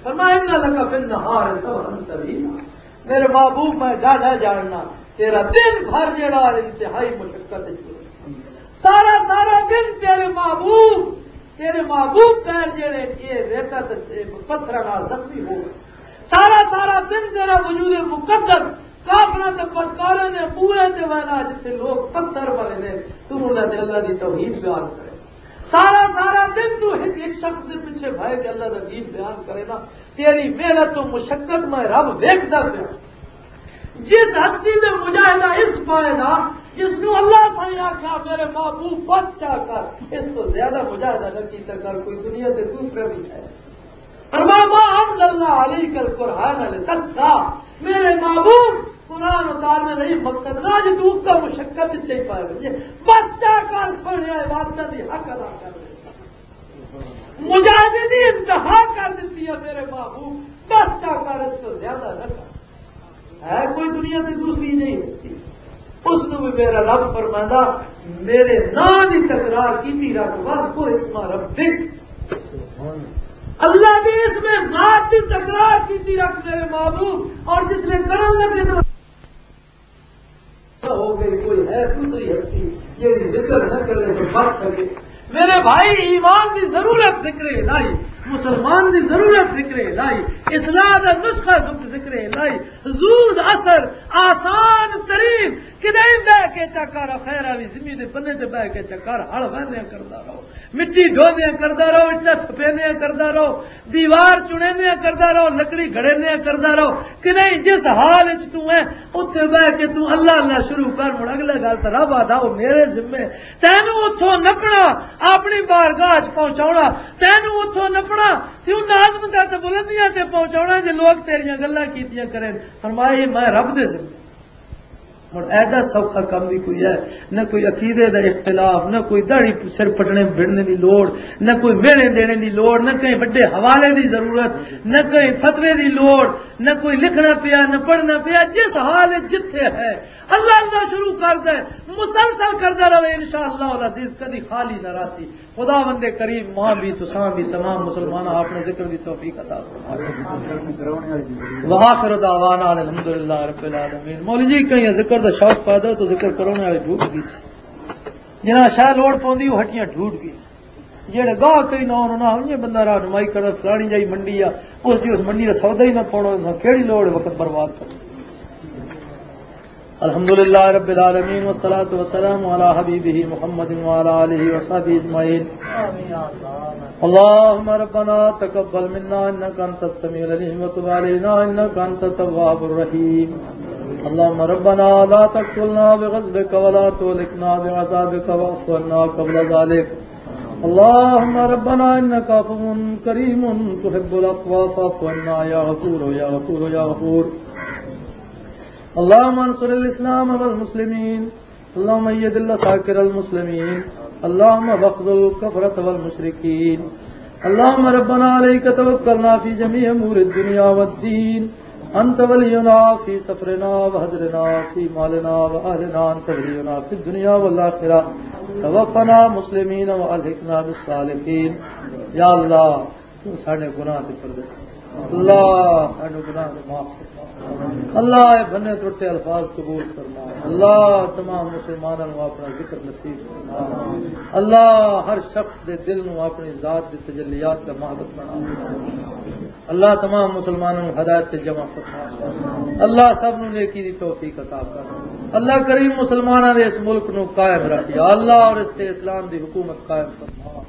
فرمایا، "ان لک فی النہار سبحا طویلا"، میرے محبوب، میں جانا جاننا تیرا دن بھر جڑا انتہائی مشقت وچ گزرے۔ سارا سارا دن تیرے محبوب، تیرے محبوب پیر جڑے یہ ریتا تے پتھراں نال زخمی ہو گئے۔ سارا سارا دن تیرا وجود مقدس کافراں تے بدکاراں نے بوئے تے وینا، جتھے لوگ پتھر بنے نے، تو انہاں تے اللہ دی توحید بیان کرے۔ سارا سارا دن تو ایک ایک شخص دے پیچھے بھائی کے اللہ دا دین بیان کرے نا، تیری محنت تو مشقت میں رب ویکھدا پیا۔ جس ہستی دے مجاہدہ اس پائے دا، جس نو اللہ سائیں آکھیا، میرے محبوب بس کیا کر، اس تو زیادہ مجاہدہ نہ کیتا کر، کوئی دنیا دے دوسرے بھی ہے۔ فرمایا، "ما انزلنا علیک القرآن لتشقی۔" میرے محبوب، قرآن اتارنے نہیں مقصد نہ جی تو کا مشقت چاہی پائے بچے، بس کیا کر، سونے عبادت دی حق ادا کر دے۔ مجاہدے دی انتہا کر دیتی ہے میرے محبوب، بس کیا کر، اس تو زیادہ نہ کر۔ ہے کوئی دنیا کی دوسری نہیں ہستی، اس نو بھی میرا رب فرمائندا، میرے نام دی تکرار کیتی رکھ، بس وہ اسم ربک، اللہ دے اسم ذات دی تکرار کیتی رکھ میرے محبوب۔ اور جس نے کرن لگے تو ہو گئی، کوئی ہے دوسری ہستی جیڑی ذکر نہ کرے تو بچ سکے؟ میرے بھائی، ایمان دی ضرورت ذکر الہی، مسلمان دی ضرورت ذکر الہی، اصلاح دا نسخہ ذکر الہی، زود اثر، آسان ترین، کدے بہ کے چکر خیر آوی زمین دے بنے تے بہ کے چکر ہل وہدیاں کردا رہو، مٹی ڈھوندیاں کردا رہو، اٹا تھپیندیاں کردا رہو، دیوار چنیندیاں کردا رہو، لکڑی گھڑیندیاں کردا رہو۔ کہ نہیں، جس حال وچ تو ہے، اتھے بہ کے تو اللہ اللہ شروع کر۔ ہن اگلے گل تے رب آدا، او میرے ذمے، تینوں اتھوں نپنا، اپنی بارگاہ وچ پہنچاونا، تینوں اتھوں نپنا، تے انہاں عظمتاں تے بلندیاں تے پہنچاونا جے لوگ تیریاں گلاں کیتیاں کرن۔ فرمایا، "اے میں رب دے ذمے۔" ہن ایڈا سوکھا کم بھی کوئی ہے؟ نہ کوئی عقیدے دا اختلاف، نہ کوئی داڑھی سر پٹنے بڑنے دی لوڑ، نہ کوئی میڑے دینے دی لوڑ، نہ کہیں بڑے حوالے دی ضرورت، نہ کہیں فتوے دی لوڑ، نہ کوئی لکھنا پیا، نہ پڑھنا پیا۔ جس حال وچ جتھے ہے، اللہ اللہ شروع کر دے، مسلسل کردا رہے، انشاءاللہ العزیز کدی خالی نہ راسی۔ خداوند کریم ماں بھی، تساں بھی، تمام مسلماناں اپنے ذکر دی توفیق عطا فرمائے۔ وآخر دعوانا ان الحمدللہ رب العالمین۔ مولوی جی، کہیں ذکر دا شوق پیدا ہو تو ذکر کرونے والے ڈھوٹ گئی سی۔ جنہاں شاہ لوڑ پوندی، وہ ہٹیاں ڈھوٹ گئی۔ جڑے گاہ کئی نہ انہاں نہ، یہ بندہ راہ نمائی کردا، فلانی جائی منڈی آ، اس جی اس منڈی دا سودا ہی نہ پاونا، انہاں کیڑی لوڑ وقت برباد کرنا۔ الحمد لله رب العالمين، والصلاة والسلام على حبيبه محمد وعلى آله وصحبه أجمعين. اللهم ربنا تقبل منا إنك أنت السميع العليم وتب علينا إنك أنت التواب الرحيم. اللهم ربنا لا تقتلنا بغضبك ولا تهلكنا بعذابك واعف عنا قبل ذلك. اللهم ربنا إنك عفو كريم تحب العفو فاعف عنا يا غفور يا غفور يا غفور. اللهم انصر الإسلام والمسلمين. اللهم أيد العساكر المسلمين. اللهم واخذل الكفرة والمشركين. اللهم ربنا عليك توكلنا في جميع أمور الدنيا والدين. أنت ولينا في سفرنا وحضرنا في مالنا وأهلنا. أنت ولينا في الدنيا والآخرة. توفنا مسلمين وألحقنا بالصالحين. يا الله، تو ساڈے گناہ تے پردے۔ اللہ، ساڈے گناہ تے معاف فرما۔ اللہ، اے بھنے ٹوٹے الفاظ قبول فرما۔ اللہ، تمام مسلماناں نوں اپنا ذکر نصیب فرما۔ اللہ، ہر شخص دے دل نوں اپنی ذات دے تجلیات دا معبد بنا۔ اللہ، تمام مسلماناں نوں ہدایت تے جمع فرما۔ اللہ، سب نوں نیکی دی توفیق عطا کر۔ اللہ کریم، مسلماناں دے اس ملک نوں قائم رکھ۔ یا اللہ، اور اس تے اسلام دی حکومت قائم فرما۔